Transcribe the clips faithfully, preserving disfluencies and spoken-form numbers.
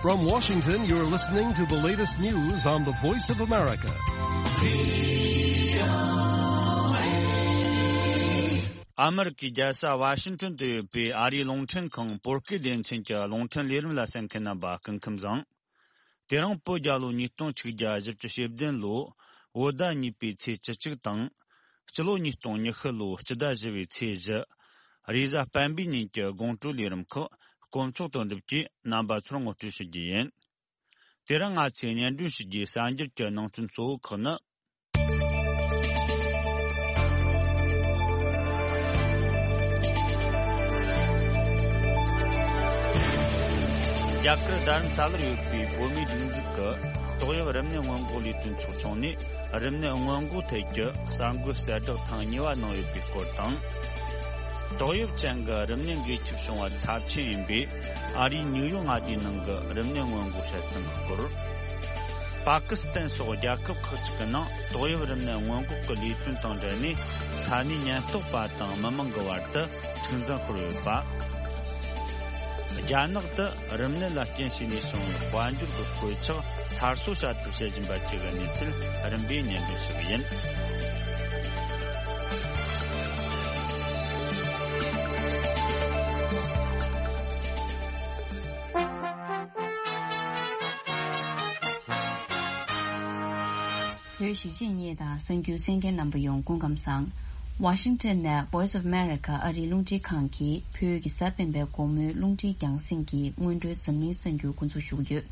From Washington, you're listening to the latest news on the Voice of America. ཨ་མི་རི་ཀའི་རྒྱལ་ས་ཝ་ཤིང་ཊོན་དུ་ཡོད་པའི་ཨ་རིའི་རླུང་འཕྲིན་ཁང་བོད་སྐད་སྡེ་ཚན་གྱི་རླུང་འཕྲིན་ལས་རིམ་ལ་གསན་མཁན་རྣམ་པ་སྐུ་ཁམས་བཟང་། དེ་རིང་བོད་རྒྱལ་ལོ་ཉིས་སྟོང་ཆིག་བརྒྱ་བཞི་བཅུ་ཞེ་བདུན་ལོ་བོད་ཟླ་གཉིས་པའི་ཚེས་བཅུ་གཅིག་དང་། སྤྱི་ལོ་ཉིས་སྟོང་ཉི་ཤུ་ལོ་སྤྱི་ཟླ་བཞི་པའི་ཚེས་བཞི། རེས་གཟའ་སྤེན་པའི་ཉིན་གྱི་དགོང་དྲོའི་ལས་རིམ་ཁག་དཀོན་མཆོག་དོན་གྲུབ་ཀྱིས་རྣམ་པ་ཚོར་ངོ་སྤྲོད་ཞུ་རྒྱུ་ཡིན། དེ་རིང་ང་ཚོས་སྙན་སྒྲོན་ཞུ་རྒྱུའི་གསར་འགྱུར་གྱི་ནང་དོན་གཙོ་བོ་ཁག་ནི། རྒྱ་གར་རྡ་རམ་ས་ལར་ཡོད་པའི་བོད་མིའི་སྒྲིག་འཛུགས་ཀྱི་ཏོག་དབྱིབས་རིམས་ནད་སྔོན་འགོག་ལས་དོན་ཚོགས་ཆུང་ནས་རིམས་ནད་སྔོན་འགོག་ཐད་ཀྱི་གསར་འགོད་གསལ་བསྒྲགས་ཐེངས་གཉིས་པ་གནང་ཡོད་པའི་སྐོར་དང་། ཏོག་དབྱིབས་ཅན་གྱི་རིམས་ནད་འགོས་ཁྱབ་བྱུང་བ་ཚབས་ཆེན་ཡིན་པའི་ཨ་རིའི་ནིའུ་ཡོག་མངའ་སྡེའི་ནང་གི་རིམས་ནད་སྔོན་འགོག་དཔྱད་གཏོང་གི་སྐོར། པ་ཀི་སི་ཐན་སོགས་རྒྱལ་ཁབ་ཁག་ཅིག་གི་ནང་ཏོག་དབྱིབས་རིམས་ནད་སྔོན་འགོག་གི་ལས་དོན་དང་འབྲེལ་ནས་ས་གནས་ཉེན་རྟོག་པ་དང་མི་མང་གི་བར་དུ་འཁྲུག་འཛིང་ཤོར་ཡོད་པ། རྒྱ་ནག་ཏུ་རིམས་ནད་ལ་རྐྱེན་བྱས་ནས་བྱུང་བའི་དཔལ་འབྱོར་གྱི་གོད་ཆག་སླར་གསོ་བྱ་ཐབས་བྱེད་བཞིན་པ་བཅས་ཀྱི་གནས་ཚུལ་རིམ་པས་སྙན་སྒྲོན་ཞུ་གི་ཡིན། བོད་གཞིས་བྱེས་གཉིས་དང་གསར་འགྱུར་གསན་མཁན་རྣམ་པ་ཡོངས་སྐུ་ཁམས་བཟང་། ཝ་ཤིང་ཊོན་ནས་Voice of America ཨ་རིའི་རླུང་འཕྲིན་ཁང་གིས་བོད་ཀྱི་གཟའ་སྤེན་པའི་དགོང་མོའི་རླུང་འཕྲིན་རྒྱང་སྲིང་གི་སྔོན་འགྲོའི་འཛམ་གླིང་གསར་འགྱུར་འགོ་འཛུགས་ཞུ་གི་ཡོད།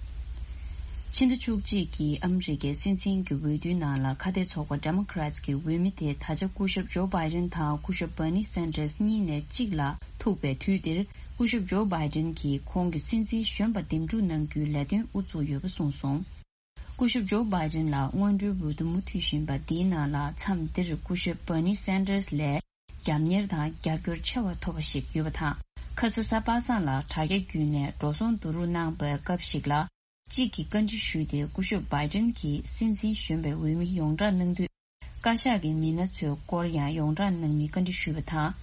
ཕྱི་ཟླ་བཅུ་གཅིག་གི་ཨ་མི་རི་ཀའི་སྲིད་འཛིན་གྱི་འོས་བསྡུའི་ནང་ལ་ཁ་གཏད་ཚོགས་པ་Democrats གི་འོས་མི་དེ་ད་ཆ་སྐུ་ཞབས་ཇོ་བྷའི་ཌེན་དང་སྐུ་ཞབས་Bernie Sanders གཉིས་ནས་གཅིག་ལ་ཐུག་པའི་དུས་འདིར། སྐུ་ཞབས་ཇོ་བྷའི་ཌེན་གྱིས་ཁོང་གི་སྲིད་འཛིན་གཞོན་པ་འདེམས་སྒྲུག་གནང་རྒྱུའི་ལས་དོན་དབུ་བཙུགས་ཡོད་པ་གསུངས་སོང་། སྐུ་ཞབས་ཇོ་བྷའི་ཌེན་ལ་སྔོན་འགྲོའི་འོས་བསྡུ་མུ་མཐུད་བཞིན་པ་འདིའི་ནང་ལ་མཚམས་འདིར་སྐུ་ཞབས་Bernie Sanders ལས་རྒྱབ་གཉེར་དང་རྒྱབ་སྐྱོར་ཆེ་བ་ཐོབ་པ་ཞིག་ཡོད་པ་དང་། ཁ་ས་གཟའ་པ་སངས་ལ་དྲ་རྒྱ་བརྒྱུད་ནས་འགྲོ་སོང་བསྡུ་རུབ་གནང་པའི་སྐབས་ཤིག་ལ། གཅིག་གིས་བཀའ་འདྲི་ཞུས་ཏེ་སྐུ་ཞབས་བྷའི་ཌེན་གྱིས་སྲིད་འཛིན་གཞོན་པའི་འོས་མི་ཡོངས་བསྒྲགས་གནང་དུས། བཀའ་ཤག་གི་མི་སྣ་ཚོའི་སྐོར་ཡང་ཡོངས་བསྒྲགས་གནང་མིན་བཀའ་འདྲི་ཞུས་པ་དང་།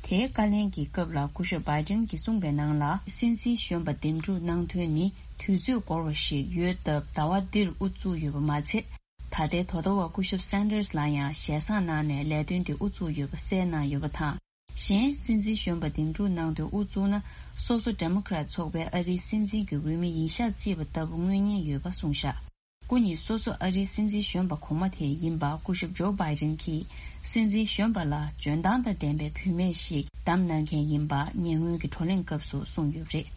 དེའི་བཀའ་ལན་གྱི་སྐབས་ལ་སྐུ་ཞབས་བྷའི་ཌེན་གྱིས་གསུངས་པའི་ནང་ལ། སྲིད་འཛིན་གཞོན་པ་འདེམས་སྒྲུག་གནང་དོན་ནི་དུས་ཚོད་འགོར་བ་ཞིག་ཡོད་སྟབས་ཟླ་བ་འདིར་དབུ་བཙུགས་ཡོད་པ་མ་ཚད། ད་ལྟའི་དོ་ཟླ་བར་སྐུ་ཞབས་Sanders ལ་ཡང་ཞལ་བཟང་གནང་ནས་ལས་དོན་དེ་དབུ་བཙུགས་ཡོད་པ་གསལ་གནང་ཡོད་པ་དང་། གཞན། སྲིད་འཛིན་གཞོན་པ་འདེམས་སྒྲུག་གནང་དོན་དབུ་བཙུགས་ན། སོ་སོ་Democrat ཚོགས་པའི་ཨ་རིའི་སྲིད་འཛིན་གྱི་འོས་མི་ཡིན་ཤག་བརྩིས་པ་ལྟ་བུ་མངོན་ཉེན་ཡོད་པ་གསུངས་ཤག་སྐུ་ཉིད་སོ་སོ་ཨ་རིའི་སྲིད་འཛིན་གཞོན་པ་གོང་མ་དེ་ཡིན་པ་སྐུ་ཞབས་ཇོ་བྷའི་ཌེན་གྱིས་སྲིད་འཛིན་གཞོན་པ་ལ་འཇོན་ཐང་དང་ལྡན་པའི་བུད་མེད་ཞིག་བདམས་གནང་མཁན་ཡིན་པ་ཉེ་སྔོན་གྱི་བགྲོ་གླེང་སྐབས་སུ་གསུངས་ཡོད་པ་རེད།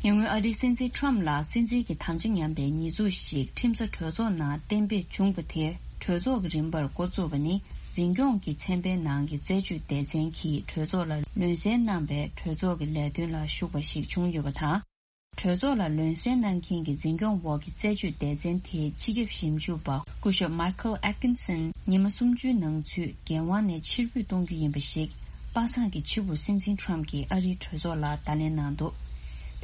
ཉེ་སྔོན་ཨ་རིའི་སྲིད་འཛིན་ཊམ་ལ་སྲིད་འཛིན་གྱི་དམ་བཅའ་ཉམས་པའི་ཉེས་འཛུགས་ཤིག་ཁྲིམས་ས་གྲོས་ཚོགས་ནང་གཏན་འབེབས་བྱུང་བ་དེ། གྲོས་ཚོགས་ཀྱི་རིམ་པར་འགོ་བཙུགས་པ་ནི། འཛིན་སྐྱོང་གི་ཚན་པའི་ནང་གི་རྩད་གཅོད་སྡེ་ཚན་གྱིས་གྲོས་ཚོགས་ལ་ལམ་སེལ་གནང་པའི་གྲོས་ཚོགས་ཀྱི་ལས་དོན་ལ་ཞུགས་པ་ཞིག་བྱུང་ཡོད་པ་དང་། གྲོས་ཚོགས་ལ་ལམ་སེལ་གནང་མཁན་གྱི་འཛིན་སྐྱོང་འོག་གི་རྩད་གཅོད་སྡེ་ཚན་དེའི་སྤྱི་ཁྱབ་ཞིབ་འཇུག་པ་སྐུ་ཞབས་Michael Atkinson ཉི་མ་སུམ་ཅུའི་ནང་ཚུད་འགན་དབང་ནས་ཕྱིར་འབུད་གཏོང་རྒྱུ་ཡིན་པ་ཞིག་པ་སངས་ཀྱི་ཕྱི་དྲོར་སྲིད་འཛིན་Trump གྱིས་ཨ་རིའི་གྲོས་ཚོགས་ལ་བརྡ་ལན་གནང་འདུག་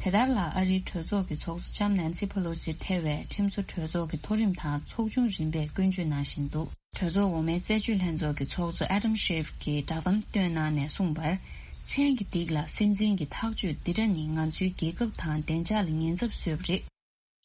དེ་ལྟར་ལ་ཨ་རིའི་གྲོས་ཚོགས་ཀྱི་ཚོགས་གཙོ་ལྕམ་Nancy Pelosi ཐེ་བའི་ཁྲིམས་བཟོ་གྲོས་ཚོགས་ཀྱི་མཐོ་རིམ་དང་ཚོགས་ཆུང་རིམ་པས་སྐྱོན་བརྗོད་གནང་བཞིན་འདུག་གྲོས་ཚོགས་འོག་མའི་རྩད་གཅོད་ལྷན་ཚོགས་ཀྱི་ཚོགས་གཙོ་Adam Schiff གྱིས་བསྒྲགས་གཏམ་བཏོན་གནང་ནས་གསུངས་པར། མཚན་གྱི་སྟེགས་ལ་སྲིད་འཛིན་གྱི་ཐག་གཅོད་འདི་འདྲ་ནི་ང་ཚོའི་རྒྱལ་ཁབ་དང་བདེ་འཇགས་ལ་ཉེན་ཚབས་བཟོས་པ་རེད།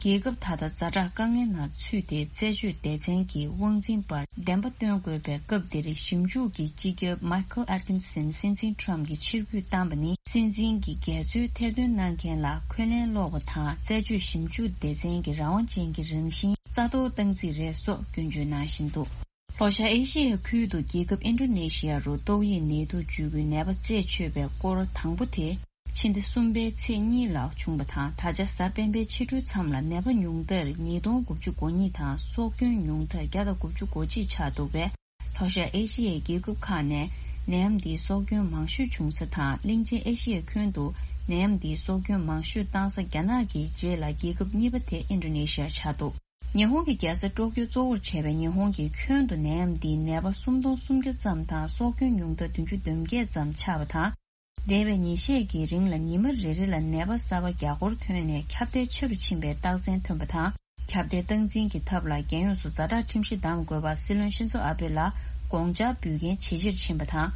རྒྱལ་ཁབ་ད་ལྟ་ཛ་དྲག་དཀའ་ངལ་ནང་ཚུད་དེ་རྩད་གཅོད་སྡེ་ཚན་གྱི་དབང་འཛིན་པར་བདེན་པ་སྟོན་དགོས་པའི་སྐབས་འདིར་ཞིབ་འཇུག་གི་སྤྱི་ཁྱབ་Michael Atkinson སྲིད་འཛིན་Trump གྱི་ཕྱིར་འབུད་བཏང་པ་ནི་སྲིད་འཛིན་གྱི་འགལ་འཛོལ་ཐེར་འདོན་གནང་མཁན་ལ་འཁོན་ལན་སློག་པ་དང་རྩད་གཅོད་ཞིབ་འཇུག་སྡེ་ཚན་གྱི་རང་དབང་ཅན་གྱི་རང་བཞིན་རྩ་གཏོར་བཏང་རྩིས་རེད་སོགས་སྐྱོན་བརྗོད་གནང་བཞིན་འདུག་ལྷོ་ཤར་ཨེ་ཤི་ཡའི་ཁུལ་དུ་རྒྱལ་ཁབ་ཨིན་ཌོ་ནེ་ཤི་ཡ་རུ་ཏོག་དབྱིབས་ནད་དུག་འཇུག་པའི་ནད་པ་རྩད་ཆོད་པའི་སྐོར་དང་པོ་དེ་ཕྱི་ཟླ་གསུམ་པའི་ཚེས་གཉིས་ལ་བྱུང་བ་དང་། ད་ཆ་གཟའ་སྤེན་པའི་ཕྱི་དྲོའི་མཚམས་ལ་ནད་པ་ཉུང་མཐར་ཉིས་སྟོང་དགུ་བཅུ་གོ་གཉིས་དང་སྲོག་སྐྱོན་ཉུང་མཐར་བརྒྱ་དང་དགུ་བཅུ་གོ་གཅིག་ཆགས་འདུག་པས། ལྷོ་ཤར་ཨེ་ཤི་ཡའི་རྒྱལ་ཁབ་ཁག་ནས་ནད་ཡམས་འདིའི་སྲོག་སྐྱོན་མང་ཤོས་བྱུང་ས་དང་། གླིང་ཆེན་ཨེ་ཤི་ཡའི་ཁྱོན་དུ་ནད་ཡམས་འདིའི་སྲོག་སྐྱོན་མང་ཤོས་བཏང་ས་རྒྱ་ནག་གི་རྗེས་ལ་རྒྱལ་ཁབ་གཉིས་པ་དེ་ཨིན་ཌོ་ནེ་ཤི་ཡ་ཆགས་འདུག་ཉི་ཧོང་གི་རྒྱལ་ས་ཀྲོ་ཀྱོ་གཙོ་བོར་བྱས་པའི་ཉི་ཧོང་གི་ཁྱོན་དུ་ནད་ཡམས་འདིའི་ནད་པ་སུམ་སྟོང་སུམ་བརྒྱ་ཙམ་དང་སྲོག་སྐྱོན་ཉུང་མཐར་བདུན་ཅུ་དོན་བརྒྱད་ཙམ་ཆགས་པ་དང་། འདས་པའི་ཉིན་ཤས་ཀྱི་རིང་ལ་ཉི་མ་རེ་རེ་ལ་ནད་པ་གསར་པ་བརྒྱ་སྐོར་ཐོན་ནས་ཁྱབ་གདལ་ཆེ་རུ་ཕྱིན་པའི་རྟགས་མཚན་ཐོན་པ་དང་། ཁྱབ་གདལ་སྟངས་འཛིན་གྱི་ཐབས་ལ་རྒྱལ་ཡོངས་སུ་ཛ་དྲག་ཁྲིམས་གཞི་བསྡམ་དགོས་པ་སྲིད་བློན་ཤིན་ཛོ་ཨ་བྷེ་ལ་དགོངས་འཆར་འབུལ་མཁན་ཇེ་ཆེར་ཕྱིན་པ་དང་།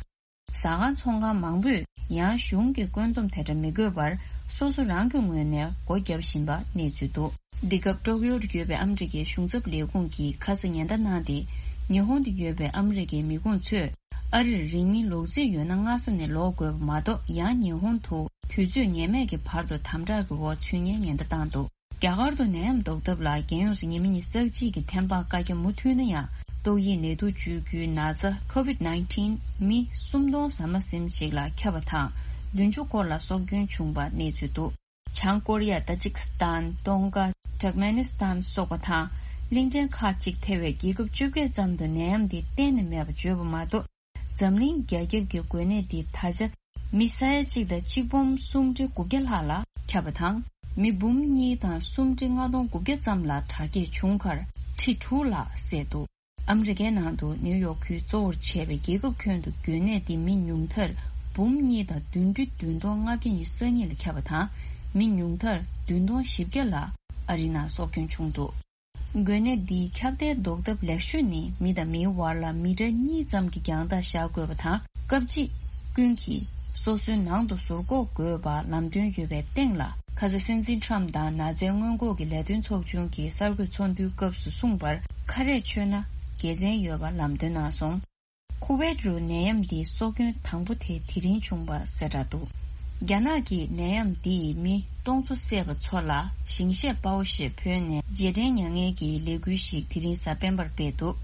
ཟ་ཁང་ཚོང་ཁང་མང་པོས་ཡང་གཞུང་གི་བཀོད་འདོམས་དེ་འདྲ་མི་དགོས་པར་ སོ་སོ་རང་གི་ངོས་ནས་སྒོ་བརྒྱབ་བཞིན་པ་གནས་ཚུལ་འདུག་འདི་སྐབས་ཀྲོ་ཀིའོ་དུ་ཡོད་པའི་ཨ་མི་རི་ཀའི་གཞུང་ཚབ་ལས་ཁུངས་ཀྱིས་ཁ་ས་ཉེན་བརྡ་གནང་སྟེ། ཉི་ཧོང་དུ་ཡོད་པའི་ཨ་མི་རི་ཀའི་མི་ཁུངས་ཚོས་ཨ་རིར་རིང་མིན་ལོག་རྩིས་ཡོད་ན་སྔ་ས་ནས་ལོག་དགོས་པ་མ་གཏོགས། ཡང་ཉི་ཧོང་དུ་དུས་ཚོད་ངེས་མེད་ཀྱི་བར་དུ་དམ་དྲག་གི་འོག་ཚུད་ཉེན་ཉེན་བརྡ་བཏང་འདུག་རྒྱ་གར་དུ་ནད་ཡམས་ཟློག་ཐབས་ལ་རྒྱལ་ཡོངས་སུ་ཉི་མ་ཉི་ཤུ་རྩ་གཅིག་གི་ཐེམ་སྤང་བཀའ་རྒྱ་མུ་མཐུད་ན་ཡང་། ཏོག་དབྱིབས་ནད་དུག་བཅོས་རྒྱུའི་ན་ཚ་ཁོ་བིད་ནའིན་ཊིན་མི་སུམ་སྟོང་ཟ་མ་ཟིན་ཞིག་ལ་ཁྱབ་པ་དང་། བདུན་ཅུ་སྐོར་ལ་སྲོག་སྐྱོན་བྱུང་བ་གནས་ཚུལ་འདུག་བྱང་ཀོ་རི་ཡ། ཏ་ཇིག་སི་ཐན། ཏོང་ག། ཏུར་ཀ་མེ་ནི་སི་ཐན་སོགས་པ་དང་། གླིང་ཕྲན་ཁག་ཅིག་ཐེ་བའི་རྒྱལ་ཁབ་བཅོ་བརྒྱད་ཙམ་དུ་ནད་ཡམས་འདི་གཏན་ནས་མེད་པ་བརྗོད་པ་མ་གཏོགས། འཛམ་གླིང་རྒྱ་ཁྱབ་ཀྱི་འགོས་ནད་འདི་ད་ཆ་མི་ས་ཡ་གཅིག་དང་གཅིག་འབུམ་སུམ་ཁྲི་དགུ་བརྒྱ་ལྷག་ལ་ཁྱབ་པ་དང་། མི་འབུམ་གཉིས་དང་སུམ་ཁྲི་ལྔ་སྟོང་དགུ་བརྒྱ་ཙམ་ལ་དྲག་སྐྱེད་བྱུང་ཁར་ཁྲི་དྲུག་ལྷག་བསད་འདུག་ཨ་མི་རི་ཀའི་ནང་དུ་ནིའུ་ཡོག་ཁུལ་གཙོ་བོར་བྱས་པའི་རྒྱལ་ཁབ་ཁྱོན་དུ་འགོས་ནད་འདི་མི་ཉུང་མཐར་འབུམ་གཉིས་དང་བདུན་ཁྲི་བདུན་སྟོང་ལྔ་བརྒྱ་ཉི་ཤུ་རྩ་གཉིས་ལ་ཁྱབ་པ་དང་། མི་ཉུང་མཐར་བདུན་སྟོང་བཞི་བརྒྱ་ལ་ཨ་རིའི་ནང་སྲོག་སྐྱོན་བྱུང་འདུག་འགོས་ནད་འདིའི་ཁྱབ་གདལ་ཟློག་ཐབས་ལེགས་ཤོས་ནི་མི་དང་མིའི་བར་ལ་མི་ཊར་གཉིས་ཙམ་གྱི་རྒྱང་ཐག་བཞག་དགོས་པ་དང་། སྐབས་གཅིག་ཀུན་གྱིས་སོ་སོའི་ནང་དུ་ཟུར་འགོག་དགོས་པ་ལམ་སྟོན་ཡོད་པའི་སྟེང་ལ། ཁ་ས་སྲིད་འཛིན་ཁྲམ་དང་ན་ཚའི་སྔོན་འགོག་གི་ལས་དོན་ཚོགས་ཆུང་གི་གསར་འགོད་ཚོགས་འདུའི་སྐབས་སུ་གསུངས་པར། ཁ་རས་མཆོད་ན་དགེ་མཚན་ཡོད་པ་ལམ་སྟོན་གནང་སོང་། ཁུ་ཝེད་རུ་ནད་ཡམས་འདིའི་སྲོག་སྐྱོན་དང་པོ་དེ་དེ་རིང་བྱུང་བ་གསལ་བསྒྲགས་འདུག་རྒྱ་ནག་གིས་ནད་ཡམས་འདིས་མི་སྟོང་ཚོ་བསད་པ་ཚོ་ལ་ཞིང་གཤེགས་དཔའ་བོ་ཞེས་བོས་ནས་རྗེས་དྲན་མྱ་ངན་གྱི་ལས་འགུལ་ཞིག་དེ་རིང་གཟའ་སྤེན་པར་སྤེལ་འདུག་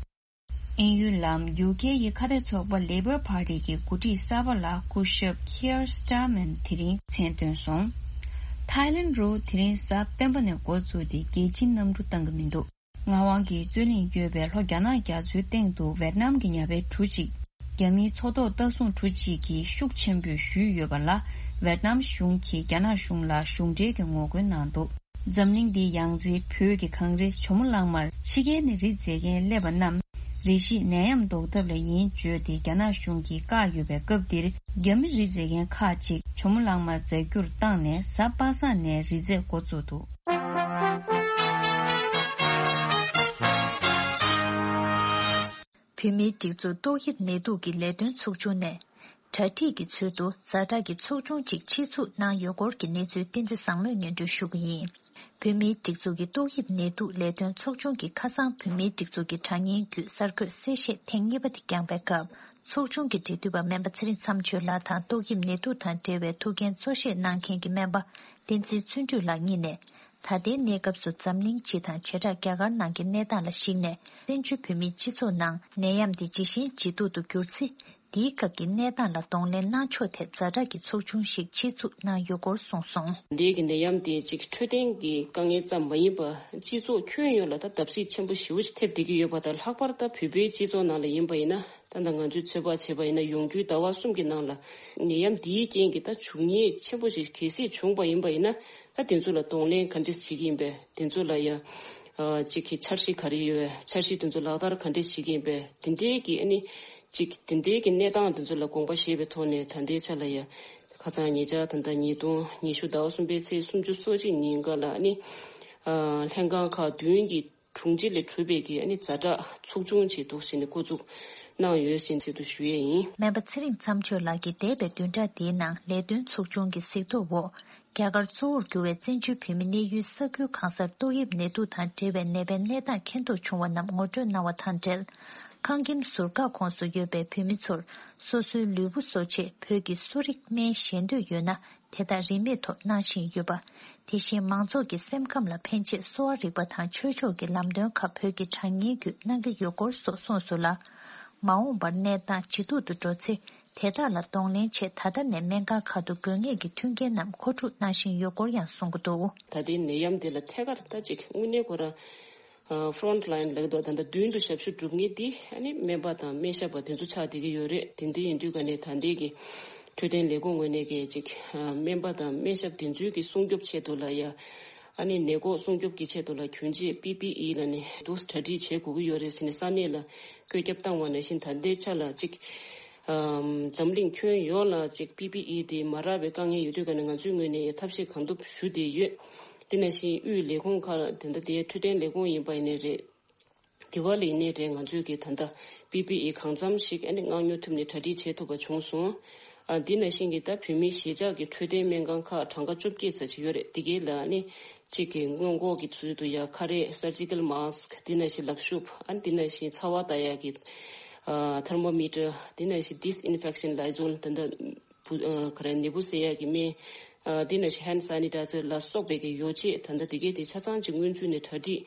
དབྱིན་ཡུལ་ལམ་ཡུ་ཁེ་ཡི་ཁ་གཏད་ཚོགས་པ་Labour Party གི་འགོ་ཁྲིད་གསར་པ་ལ་སྐུ་ཞབས་Keir Starmer དེ་རིང་མཚན་བཏོན་སོང་། ཐའི་ལེན་རུ་དེ་རིང་གཟའ་སྤེན་པ་ནས་འགོ་བཙུགས་ཏེ་རྒྱལ་སྤྱིའི་གནམ་གྲུ་གཏང་གི་མི་འདུག་ངག་དབང་གིས་རྩོད་གླེང་ཡོད་པའི་ལྷོ་རྒྱ་ནག་རྒྱ་མཚོའི་སྟེང་དུ་ཝེད་ནམ་གྱི་ཉ་དབའི་གྲུ་གཅིག་རྒྱ་མིའི་མཚོ་ཐོག་ལྟ་སྲུང་གྲུ་གཅིག་གིས་ཤུགས་ཆེན་པོས་གཞུས་ཡོད་པ་ལ། ཝེད་ནམ་གཞུང་གིས་རྒྱ་ནག་གཞུང་ལ་གཞུང་འབྲེལ་གྱི་ངོ་རྒོལ་གནང་འདུག་འཛམ་གླིང་འདིའི་ཡང་རྩེའི་བོད་ཀྱི་གངས་རི་ཇོ་མོ་གླང་མར་ཕྱི་རྒྱལ་ནས་རི་འཛེག་མཁན་སླེབས་པ་རྣམས་རེ་ཞིག་ནད་ཡམས་ཟློག་ཐབས་ལ་ཡིན་བརྗོད་དེ། རྒྱ་ནག་གཞུང་གིས་བཀག་ཡོད་པའི་སྐབས་འདིར། རྒྱ་མི་རི་འཛེག་མཁན་ཁག་ཅིག་ཇོ་མོ་གླང་མར་འཛེག་རྒྱུར་བཏང་ནས། གཟའ་པ་སངས་ནས་རི་འཛེག་འགོ་བཙུགས་འདུག་བོད་མིའི་སྒྲིག་འཛུགས་ཏོག་དབྱིབས་ནད་དུག་གི་ལས་དོན་ཚོགས་ཆུང་ནས། གྲ་སྒྲིག་གི་ཚུལ་དུ་ཛ་དྲག་གི་ཚོགས་ཆུང་གཅིག་ཆེད་འཛུགས་གནང་ཡོད་སྐོར་གྱི་གནས་ཚུལ་བསྟན་འཛིན་བཟང་མོས་སྙན་སྒྲོན་ཞུ་གི་ཡིན། བོད་མིའི་སྒྲིག་འཛུགས་ཀྱི་ཏོག་དབྱིབས་ནད་དུག་ལས་དོན་ཚོགས་ཆུང་གི་ཁ་སང་བོད་མིའི་སྒྲིག་འཛུགས་ཀྱི་དྲ་བརྙན་བརྒྱུད་གསར་འགོད་གསལ་བཤད་ཐེངས་གཉིས་པ་དེ་བསྐྱངས་པའི་སྐབས། ཚོགས་ཆུང་གི་འབྲེལ་མཐུད་པ་སྨན་པ་ཚེ་རིང་མཚམས་གཅོད་ལགས་དང་། ཏོག་དབྱིབས་ནད་དུག་དང་འབྲེལ་བའི་ཐུགས་འགན་གཙོ་བཞེས་གནང་མཁན་གྱི་སྨན་པ་བསྟན་འཛིན་བརྩོན་འགྲུས་ལགས་གཉིས་ནས། ད་ལྟའི་གནས་སྐབས་སུ་འཛམ་གླིང་སྤྱི་དང་བྱེ་བྲག་རྒྱ་གར་ནང་གི་གནས་སྟངས་ལ་གཞིགས་ནས། བཙན་བྱོལ་བོད་མིའི་སྤྱི་ཚོགས་ནང་ནད་ཡམས་འདི་ཇེ་ཞན་ཇེ་སྡུག་ཏུ་གྱུར་ཚེ། དེའི་སྐབས་ཀྱི་གནས་སྟངས་ལ་གདོང་ལེན་གནང་ཕྱོགས་ཐད་ཛ་དྲག་གི་ཚོགས་ཆུང་ཞིག་ཆེད་འཛུགས་གནང་ཡོད་སྐོར་གསུངས་སོང་། འདས་ཀྱི་ནད་ཡམས་དེ་གཅིག་འཕྲོད་བསྟེན་གྱི་དཀའ་ངལ་ཙམ་མ་ཡིན་པར། སྤྱི་ཚོགས་ཁྱོན་ཡོངས་ལ་ད་བརྡབ་གསིག་ཆེན་པོ་ཞེ་པོ་ཅིག་ཐེབས་བསྡད་ཀྱི་ཡོད་པ་དང་། ལྷག་པར་ད་བོད་པའི་སྤྱི་ཚོགས་ནང་ལ་ཡིན་པ་ཡིན་ན། ད་ལྟ་ང་ཚོས་ཚོད་དཔག་བྱས་པ་ཡིན་ན། ཡོང་རྒྱུའི་ཟླ་བ་གསུམ་གྱི་ནང་ལ་ནད་ཡམས་འདིའི་རྐྱེན་གྱིས་ད་བྱུས་ཉེས་ཆེན་པོ་ཞིག་གལ་སྲིད་བྱུང་བ་ཡིན་པ་ཡིན་ན། ད་དེ་ཚོ་ལ་གདོང་ལེན་ག་འདྲས་བྱེད་ཀྱི་ཡིན་པས། དེ་ཚོ་ལ་ཡ། ཨ། གཅིག་གི་འཆར་གཞི་ག་རེ་ཡོད། འཆར་གཞི་དེ་ཚོ་ལག་བསྟར་ག་འདྲས་བྱེད་ཀྱི་ཡིན་པས། དེ་འདྲའི་གི་ཨ་ནི། གཅིག་དེ་འདྲའི་གི་གནས་སྟངས་དེ་ཚོ་ལ་དགོངས་པ་བཞེས་པའི་ཐོག་ནས། ད་ལྟའི་ཆ་ལ་ཡ། ཁ་སང་ཉེ་ཆར་ད་ལྟ་ཉིས་སྟོང་ཉི་ཤུ་ཟླ་བ་གསུམ་པའི་ཚེས་སུམ་ཅུ་སོ་གཅིག་ཉིན་ཀ་ལ་ཨ་ནི། ཨ། ལྷན་ཁང་ཁག་བདུན་གྱི་དྲུང་ཆེ་ལས་གྲུབ་པའི་གི་ཨ་ནི་ཛ་དྲག་ཚོགས་ཆུང་ཅིག་འདུག་ཟེར་ནས་འགོ་འཛུགས་གནང་ཡོད་ཟེར་ཚུལ་དུ་ཞུ་ཡས་ཡིན། སྨན་པ་ཚེ་རིང་མཚམས་གཅོད་ལགས་ཀྱིས་འདས་པའི་བདུན་ཕྲག་འདིའི་ནང་ལས་དོན་ཚོགས་ཆུང་གི་གཟིགས་རྟོག་འོག་རྒྱ་གར་གཙོ་བོར་གྱུར་བའི་བཙན་བྱོལ་བོད་མི་གནས་ཡུལ་ས་ཁུལ་གང་སར་ཏོག་དབྱིབས་ནད་དུག་དང་འབྲེལ་བའི་ནད་པའི་གནས་སྟངས་མཁྱེན་རྟོགས་བྱུང་བ་རྣམས་ངོ་སྤྲོད་གནང་བ་དང་འབྲེལ། ཁང་ཁྱིམ་ཟུར་བཀག་ཁོངས་སུ་ཡོད་པའི་བོད་མི་ཚོར་སོ་སོའི་ལུས་པོ་གསོ་ཆེད་བོད་ཀྱི་གསོ་རིག་སྨན་བཞེས་འདོད་ཡོད་ན། དེ་དག་རིན་མེད་ཐོག་གནང་བཞིན་ཡོད་པ། དེ་བཞིན་མང་ཚོགས་ཀྱི་སེམས་ཁམས་ལ་ཕན་ཆེད་གསོ་བ་རིག་པ་དང་ཆོས་ཕྱོགས་ཀྱི་ལམ་སྟོན་ཁག་བོད་ཀྱི་དྲ་བརྙན་བརྒྱུད་གནང་གི་ཡོད་སྐོར་སོགས་གསུངས་སོང་ལ། མ་འོངས་པར་གནས་སྟངས་ཇེ་སྡུག་ཏུ་འགྲོ་ཚེ། དེ་དག་ལ་གདོང་ལེན་ཆེད་ད་ལྟ་ནས་སྨན་ཁང་ཁག་ཏུ་དགོས་ངེས་ཀྱི་མཐུན་རྐྱེན་རྣམས་མཁོ་སྒྲུབ་གནང་བཞིན་ཡོད་སྐོར་ཡང་གསུང་གི་འདུག། ད་ལྟའི་ནད་ཡམས་འདི་ལ་ཐད་ཀར་ད་ཅིག་དངོས་གནས་ཁོ་རང་། ཨ། ཕོ་རོན་ཊི་ལའིན་ལབ་ཀྱི་འདུག། ད་ལྟ་མདུན་དུ་ཞབས་ཞུ་སྒྲུབ་མཁན་འདི་ཨ་ནི་སྨན་པ་དང་སྨན་ཞབས་པ་དེ་ཚོ་ཆགས་བསྡད་ཀྱི་ཡོད་རེད། དེ་འདྲ་ཡིན་དུས་ཀ་ནས་ད་ལྟའི་གི་འཕྲོད་བསྟེན་ལས་ཁུངས་ངོས་ནས་གི་ཅིག། ཨ། སྨན་པ་དང་སྨན་ཞབས་དེ་ཚོའི་གི་སྲུང་སྐྱོབ་ཆེད་དུ་ལ་ཡ། ཨ་ནི་ནད་འགོག་སྲུང་སྐྱོབ་ཀྱི་ཆེད་དུ་ལ་གྱོན་ཆས་པི་པི་ཨི་ལ་ནི་འདུག་གྲ་སྒྲིག་བྱེད་དགོས་ཀྱི་ཡོད་རེད་ཟེར་ནས་ས་གནས་ལ་བཀོད་ཁྱབ་བཏང་བ་ནང་བཞིན། ད་ལྟའི་ཆ་ལ་ཅིག། ཨམ། འཛམ་གླིང་ཁྱོན་ཡོངས་ལ་ཅིག་པི་པི་ཨི་དེ་མ་རག་པའི་དཀའ་ངལ་ཡོད་དུས་ཀ་ནས་ང་ཚོའི་ངོས་ནས་ཡང་ཐབས་ཤེས་གང་ཐུབ་ཞུ་བསྡད་ཡོད། དེ་ནང་བཞིན་དབུས་ལས་ཁུངས་ཁག་ལ། དེ་འདྲ་དེ་འཕྲོད་བསྟེན་ལས་ཁུངས་ཡིན་པ་ཡིན་ནའི་རེད། དེ་བ་ལ་ཡིན་ནའི་རེད། ང་ཚོས་ཀྱི་ད་ལྟ་པི་པི་ཨི་གང་འཚམ་ཞིག་ཨ་ནི་མངགས་ཉོ་ཐུབ་ནས་གྲ་སྒྲིག་བྱེད་ཐུབ་པ་བྱུང་སོང་། ཨ་འདི་ནང་བཞིན་གྱི་ད་བོད་མིའི་གཞིས་ཆགས་ཀྱི་འཕྲོད་བསྟེན་སྨན་ཁང་ཁག་གྲངས་ཀ་བཅོ་བརྒྱད་ཙམ་ཅིག་ཡོད་རེད། འདི་གའི་ལ་ནི་གཅིག་གི་སྔོན་འགོག་གི་ཚུལ་དུ་ཡ་ཁ་རས། surgical mask། འདི་ནང་བཞིན་ལག་ཤུབས། ཨ་འདི་ནང་བཞིན་ཚ་བ་ལྟ་ཡག་གི་ཨ་thermometer། འདི་ནང་བཞིན་disinfection Lysol། ད་ལྟ་བུ་ཨ་ག་རེ་ནད་འབུ་བསལ་ཡག་གི་སྨན། ཨ་འདི་ནང་བཞིན་hand sanitizer ལ་སོགས་པའི་གི་ཡོ་བྱད། ད་ལྟ་འདི་གའི་དེ་ཆ་ཚང་ཅིག་སྔོན་ཚུད་ནས་གྲ་སྒྲིག་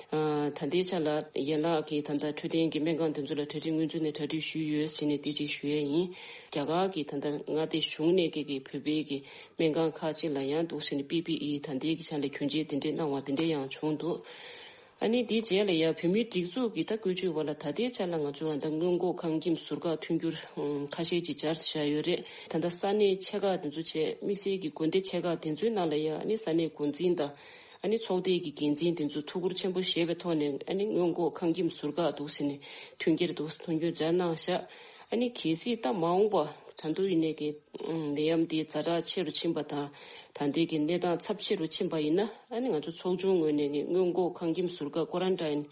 ཨ་ད་ལྟའི་ཆ་ལ་ཡན་ལག་གི་ད་ལྟ་འཕྲོད་བསྟེན་གྱི་སྨན་ཁང་དེ་ཚོ་ལ་གྲ་སྒྲིག་སྔོན་ཚུད་ནས་གྲ་སྒྲིག་ཞུས་ཡོད་ཟེར་ནས་དེ་ཅིག་ཞུ་ཡས་ཡིན། རྒྱ་གར་གྱི་ད་ལྟ་མངའ་སྡེ་གཞུང་ནས་ཀྱི་གི་བོད་པའི་གི་སྨན་ཁང་ཁག་ཅིག་ལ་ཡང་འདུག་ཟེར་ནས་པི་པི་ཨི་ད་ལྟའི་གི་ཆ་ལ་གྱོན་ཆས་དེ་འདྲས་གནང་བ་དེ་འདྲས་ཡང་བྱུང་འདུག་ཨ་ནི་དེའི་རྗེས་ལ་ཡང་བོད་མིའི་སྒྲིག་འཛུགས་ཀྱི་ད་བཀོད་ཇུས་འོག་ལ་ད་ལྟའི་ཆ་ལ་ང་ཚོ་ད་ལྟ་སྔོན་འགོག་ཁང་ཁྱིམ་ཟུར་བཀག་མཐུན་འགྱུར་ཁ་ཤས་ཅིག་སྦྱར་བཞག་ཡོད་རེད། ད་ལྟ་ས་གནས་ཆེ་ཁག་དེ་ཚོ་བྱས། དམིགས་བསལ་གྱི་དགོན་སྡེ་ཆེ་ཁག་དེ་ཚོའི་ནང་ལ་ཡང་ཨ་ནི་ས་གནས་འགོ་འཛིན་དང་ཨ་ནི་ཚོགས་སྡེ་གི་འགན་འཛིན་དེ་ཚོ་ཐུགས་ཁུར་ཆེན་པོ་བཞེས་པའི་ཐོག་ནས་ཨ་ནི་སྔོན་འགོག་ཁང་ཁྱིམ་ཟུར་བཀག་འདུག་ཟེར་ནས་མཐུན་རྐྱེན་འདུག་མཐུན་འགྱུར་སྦྱར་གནང་བཞག་ཨ་ནི་གལ་སྲིད་ད་མ་འོངས་པ་ད་དུང་ཡིན་ནའི་གི་ནད་ཡམས་འདི་ཛ་དྲག་ཆེ་རུ་ཕྱིན་པ་དང་། ད་ལྟའི་གི་གནས་སྟངས་ཚབས་ཆེ་རུ་ཕྱིན་པ་ཡིན་ན། ཨ་ནི་ང་ཚོ་ཚོགས་ཆུང་ངོས་ནས་ནི་སྔོན་འགོག་ཁང་ཁྱིམ་ཟུར་བཀག་quarantine,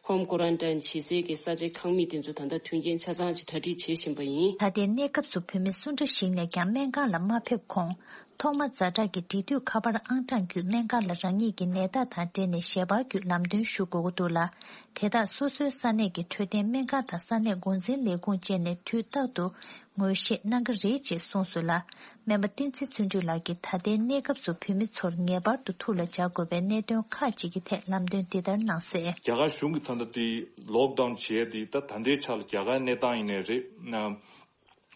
home quarantine བྱེད་སའི་གི་ས་ཆའི་ཁང་མིག་དེ་ཚོ་ད་ལྟ་མཐུན་རྐྱེན་ཆ་ཚང་ཅིག་གྲ་སྒྲིག་བྱེད་བཞིན་པ་ཡིན། ད་ལྟའི་གནས་སྐབས་སུ་བོད་མི་སུ་འདྲ་ཞིག་ནས་ཀྱང་སྨན་ཁང་ལ་མ་ཕེབས་གོང་། ཐོག་མ་ཛ་དྲག་གི་འབྲེལ་མཐུད་ཁ་པར་ཨང་གྲངས་བརྒྱུད་སྨན་ཁང་ལ་རང་ཉིད་ཀྱི་ནད་རྟགས་དང་འབྲེལ་ནས་ཞལ་པར་བརྒྱུད་ལམ་སྟོན་ཞུ་དགོས་ཀྱི་འདུག་ལ། དེ་དག་སོ་སོའི་ས་གནས་ཀྱི་འཕྲོད་བསྟེན་སྨན་ཁང་དང་ས་གནས་འགོ་འཛིན་ལས་ཁུངས་བཅས་ནས་དུས་རྟག་ཏུ་ངོས་བཞེས་གནང་གི་རེད་ཅེས་གསུངས་སོང་ལ། སྨན་པ་བསྟན་འཛིན་བརྩོན་འགྲུས་ལགས་ཀྱིས་ད་ལྟའི་གནས་སྐབས་སུ་བོད་མི་ཚོར་ངེས་པར་དུ་ཐུགས་ལ་འཇགས་དགོས་པའི་གནད་དོན་ཁག་ཅིག་གི་ཐད་ལམ་སྟོན་འདི་ལྟར་གནང་གསལ། རྒྱ་གར་གཞུང་གིས་ད་ལྟ་དེ་ལོག་ཌའོན་བྱས་ཏེ། ད་ད་ལྟའི་ཆ་ལ་རྒྱ་གར་གནས་སྟངས་ཡིན་ནའི་རེད།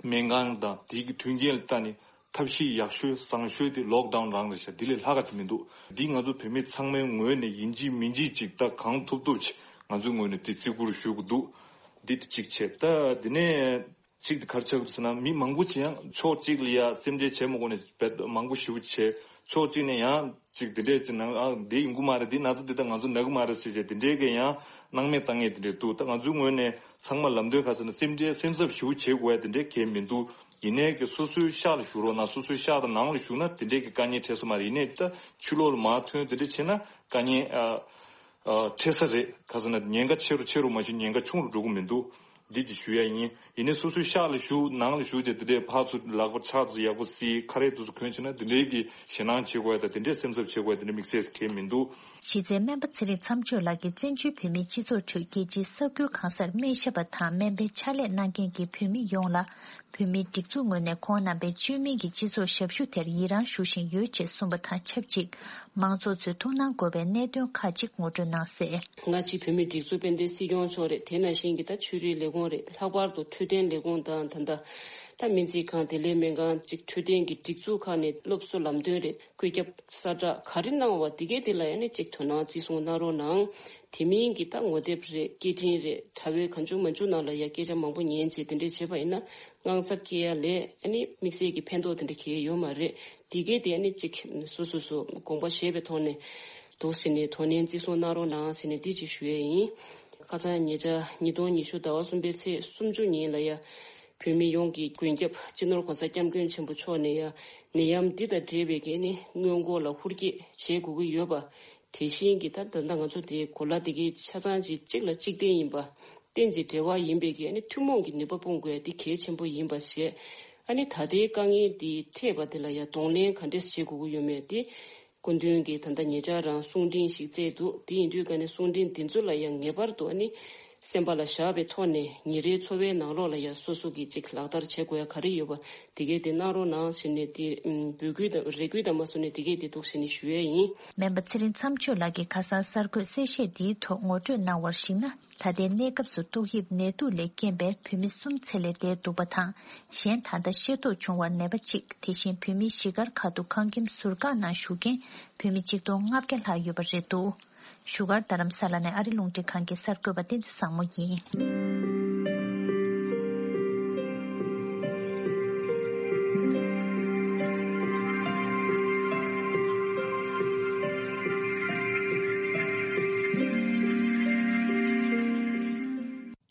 སྨན་ཁང་དང་དེའི་གི་མཐུན་རྐྱེན་ལ་ལྟ་ནས་ཐབས་ཤེས་ཡག་ཤོས་བཟང་ཤོས་དེ་ལོག་ཌའོན་རང་རེད་ཤག་འདི་ལས་ལྷག་ག་ཅིག་མི་འདུག་འདི་ང་ཚོ་བོད་མི་ཚང་མའི་ངོས་ནས་ཡིན་གཅིག་མིན་གཅིག་ཅིག་ད་གང་ཐུབ་ཐུབ་ཅིག་ང་ཚོའི་ངོས་ནས་དེ་བརྩི་བཀུར་ཞུ་དགོས་འདུག་འདི་དེ་གཅིག་བྱས། ད་དེ་ནས་གཅིག་དེ་ག་རེ་ཆགས་ཀྱི་འདུག་ཟེར་ན། མི་མང་པོ་ཅིག་ཡང་ཕྱོགས་གཅིག་ལ་ཡ་སེམས་ཁྲལ་བྱས་མ་དགོས་ནས་བེད་མང་པོ་ཞེ་པོ་བྱས། ཕྱོགས་གཅིག་ནས་ཡང་ཅིག་དེ་འདྲས་ཅིག་ནང་ཨ་འདི་ཡོང་གི་མ་རེད། འདི་ན་ཚ་འདི་ད་ང་ཚོ་ན་གི་མ་རེད་ཟེར་བྱས་དེ་འདྲས་ཀྱི་ཡང་སྣང་མེད་བཏང་མཁན་དེ་འདྲས་འདུག་ད་ང་ཚོའི་ངོས་ནས་ཚང་མ་ལམ་སྟོན་ག་ཟེར་ན། སེམས་ཁྲལ་སེམས་འཚབ་ཞེ་པོ་བྱེད་དགོས་ཡ་དེ་འདྲས་གང་ཡང་མི་འདུག་ཡིན་ནའི་གི་སོ་སོའི་ཤག་ལ་བཞུགས་རོགས་གནང་། སོ་སོའི་ཤག་དང་ནང་ལ་བཞུགས་ན་དེ་འདྲས་ཀྱི་དཀའ་ངལ་འཕྲད་ས་མ་རེད། ཡིན་ནའི་ད་ཕྱི་ལོགས་ལ་མར་ཐོན་དེ་འདྲས་བྱས་ན་དཀའ་ངལ་ཨ། ཨ། འཕྲད་ས་རེད། ག་ཟེར་ན་ཉེན་ཁ་ཆེ་རུ་ཆེ་རུ་མ་ཞིག་ཉེན་ཁ་ཆུང་རུ་འགྲོ་གི་མི་འདུག་འདི་ཅིག་ཞུ་ཡ་ཡིན། ཡིན་ནའི་སོ་སོའི་ཤག་ལ་བཞུགས། ནང་ལ་བཞུགས་བྱས་དེ་འདྲས་ཕར་ཚུར་ལག་པ་ཕྱག་ཏུ་ཡག་པོ་བསིལ། ཁ་རས་དེ་ཚོ་གོན་བྱས་ན་དེ་འདྲས་ཀྱི་ཞེད་སྣང་བྱེད་དགོས་ཡ་དང་དེ་འདྲས་སེམས་འཚབ་བྱེད་དགོས་ཡ་དེ་འདྲས་དམིགས་བསལ་གང་ཡང་མི་འདུག་གཞི་རྩའི་སྨན་པ་ཚེ་རིང་མཚམས་གཅོད་ལགས་ཀྱིས་བཙན་བྱོལ་བོད་མིའི་སྤྱི་ཚོགས་ཁྲོད་རྒྱལ་སྤྱིའི་ས་ཁུལ་གང་སར་སྨན་ཞབས་པ་དང་སྨན་པའི་ཕྱག་ལས་གནང་མཁན་གྱི་བོད་མི་ཡོངས་ལ། བོད་མིའི་སྒྲིག་འཛུགས་ངོས་ནས་ཁོང་རྣམ་པའི་བཅོས་མིན་གྱི་སྤྱི་ཚོགས་ཞབས་ཞུ་དེར་ཡི་རངས་ཞུ་བཞིན་ཡོད་ཅེས་གསུངས་པ་དང་ཆབས་ཅིག་མང་ཚོགས་ཚོས་ཐུགས་སྣང་དགོས་པའི་གནད་དོན་ཁག་ཅིག་ངོ་སྤྲོད་གནང་གསལ། སྔ་ཕྱི་བོད་མིའི་སྒྲིག་འཛུགས་དཔལ་ལྡན་སྲིད་སྐྱོང་མཆོག་རེད། དེ་ནང་བཞིན་གྱི་ད་ཆོས་རིག་ལས་ཁུངས་རེད། ལྷག་པར་དུ་འཕྲོད་བསྟེན་ལས་ཁུངས་དང་། ད་ལྟ་ད་སྨན་རྩིས་ཁང་། བདེ་ལེགས་སྨན་ཁང་། ཅིག་འཕྲོད་བསྟེན་གྱི་སྒྲིག་འཛུགས་ཁག་ནས་སློབ་གསོ་ལམ་སྟོན་རེད། བཀོད་ཁྱབ་གསལ་བསྒྲགས་ག་རེ་གནང་བ་དེ་གའི་དེ་ལ་ཡང་ནི་ཅིག་དོ་སྣང་བརྩི་སྲུང་གནང་རོགས་གནང་། དེ་མིན་གྱི་ད་ངོ་དེབ་རེད། སྐད་འཕྲིན་རེད། དྲ་བའི་གང་བྱུང་མང་བྱུང་ནང་ལ་ཡ་སྐད་ཆ་མང་པོ་ཉན་བྱས་དེ་འདྲས་བྱས་པ་ཡིན་ན། དངངས་འཚབ་སྐྱེ་ཡ་ལས་ཨ་ནི་དམིགས་བསལ་གྱི་ཕན་ཐོགས་དེ་འདྲ་གང་ཡང་ཡོད་མ་རེད། དེ་གས་དེ་ཨ་ནི་གཅིག་སོ་སོ་སོ་དགོངས་པ་བཞེས་པའི་ཐོག་ནས་འདུག་ཟེར་ནས་དོ་ནན་བརྩི་སྲུང་གནང་རོགས་གནང་ཟེར་ནས་འདི་གཅིག་ཞུ་ཡས་ཡིན། ཁ་སང་ཉེ་ཆར་ཉིས་སྟོང་ཉི་ཤུ་ཟླ་བ་གསུམ་པའི་ཚེས་སུམ་ཅུ་ཉིན་ལ་ཡ་བོད་མི་ཡོངས་ཀྱི་མགོན་སྐྱབས་སྤྱི་ནོར་༸གོང་ས་༸སྐྱབས་མགོན་ཆེན་པོ་མཆོག་ནས་ཡ་ནད་ཡམས་འདི་དང་འབྲེལ་བའི་གི་ཨ་ནི་སྔོན་འགོག་ལ་ཧུར་བསྐྱེད་བྱེད་དགོས་ཀྱི་ཡོད་པ། དེ་བཞིན་གྱི་ད་ད་ལྟ་ང་ཚོ་དེའི་གོ་ལ་དེ་གའི་ཆ་ཚང་ཅིག་གཅིག་ལ་གཅིག་བརྟེན་ཡིན་པ། རྟེན་ཅིང་འབྲེལ་བ་ཡིན་པའི་གི་ཨ་ནི་ཐུན་མོང་གི་ནུས་པ་སྤུངས་དགོས་ཡ་དེ་གལ་ཆེན་པོ་ཡིན་པ་བཤད། ཨ་ནི་ད་ལྟའི་དཀའ་ངལ་དེ་འཕྲད་པ་དེ་ལ་ཡ་གདོང་ལེན་ག་འདྲས་བྱེད་དགོས་ཀྱི་ཡོད་མེད་དེ། སྐུ་མདུན་གྱིས་ད་ལྟ་ཉེ་ཆར་རང་གསུང་འཕྲིན་ཞིག་བསྩལ་འདུག་དེ་ཡིན་དུས་ཀ་ནས་གསུང་འཕྲིན་དེ་ཚོ་ལ་ཡང་ངེས་པར་དུ་ཨ་ནི་སེམས་པ་ལ་བཞག་པའི་ཐོག་ནས་ཉིན་རེའི་འཚོ་བའི་ནང་ལོགས་ལ་ཡང་སོ་སོ་གིས་ཅིག་ལག་བསྟར་བྱེད་དགོས་ཡ་ག་རེ་ཡོད་པ་དེ་གས་དེ་གནང་རོགས་གནང་ཟེར་ནས་དེ་འབོད་སྐུལ་དང་རེ་སྐུལ་དང་མ་སོ་ནས་དེ་གས་དེ་འདུག་ཟེར་ནས་ཞུ་ཡས་ཡིན། སྨན་པ་ཚེ་རིང་མཚམས་གཅོད་ལགས་ཀྱིས་ཁ་སང་གསར་འགོད་གསལ་བཤད་འདིའི་ཐོག་ངོ་སྤྲོད་གནང་བར་གཞིགས་ན། ད་ལྟའི་གནས་སྐབས་སུ་ཏོག་དབྱིབས་ནད་དུག་ལས་རྐྱེན་པས་བོད་མི་གསུམ་ཚེ་ལས་འདས་འདུག་པ་དང་། གཞན་ད་ལྟ་ཤེས་རྟོགས་བྱུང་བར་ནད་པ་གཅིག་དེ་བཞིན་བོད་མིའི་གཞིས་སྒར་ཁག་ཏུ་ཁང་ཁྱིམ་ཟུར་བཀག་ནང་བཞུགས་མཁན་བོད་མི་ཆིག་སྟོང་ལྔ་བརྒྱ་ལྷག་ཡོད་པ་རེད་འདུག་བཞུགས་སྒར་རྡ་རམ་ས་ལ་ནས་ཨ་རི་རླུང་འཕྲིན་ཁང་གི་གསར་འགོད་པ་བསྟན་འཛིན་བཟང་མོ་ཡིན།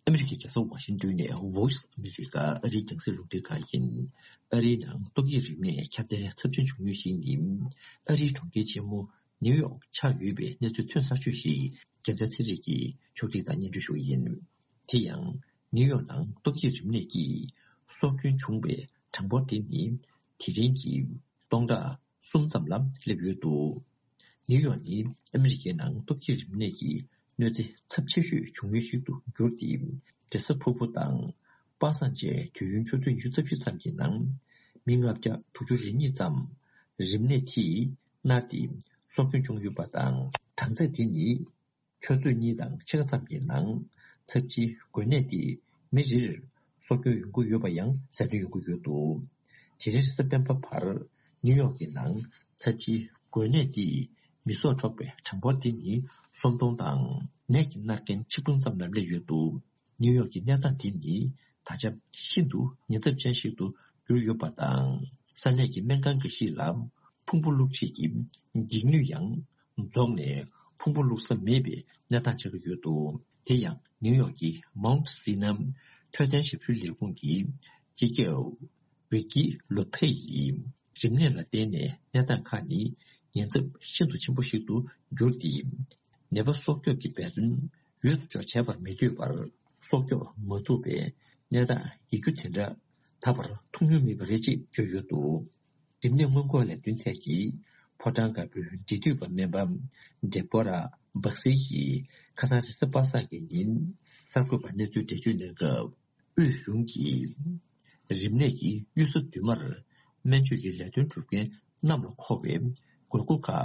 ཨ་མི་རི་ཀའི་རྒྱལ་ས་ཝ་ཤིང་ཏོན་ནས་Voice of America ཨ་རིའི་རྒྱང་སྲིང་རླུང་འཕྲིན་ཁང་ཡིན། ཨ་རིའི་ནང་ཏོག་དབྱིབས་རིམས་ནད་ཁྱབ་གདལ་ཚབས་ཆེན་བྱུང་མུས་ཤིག་ནི། ཨ་རིའི་གྲོང་ཁྱེར་ཆེན་མོ་ནིའུ་ཡོག་ཆགས་ཡོད་པའི་གནས་ཚུལ་ཐོན་ཚར་ཤོས་ཤིག་རྒྱལ་མཚན་ཚེ་རིང་གིས་ཕྱོགས་སྒྲིག་དང་སྙན་སྒྲོན་ཞུ་གི་ཡིན། དེ་ཡང་། ནིའུ་ཡོག་ནང་ཏོག་དབྱིབས་རིམས་ནད་ཀྱིས་སྲོག་སྐྱོན་བྱུང་བའི་ གྲངས་འབོར་དེ་ནི་དེ་རིང་གི་སྟོང་ཕྲག་གསུམ་ཙམ་ལ་སླེབས་ཡོད་འདུག་ནིའུ་ཡོག་ནི་ཨ་མི་རི་ཀའི་ནང་སྟོབས་ཤུགས་རིམས་ནད་ཀྱི་གནོད་འཚེ་ཚབས་ཆེ་ཤོས་བྱུང་ཡུལ་ཞིག་ཏུ་གྱུར་ཏེ། རེས་གཟའ་ཕུར་བུ་དང་པ་སངས་བཅས་དུས་ཡུན་ཆུ་ཚོད་ཉི་ཤུ་རྩ་བཞི་ཙམ་གྱི་ནང་མི་ལྔ་བརྒྱ་དྲུག་ཅུ་རེ་གཉིས་ཙམ་རིམས་ནད་དེས་མནར་ཏེ་སྲོག་སྐྱོན་བྱུང་ཡོད་པ་དང་། གྲངས་ཚད་དེ་ནི་ཆུ་ཚོད་གཉིས་དང་ཕྱེད་ཀ་ཙམ་གྱི་ནང་ཚབས་ཆེའི་འགོས་ནད་དེས་མི་རེ་རེར་སྲོག་སྐྱོན་ཡོང་གི་ཡོད་པ་ཡང་གསལ་སྟོན་ཡོང་གི་ཡོད་འདུག་དེ་རིང་རེས་གཟའ་སྤེན་པ་བར་ནིའུ་ཡོག་གི་ནང་ཚབས་ཆེའི་འགོས་ནད་དེས་མི་སྲོག་འཕྲོག་པའི་གྲངས་འབོར་དེ་ནི་སུམ་སྟོང་དང་ནད་ཀྱིས་མནར་མཁན་ཆིག་སྟོང་ཙམ་ལ་སླེབས་ཡོད་འདུག་ནིའུ་ཡོག་གི་གནས་སྟངས་དེ་ནི་ད་ཆ་ཤིན་ཏུ་ཉེན་ཚབས་ཅན་ཞིག་ཏུ་གྱུར་ཡོད་པ་དང་། ས་གནས་ཀྱི་སྨན་ཁང་འགའ་ཞིག་ལ་ཕུང་པོ་བླུགས་བྱེད་ཀྱི་འགྱིག་སྣོད་ཡང་རྫོགས་ནས་ཕུང་པོ་བླུགས་ས་མེད་པའི་གནས་སྟངས་ཆགས་ཀྱི་ཡོད་འདུག་དེ་ཡང་ནིའུ་ཡོག་གི་Mount Sinai་འཕྲོད་བསྟེན་ཞབས་ཞུའི་ལས་ཁུངས་ཀྱི་སྤྱི་ཁྱབ་ཝི་ཀི་ལོ་ཕེ་ཡིས། རིམས་ནད་ལ་བརྟེན་ནས་གནས་སྟངས་ཁག་ནི་ཉེན་ཚབས་ཤིན་ཏུ་ཆེན་པོ་ཞིག་ཏུ་གྱུར་ཏེ། ནད་པ་སྲོག་སྐྱོབ་ཀྱི་འབད་བརྩོན་ཡུལ་དུ་འཇོག་བྱས་པར་མི་འདོད་པར། སྲོག་སྐྱོབ་མ་ཐུབ་པའི་གནས་སྟངས་ཡོད་རྒྱུ་དེ་འདྲ་ད་བར་མཐོང་མྱོང་མེད་པ་རེད་ཅེས་བརྗོད་ཡོད་འདུག་རིམས་ནད་སྔོན་འགོག་ལས་དོན་ཐད་ཀྱི་ཕོ་བྲང་དཀར་པོའི་འབྲེལ་མཐུད་པ་སྨན་པ་ཌེ་བྷོ་ར་སྦག་སི་ཡིས་ཁ་སང་རེས་གཟའ་པ་སངས་ཀྱི་ཉིན་གསར་འགོད་པར་གནས་ཚུལ་འགྲེལ་བརྗོད་གནང་སྐབས། དབུས་གཞུང་གིས་རིམས་ནད་ཀྱི་གཡུལ་ས་མདུན་མར་སྨན་བཅོས་ཀྱི་ལས་དོན་སྒྲུབ་མཁན་རྣམས་ལ་མཁོ་བའི་དགོས་མཁོ་ཁག་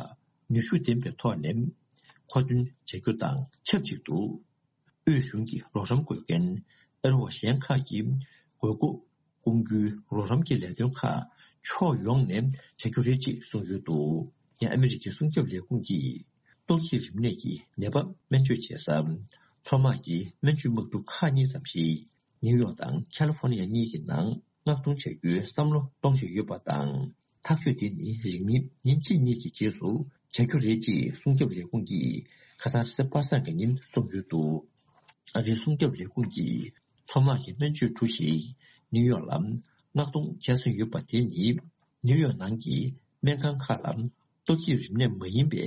ནུས་ཤུགས་ལྡན་པའི་ཐོག་ནས་མཁོ་འདོན་བྱ་རྒྱུ་དང་ཆབས་ཅིག་ཏུ། དབུས་གཞུང་གི་རོགས་རམ་དགོས་མཁན་ཨ་རི་བ་གཞན་ཁག་གི་དགོས་མཁོ་སྐོང་རྒྱུའི་རོགས་རམ་གྱི་ལས་དོན་ཁག་ཕྱོགས་ཡོངས་ནས་བྱ་རྒྱུ་རེད་ཅེས་གསུངས་ཡོད་འདུག་ཡང་ཨ་མི་རི་ཀའི་སྲུང་སྐྱོབ་ལས་ཁུངས་ཀྱིས་ཏོག་དབྱིབས་རིམས་ནད་ཀྱི་ནད་པ་སྨན་བཅོས་བྱེད་ས་མཚོ་དམག་གི་སྨན་བཅོས་དམག་གྲུ་ཁག་གཉིས་ཙམ་ཞིག་ནིའུ་ཡོག་དང་ཁ་ལི་ཧྥོ་ནི་ཡ་གཉིས་ཀྱི་ནང་མངགས་གཏོང་བྱ་རྒྱུའི་བསམ་བློ་གཏོང་བཞིན་ཡོད་པ་དང་། ཐག་གཅོད་དེ་ནི་རིང་མིན་ཉིན་གཅིག་གཉིས་ཀྱི་རྗེས་སུ་བྱ་རྒྱུ་རེད་ཅེས་སྲུང་སྐྱོབ་ལས་ཁུངས་ཀྱིས་ཁ་སང་རེས་གཟའ་པ་སངས་ཀྱི་ཉིན་གསུངས་ཡོད་འདུག་ཨ་རིའི་སྲུང་སྐྱོབ་ལས་ཁུངས་ཀྱིས་མཚོ་དམག་གི་སྨན་བཅོས་གྲུ་ཞིག་ནིའུ་ཡོག་ལ་མངགས་གཏོང་བྱས་ཟིན་ཡོད་པ་དེ་ནི་ནིའུ་ཡོག་ནང་གི་སྨན་ཁང་ཁག་ལ་ཏོག་དབྱིབས་རིམས་ནད་མ་ཡིན་པའི་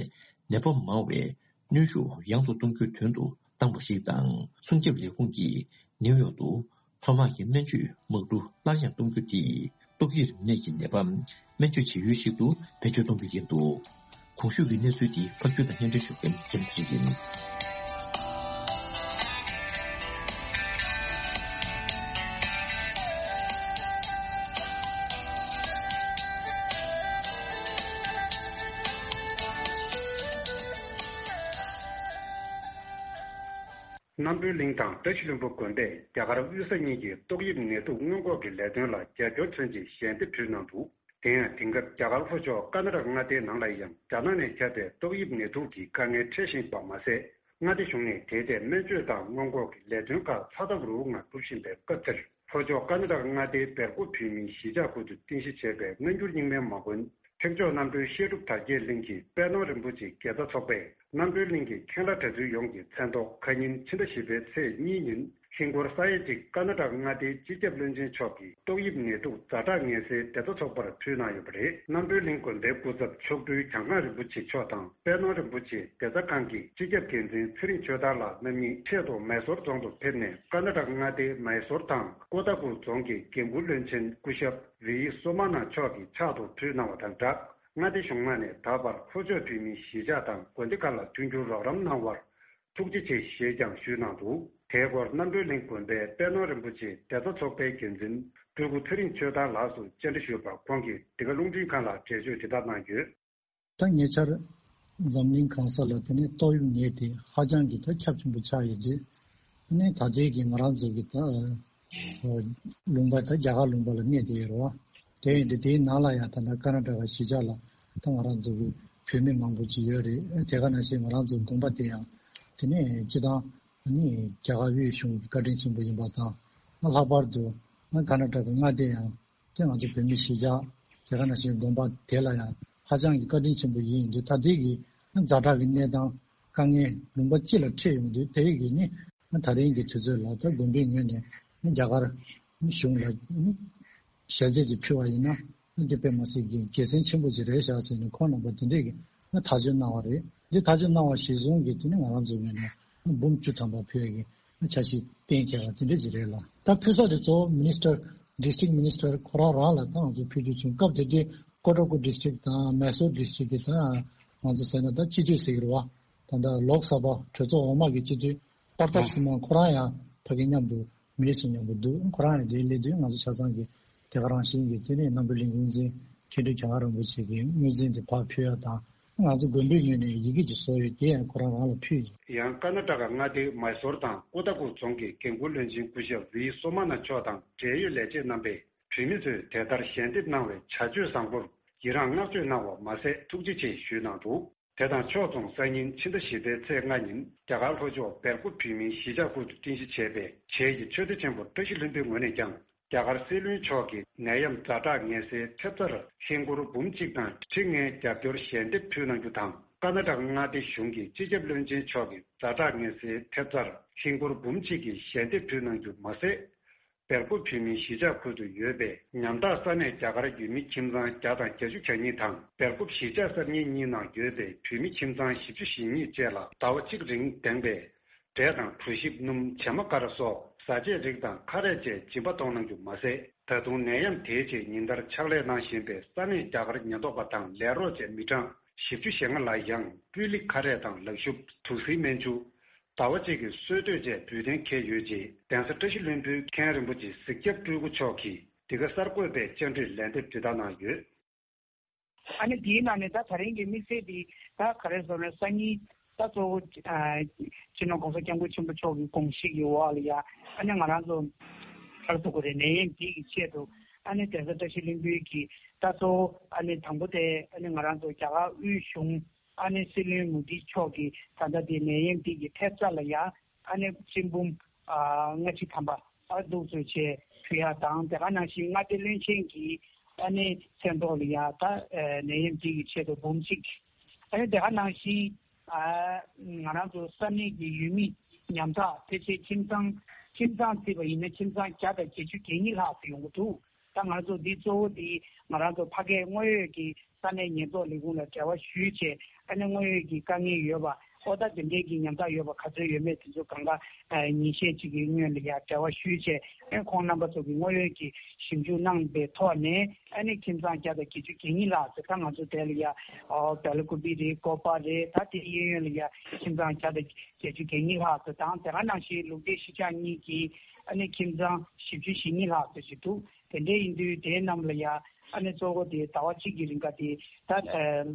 ནད་པ་མང་བའི་གནོན་ཤུགས་ཡང་དུ་གཏོང་རྒྱུའི་དོན་དུ་བཏང་བ་ཞིག་དང་། སྲུང་སྐྱོབ་ལས་ཁུངས་ཀྱིས་ནིའུ་ཡོག་ཏུ་མཚོ་དམག་གི་སྨན་བཅོས་དམག་གྲུ་སླར་ཡང་གཏོང་རྒྱུ་དེས་ཏོག་དབྱིབས་རིམས་ནད་ཀྱི་ནད་པ་སྨན་བཅོས་བྱེད་ཡུལ་ཞིག་ཏུ་བེད་སྤྱོད་གཏོང་རྒྱུ་ཡིན་འདུག་གོང་ཞུས་ཀྱི་གནས་ཚུལ་དེ་ཕབ་སྒྱུར་དང་སྙན་སྒྲོན་ཞུ་མཁན་རྒྱལ་མཚན་ཡིན། རྣམ་གྲོལ་གླིང་དང་བཀྲ་ཤིས་ལྷུན་པོ་དགོན་པས་རྒྱ་གར་དབུས་ས་གཉིས་ཀྱི་ཏོག་དབྱིབས་ནད་དུག་སྔོན་འགོག་གི་ལས་དོན་ལ་རྒྱབ་སྐྱོར་མཚོན་ཆེད་ཞལ་འདེབས་ཕུལ་གནང་འདུག་དེ་ཡང་དེང་སྐབས་རྒྱ་གར་ལྷོ་ཕྱོགས་ཀར་ནཱ་ཊ་ཀ་མངའ་སྡེའི་ནང་ལ་ཡང་རྒྱ་ནག་ནས་ཁྱབ་པའི་ཏོག་དབྱིབས་ནད་དུག་གི་དཀའ་ངལ་འཕྲད་བཞིན་པ་མ་ཟད། མངའ་སྡེ་གཞུང་ནས་དེའི་ཐད་སྨན་བཅོས་དང་སྔོན་འགོག་གི་ལས་དོན་ཁག་ཚ་ཐབས་རུ་ངང་སྒྲུབ་བཞིན་པའི་སྐབས་འདིར། ལྷོ་ཕྱོགས་ཀར་ནཱ་ཊ་ཀ་མངའ་སྡེའི་སྦེལ་ཀོབ་བོད་མིའི་གཞིས་ཆགས་ཁུལ་དུ་རྟེན་གཞི་བྱས་པའི་སྔ་འགྱུར་རྙིང་མའི་མ་དགོན་འཕྲེང་ཕྱོགས་རྣམ་གྲོལ་བཤད་སྒྲུབ་དར་རྒྱས་གླིང་གི་དཔལ་ནོར་རིན་པོ་ཆེ་དགེ་རྩ་ཚོགས་པས། རྣམ་གྲོལ་གླིང་གི་མཁན་བླ་གྲྭ་བཙུན་ཡོངས་ཀྱི་མཚན་ཐོག་ཁ་ཉིན་ཕྱི་ཟླ་བཞི་པའི་ཚེས་གཉིས་ཉིན་ཧིན་སྒོར་ས་ཡ་གཅིག་ཀར་ནཱ་ཊ་ཀ་མངའ་སྡེའི་སྤྱི་ཁྱབ་བློན་ཆེན་མཆོག་གིས་ཏོག་དབྱིབས་ནད་དུག་ཛ་དྲག་ངལ་སེལ་བདེ་རྩ་ཚོགས་པར་ཕུལ་གནང་ཡོད་པ་རེད། རྣམ་གྲོལ་གླིང་དགོན་པའི་སྐུ་ཚབ་མཆོག་སྤྲུལ་གྱང་ཁང་རིན་པོ་ཆེ་མཆོག་དང་། དཔལ་ནོར་རིན་པོ་ཆེ་བདེ་རྩ་ཁང་གི་སྤྱི་ཁྱབ་འགན་འཛིན་ཚེ་རིང་ཆོས་དར་ལགས་རྣམ་གཉིས་ཆེད་དུ་མའི་སོར་རྫོང་དུ་ཕེབས་ནས། ཀར་ནཱ་ཊ་ཀ་མངའ་སྡེའི་མའི་སོར་དང་ཀོ་ཐ་ཀུར་རྫོང་གི་འགན་འཁུར་བློན་ཆེན་སྐུ་ཞབས་ཝི་ཡི་སོ་མ་ན་མཆོག་གི་ཕྱག་ཏུ་ཕུལ་གནང་བ་དང་སྦྲགས། མངའ་སྡེ་གཞུང་ལྔ་ནས་ད་བར་ལྷོ་ཕྱོགས་བོད་མིའི་གཞིས་ཆགས་དང་དགོན་སྡེ་ཁག་ལ་མཐུན་འགྱུར་རོགས་རམ་གནང་བར་ཐུགས་རྗེ་ཆེ་ཞེས་ཀྱང་ཞུས་གནང་འདུག་དེའི་སྐོར་རྣམ་གྲོལ་གླིང་དགོན་པའི་དཔལ་ནོར་རིན་པོ་ཆེ་བདེ་རྩ་ཚོགས་པའི་འགན་འཛིན་སྤྲུལ་སྐུ་ཚེ་རིང་ཆོས་དར་ལགས་སུ་བཅར་འདྲི་ཞུས་པར། ཁོང་གིས་འདི་ག་རླུང་འཕྲིན་ཁང་ལ་འགྲེལ་བརྗོད་དེ་ལྟར་གནང་ཡོད། ད་ཉེ་ཆར་འཛམ་གླིང་གང་ས་ལ་དེ་ནས་ཏོག་དབྱིབས་ནད་དེ་ཧ་ཅང་གི་ད་ཁྱབ་ཆེན་པོ་ཆགས་ཡོད་དུས། ཨ་ནི་ད་ལྟའི་གི་ང་རང་ཚོ་གི་ད་ལུང་པ་ད་རྒྱ་གར་ལུང་པ་ལ་གནས་བསྡད་ཡོད་རེད་བ། དེ་ཡིན་དུས་དེའི་ནང་ལ་ཡང་ད་ལྟ་ཀར་ནཱ་ཊ་ཀ་གཞིས་ཆགས་ལ་ད་ང་རང་ཚོ་གི་བོད་མི་མང་པོ་ཅིག་ཡོད་རེད། དེ་ག་ནང་བཞིན་ང་རང་ཚོ་དགོན་པ་དེ་ཡང་དེ་ནས་སྤྱི་བཏང་ཨ་ནི་རྒྱ་གར་དབུས་གཞུང་གི་བཀའ་དྲིན་ཆེན་པོ་ཡིན་པ་དང་། ལྷག་པར་དུ་ཀར་ནཱ་ཊ་ཀ་མངའ་སྡེ་ཡང་དེ་ང་ཚོ་བོད་མི་གཞིས་ཆགས་དེ་ག་ནང་བཞིན་དགོན་པ་དེ་ལ་ཡང་ཧ་ཅང་གི་བཀའ་དྲིན་ཆེན་པོ་ཡིན་དུས། ད་ལྟའི་གི་ཛ་དྲག་གི་གནས་སྟངས་དཀའ་ངལ་ལུང་པ་སྤྱི་ལ་འཕྲད་ཡོང་དུས། དེ་གི་ནི་ད་རིང་གི་དུས་ཚོད་ལ་ད་དགོན་པའི་ངོས་ནས་རྒྱ་གར་གཞུང་ལ་ཞལ་འདེབས་ཅིག་ཕུལ་བ་ཡིན་ན། དེ་དཔེ་མ་སྲིད་ཀྱི་དགེ་མཚན་ཆེན་པོ་ཅིག་རེད་ཤག་ཟེར་ནས་ཁོང་རྣམ་པ་དེ་འདྲས་ཀྱི་ཐག་གཅོད་གནང་བ་རེད། འདི་ཐག་གཅོད་གནང་བ་གཞིར་བཟུང་གིས་དེ་ནི་ང་རང་ཚོའི་ངོས་ནས་འབུམ་བཅུ་ཐམ་པ་ཕུལ་ཡག་གི་འཆར་གཞི་གཏན་འཁེལ་བ་དེ་འདྲ་ཅིག་རེད་ལ། ད་ཕུལ་ས་དེ་གཙོ་བོ་མི་ནི་སི་ཊར་ District Minister ཁོ་རང་རང་ལ་ད་ང་ཚོ་ཕུལ་རྒྱུ་བྱུང་། སྐབས་དེ་དུས་ཀོ་ཊ་ཀུ་District དང་མེ་སོར་District གི་ད་ང་ཚོ་ཟེར་ན་ད་སྤྱི་འཐུས་ཟེར་གྱི་རེད་བ། ད་ལྟ་ལོག་ས་བ་གྲོས་ཚོགས་འོག་མ་གི་སྤྱི་འཐུས་པར་ཐབ་སི་མང་ཁོ་རང་ཡང་ཕ་གི་མཉམ་དུ་མི་རིགས་སུ་མཉམ་དུ་འདུག་ཁོ་རང་ཡང་དེའི་སླེབས་དུས་ང་ཚོ་ཆ་ཚང་གི་དེ་ག་རང་བཞིན་གྱི་དེ་ནས་རྣམ་པའི་ལས་འགུལ་འཛིན་མཁན་སྤྲུལ་གྱངས་དཀར་རིན་པོ་ཆེ་གི་དངོས་འཛིན་དེ་ཕར་ཕུལ་ཡ་དང་། ང་ཚོ་དགོན་པའི་ངོས་ནས་ཡི་གེ་ཅིག་བཟོ་ཡོད། དེ་ཡང་ཁོ་རང་རང་ལ་ཕུལ་ཡོད། ཡང་ཀར་ནཱ་ཊ་ཀ་མངའ་སྡེའི་མཱི་སོར་དང་ཀོ་ཊ་ཀུ་རྫོང་གི་འགན་འཁུར་བློན་ཆེན་སྐུ་ཞབས་ཝི་སོ་མ་ན་མཆོག་དང་འབྲེལ་ཡོད་ལས་བྱེད་རྣམ་པས་བོད་མི་ཚོས་དེ་ལྟར་ཞལ་འདེབས་གནང་བའི་བྱ་སྤྱོད་བཟང་པོར་ཡི་རངས་བསྔགས་བརྗོད་གནང་བ་མ་ཟད་ཐུགས་རྗེ་ཆེ་ཞུས་གནང་འདུག་དེ་དང་ཕྱོགས་མཚུངས་སང་ཉིན་ཕྱི་ཟླ་བཞི་པའི་ཚེས་ལྔ་ཉིན་རྒྱ་གར་ལྷོ་ཕྱོགས་སྦེལ་ཀོབ་བོད་མིའི་གཞིས་ཆགས་ཁུལ་དུ་རྟེན་གཞི་བྱས་པའི་བྱེས་ཀྱི་ཆོས་སྡེ་ཆེན་པོ་བཀྲ་ཤིས་ལྷུན་པོའི་ངོས་ནས་ཀྱང་། རྒྱ་གར་སྲིད་བློན་མཆོག་གི་ནད་ཡམས་ཛ་དྲག་ངལ་སེལ་ཐེབས་རྩར་ཧིན་སྒོར་འབུམ་གཅིག་དང་ཁྲི་ལྔའི་རྒྱབ་སྐྱོར་ཞལ་འདེབས་ཕུལ་གནང་རྒྱུ་དང་། ཀར་ནཱ་ཊ་ཀ་མངའ་སྡེ་གཞུང་གིས་སྤྱི་ཁྱབ་བློན་ཆེན་མཆོག་གི་ཛ་དྲག་ངལ་སེལ་ཐེབས་རྩར་ཧིན་སྒོར་འབུམ་གཅིག་གི་ཞལ་འདེབས་ཕུལ་གནང་རྒྱུ་མ་ཟད། སྦེལ་ཀོབ་བོད་མིའི་གཞིས་ཆགས་ཁུལ་དུ་ཡོད་པའི་ཉམ་ཐག་ས་གནས་རྒྱ་གར་ཡུལ་མི་ཁྱིམ་ཚང་བརྒྱ་དང་བརྒྱད་ཅུ་གྱ་གཉིས་དང་སྦེལ་ཀོབ་གཞིས་ཆགས་གསར་རྙིང་གཉིས་ནང་ཡོད་པའི་བོད་མི་ཁྱིམ་ཚང་བཞི་བཅུ་ཞེ་གཉིས་བཅས་ལ་ཟླ་བ་གཅིག་རིང་ལྡན་པའི་འབྲས་དང་གྲོ་ཞིབ་སྣུམ་བྱེ་མ་ཀ་ར་སོགས་བཟའ་ཆས་རིགས་དང་ཁ་རས་བཅས་སྦྱིན་པ་གཏོང་གནང་རྒྱུ་མ་ཟད། ད་དུང་ནད་ཡམས་དེའི་རྗེས་ཉིན་ལྟར་ཕྱག་ལས་གནང་བཞིན་པའི་ས་གནས་རྒྱ་གར་ཉེན་རྟོག་པ་དང་ལས་རོགས་བཅས་མི་གྲངས་བཞི་བཅུ་ཞེ་ལྔ་ལ་ཡང་སྤུས་ལེགས་ཁ་རས་དང་ལག་ཤུབས། དུག་སེལ་སྨན་ཆུ། ཟླ་བ་གཅིག་གི་གསོལ་སྟོད་བཅས་འབུལ་གཏན་འཁེལ་ཡོད་ཅེས་གདན་ས་བཀྲ་ཤིས་ལྷུན་པོའི་མཁན་རིན་པོ་ཆེ་གཟིགས་སྐྱབས་སྤྲུལ་སྐུ་མཆོག་གིས་འདི་ག་གསར་འགོད་པའི་བཅར་འདྲིར་ལན་འདེབས་དེ་ལྟར་གནང་ཡོད། ཨ་ནི་དེའི་ནང་ནས་ད་ད་རིང་གི་དམིགས་བསལ་འདི་ད་ག་རེ་ཟེར་ན་སང་ཉིན་ད་གཙོ་བོ་ཨ་སྤྱི་ནོར་༸གོང་ས་༸སྐྱབས་མགོན་ཆེན་པོ་མཆོག་གི་དགོངས་གཞི་གི་འོག་ལ་ཡ་ཨ་ནི་ང་རང་ཚོ་ག་རེ་ཟེར་དགོས་རེད། ནད་ཡམས་འདི་གི་ཆེད་དུ་ཨ་ནི་གདན་ས་བཀྲ་ཤིས་ལྷུན་པོའི་གི་ད་གཙོ་བོ་ཨ་ནི་དང་པོ་དེ་ཨ་ནི་ང་རང་ཚོ་རྒྱ་གར་དབུས་གཞུང་ཨ་ནི་སྲིད་བློན་མོ་དི་མཆོག་གིས་ད་ལྟ་དེ་ནད་ཡམས་འདི་གི་ཐེབས་རྩ་ལ་ཡ་ཨ་ནི་སྤྱི་འབུམ་ཨ་ལྔ་བཅུ་ཐམ་པ་ཨ་འདུག་ཚོད་བྱས་ཕུལ་ཡ་དང་། དེ་ག་ནང་བཞིན་མངའ་སྡེ་བློན་ཆེན་གྱིས་ཨ་ནི་མཚན་ཐོག་ལ་ཡ་ད་ཨ་ནད་ཡམས་འདི་གི་ཆེད་དུ་འབུམ་གཅིག་ཨ་ནི་དེ་ག་ནང་བཞིན་ཨ་ང་རང་ཚོ་ས་གནས་ཀྱི་ཡུལ་མི་ཉམ་ཐག་ཕལ་ཆེར་ཁྱིམ་ཚང་ཁྱིམ་ཚང་བརྩིས་པ་ཡིན་ན་ཁྱིམ་ཚང་བརྒྱ་དང་བརྒྱད་ཅུ་གྱ་གཉིས་ལྷག་ཙམ་ཡོང་གི་འདུག་ད་ང་ཚོ་འདི་གཙོ་བོ་འདི་ང་རང་ཚོ་ཕ་གིའི་དངོས་ཡོད་ཀྱི་ས་གནས་ཉེན་རྟོག་ལས་ཁུངས་ལ་འབྲེལ་བ་ཞུས་བྱས་ཨ་ནི་དངོས་ཡོད་ཀྱི་དཀའ་ངལ་ཡོད་པ་ཨོ་ད་དེ་འདྲའི་གི་ཉམ་ཐག་ཡོད་པ་ག་ཚོད་ཡོད་མེད་དེ་ཚོ་གང་ག་ཨ་ཉིན་ཤས་གཅིག་གི་སྔོན་ལ་ཡ་འབྲེལ་བ་ཞུས་བྱས་ཨ་ཁོང་རྣམ་པ་ཚོ་གི་དངོས་ཡོད་ཀྱི་ཞིབ་འཇུག་གནང་པའི་ཐོག་ནས་ཨ་ནི་ཁྱིམ་ཚང་བརྒྱ་དང་བརྒྱད་ཅུ་གྱ་གཉིས་ལྷག་ཙམ་ད་ང་ཚོ་དེ་ལ་ཡ་ཨོ་བེ་ལ་ཀུ་པི་རེད། ཀོ་པ་རེད། ད་དེ་གཡས་གཡོན་ལ་ཡ་ཁྱིམ་ཚང་བརྒྱ་དང་བརྒྱད་ཅུ་གྱ་གཉིས་ལྷག་ཙམ་དང་། དེ་ག་ནང་བཞིན་ལུག་རྫི་གཞིས་ཆགས་གཉིས་ཀྱི་ཨ་ནི་ཁྱིམ་ཚང་བཞི་བཅུ་ཞེ་གཉིས་ལྷག་ཙམ་ཞིག་འདུག་དེ་འདྲ་ཡིན་དུས་དེའི་ནང་ལ་ཡ་ཨ་ནི་གཙོ་བོ་དེ་ཟླ་བ་གཅིག་གི་རིང་ག་དེ་ད་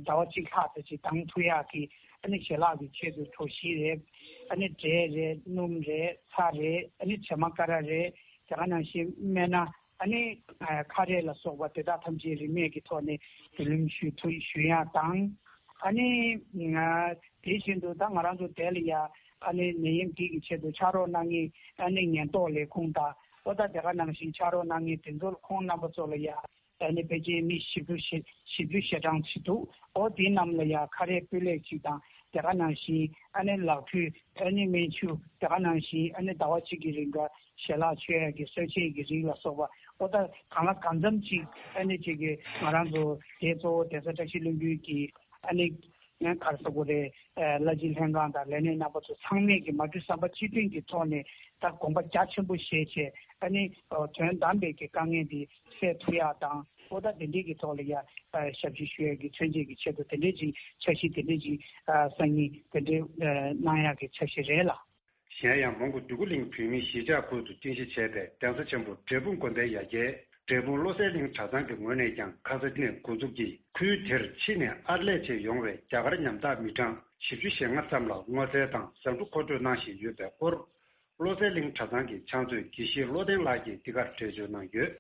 ཟླ་བ་གཅིག་ལྷག་ཙམ་ཞིག་དང་ཐུག་ཡག་གི་ཨ་ནི་ཞལ་ལག་གི་ཆེད་དུ་གྲོ་ཞིབ་རེད། ཨ་ནི་འབྲས་རེད། སྣུམ་རེད། ཚྭ་རེད། ཨ་ནི་བྱེ་མ་ཀ་ར་རེད། དེ་ག་ནང་བཞིན་སྨན་སྣ། ཨ་ནི་ཁ་རས་ལ་སོགས་པ་དེ་དག་ཐམས་ཅད་རིན་མེད་ཀྱི་ཐོག་ནས་བསྡུ་ལེན་ཞུ་ཐུབ་ཞུ་ཡག་དང་། ཨ་ནི་དེ་བཞིན་དུ་ད་ང་རང་ཚོ་དེ་ལ་ཡ་ཨ་ནི་ནད་ཡམས་འདི་གི་ཆེད་དུ་ཕྱག་རོགས་གནང་མཁན་ཨ་ནི་ཉེན་རྟོག་ལས་ཁུངས་དང་ཨོ་ད་དེ་ག་ནང་བཞིན་ཕྱག་རོགས་གནང་མཁན་དེ་ཚོར་ཁོང་རྣམ་པ་ཚོ་ལ་ཡ་ཨ་ནི་ཕལ་ཆེར་མི་བཞི་བཅུ་ཞེ་བཞི་བཅུ་ཞེ་གྲངས་ཅིག་འདུག་ཨོ་དེ་རྣམས་ལ་ཡ་ཁ་རས་སྤུས་ལེགས་ཅིག་དང་དེ་ག་ནང་བཞིན་ཨ་ནི་ལག་འཁྲུད་ཨ་ནི་སྨན་ཆུ་དེ་ག་ནང་བཞིན་ཨ་ནི་ཟླ་བ་གཅིག་གི་རིང་ག་ཞལ་ལག་མཆོད་ཡ་གི་གསོལ་ཆས་ཀྱི་རིགས་ལ་སོགས་པ་ཨོ་ད་གང་ལ་གང་འཚམ་ཅིག་ཨ་ནི་ཅིག་གི་ང་རང་ཚོ་དེ་གཙོ་བོ་གདན་ས་བཀྲ་ཤིས་ལྷུན་པོའི་གི་ཨ་ནི་ཡང་ག་རེ་ཟེར་དགོས་རེད། ཨ་བླ་སྤྱི་ལྷན་ཁང་དང་ལས་སྣེ་རྣམ་པ་ཚོ་ཚང་མས་ཀྱི་མ་གྲོས་བསམ་པ་གཅིག་མཐུན་གྱི་ཐོག་ནས་ད་དགོངས་པ་རྒྱ་ཆེན་པོ་བཞེས་བྱས་ཨ་ནི་དོན་དམ་པའི་གི་དཀའ་ངལ་འདི་སེལ་ཐུབ་ཡག་དང་ཨོ་ད་དེ་འདྲའི་གི་ཐོག་ལ་ཡ་ཞབས་ཕྱི་ཞུ་ཡག་གི་མཚོན་བྱེད་ཀྱི་ཆེད་དུ་དེ་འདྲའི་ཅིག་འཆར་གཞི་དེ་འདྲའི་ཅིག་སང་ཉིན་དེ་འདྲའི་གནང་ཡག་གི་འཆར་གཞི་རེད་ལ། གཞན་ཡང་མོན་གྷོ་འདོད་རྒུ་གླིང་བོད་མིའི་གཞིས་ཆགས་ཁུལ་དུ་རྟེན་གཞི་བྱས་པའི་གདན་ས་ཆེན་པོ་འབྲས་སྤུངས་དགོན་པའི་ཡ་གྱལ་འབྲས་སྤུངས་བློ་གསལ་གླིང་གྲྭ་ཚང་གི་ངོས་ནས་ཀྱང་ཁ་ས་ནས་འགོ་འཛུགས་ཀྱིས་ཁུལ་དེར་ཕྱི་ནས་ཨར་ལས་བྱས་ཡོང་བའི་རྒྱ་གར་ཉམ་ཐག་མི་གྲངས་བཞི་བཅུ་ཞེ་ལྔ་ཙམ་ལ་སྔོ་ཚལ་དང་ཟ་འབྲུ་མཁོ་སྤྲོད་གནང་བཞིན་ཡོད་པའི་སྐོར། བློ་གསལ་གླིང་གྲྭ་ཚང་གི་ཕྱག་མཛོད་དགེ་བཤེས་བློ་ལྡན་ལགས་ཀྱིས་འདི་གར་འགྲེལ་བརྗོད་གནང་ཡོད།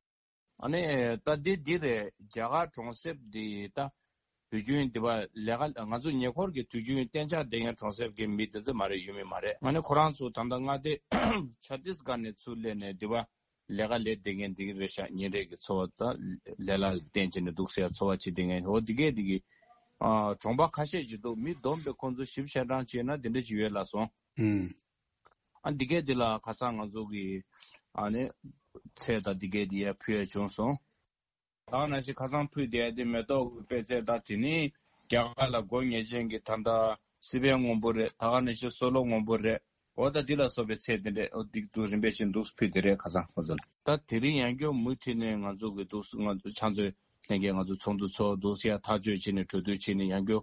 ཨ་ནི་ད་འདི་འདི་རེད། རྒྱ་གར་གྲོང་གསེབ་འདི་ད་དུས་རྒྱུན་འདི་བ་ལས་ཀ་ང་ཚོ་ཉེ་འཁོར་གྱི་དུས་རྒྱུན་གཏན་འཇགས་བསྡད་མཁན་གྲོང་གསེབ་ཀྱི་མི་འདི་ཚོ་མ་རེད། ཡུལ་མི་མ་རེད། ཨ་ནི་ཁོ་རང་ཚོ་ད་ལྟ་མངའ་སྡེ་ཆ་ཏིས་གྷར་ནས་ཚུར་སླེབས་ནས་འདི་བ་ལས་ཀ་ལས་བསྡད་མཁན་འདི་གི་རེད་ཤག་ཉིན་རེ་གི་འཚོ་བ་ད་ལས་ལ་བརྟེན་བྱས་ནས་འདུག་ཟེར་འཚོ་བ་བྱེད་བསྡད་མཁན་འོ་འདི་གས་འདི་གི་ཨ་གྲོང་པ་ཁ་ཤས་ཅིག་འདུག་མི་བསྡོམས་པས་ཁོང་ཚོ་བཞི་བཅུ་ཞེ་གྲངས་བྱས་ན་འདི་འདྲ་ཅིག་ཡོད་ལབ་སོང་། ཨུམ། ཨ་འདི་གས་འདི་ལ་ཁ་སང་ང་ཚོ་གི་ཨ་ནི་ཚལ་དང་འདི་གས་འདི་ཡར་ཕུལ་ཡ་བྱུང་སོང་། ད་ག་ནང་བཞིན་ཁ་སང་ཕུལ་བསྡད་ཡ་དེ་མེ་ཏོག་གི་པད་ཚལ་དང་དེ་ནི་རྒྱ་གར་ལ་དགོས་ངེས་ཅན་གྱི་ད་ལྟ་སི་པན་སྔོན་པོ་རེད། ད་ག་ནང་བཞིན་སོ་ལོ་སྔོན་པོ་རེད། འོ་ད་འདི་ལ་སོགས་པའི་ཚད་དེ་འདྲས་འོ་འདི་འདུག་རིམ་པས་ཅིག་འདུག་ཕུལ་དེ་རེད། ཁ་སང་ཁོང་ཚོ་ལ་ད་དེ་རིང་ཡང་སྐྱོ་མུ་མཐུད་ནས་ང་ཚོ་གི་འདུག་ང་ཚོ་ཕྱག་མཛོད་ལྷན་རྒྱས་ང་ཚོ་ཚོགས་འདུ་ཚོགས་འདུག་ཡ་ཐག་གཅོད་བྱས་ནས་གྲོས་བསྡུར་བྱས་ནས་ཡང་སྐྱོ་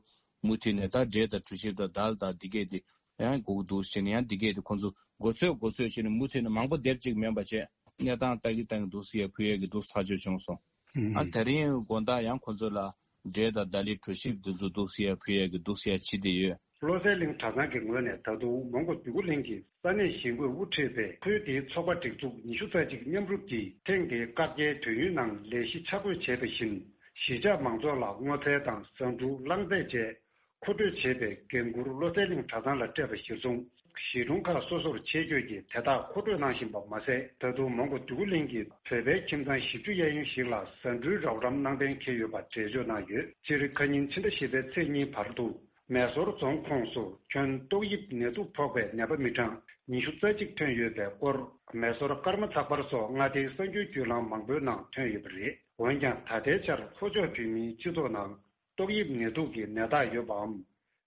མུ་མཐུད་ནས་ད་འབྲས་དང་གྲོ་ཞིབ་དང་དལ་དང་འདི་གས་དེ་ཡང་སྒུག་འདུག་བྱས་ནས་ཡང་འདི་གས་དེ་ཁོང་ཚོ་མགོ་ཚོས་མགོ་ཚོས་བྱས་ནས་མུ་མཐུད་ནས་མང་པོ་སྡེབ་གཅིག་མིན་པ་བྱས་གནས་སྟངས་ལྟ་གི་ལྟ་གི་འདུག་ཟེར་ཡ་ཕུལ་ཡ་གི་འདུག་ཐག་གཅོད་བྱུང་སོང་། ཨ་དེ་རིང་དགོང་དག་ཡང་ཁོང་ཚོ་ལ་འབྲས་དང་དལ་ལི་གྲོ་ཞིབ་འདི་ཚོ་འདུག་ཟེར་ཡ་ཕུལ་ཡ་གི་འདུག་ཟེར་ཡ་བྱེད་དེ་ཡོད། བློ་གསལ་གླིང་གྲྭ་ཚང་གི་ངོས་ནས་ད་དུང་མོན་གྷོ་འདོད་རྒུ་གླིང་གི་ས་གནས་གཞིས་འགོས་དབུ་ཁྲིད་པས་ཁུལ་དེའི་ཚོགས་པ་སྒྲིག་འཛུགས་ཉི་ཤུ་རྩ་གཅིག་མཉམ་རུབ་ཀྱིས་ཐེངས་འདིའི་བཀག་རྒྱའི་དུས་ཡུན་ནང་ལས་གཞི་ཆ་བགོས་བྱས་པ་བཞིན་གཞིས་ཆགས་མང་ཚོགས་ལ་སྔོ་ཚལ་དང་ཟ་འབྲུ་རླངས་རྫས་བཅས་མཁོ་སྤྲོད་བྱེད་པའི་འགན་འཁུར་བློ་གསལ་གླིང་གྲྭ་ཚང་ལ་སྤྲད་པ་གཞིར་བཟུང་། གཞིས་གྲོང་ཁག་སོ་སོར་ཆེད་བསྐྱོད་ཀྱིས་དེ་དག་མཁོ་སྤྲོད་གནང་བཞིན་པ་མ་ཟད། ད་དུང་མོན་གྷོ་འདོད་རྒུ་གླིང་གི་བོད་པའི་ཁྱིམ་ཚང་བཞི་བཅུ་གཡས་གཡོན་ཞིག་ལ་ཟ་འབྲུའི་རོགས་རམ་གནང་གཏན་འཁེལ་ཡོད་པ་འགྲེལ་བརྗོད་གནང་ཡོད། སྤྱིར་ཁ་ཉིན་ཕྱི་ཟླ་བཞི་པའི་ཚེས་གཉིས་བར་དུ་མེ་སོར་རྫོང་ཁོངས་སུ་ཁྱོན་ཏོག་དབྱིབས་ནད་དུག་ཕོག་པའི་ནད་པ་མི་གྲངས་ཉི་ཤུ་རྩ་གཅིག་ཐོན་ཡོད་པའི་སྐོར། མེ་སོར་ཀརྨ་ཚགས་པར་སོགས་མངའ་སྡེའི་གསར་འགྱུར་བརྒྱུད་ལམ་མང་པོའི་ནང་ཐོན་ཡོད་པ་རེད། འོན་ཀྱང་ད་ལྟའི་ཆར་ལྷོ་ཕྱོགས་བོད་མིའི་སྤྱི་ཚོགས་ནང་ཏོག་དབྱིབས་ནད་དུག་གི་ནད་རྟགས་ཡོད་པའམ།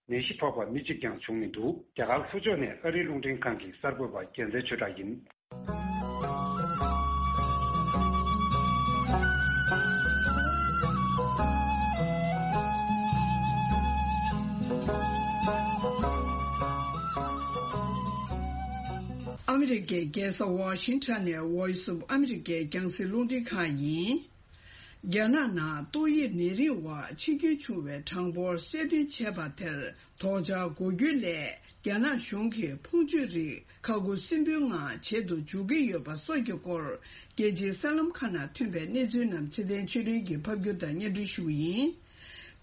ནད་གཞི་ཕོག་པ་མི་གཅིག་ཀྱང་བྱུང་མི་འདུག་རྒྱ་གར་ལྷོ་ཕྱོགས་ནས་ཨ་རིའི་རླུང་འཕྲིན་ཁང་གི་གསར་འགོད་པ་རྒྱལ་མཚན་ཆོས་གྲགས་ཡིན། ཨ་མི་རི་ཀའི་རྒྱལ་ས་ཝ་ཤིང་ཊོན་ནས་Voice of America རྒྱང་སྲིང་རླུང་འཕྲིན་ཁང་ཡིན། རྒྱ་ནག་ནང་ཏོག་དབྱིབས་ནད་རིམས་འོག་འཆི་སྐྱོན་བྱུང་བའི་གྲངས་འབོར་གསལ་སྟོན་བྱས་པ་དེར་དོགས་འཆར་འགོད་རྒྱུ་ལས། རྒྱ་ནག་གཞུང་གིས་ཕུང་མཆོད་རིགས་ཁ་ཁུ་སིམ་པོའི་ངང་བྱེད་དུ་འཇུག་གི་ཡོད་པ་སོགས་ཀྱི་སྐོར། རྒྱལ་སྤྱིའི་གསར་ལམ་ཁག་ནང་ཐོན་པའི་གནས་ཚུལ་རྣམས་ཚེ་བརྟན་ཆོས་སྒྲོན་གྱིས་ཕབ་སྒྱུར་དང་སྙན་སྒྲོན་ཞུ་གི་ཡིན།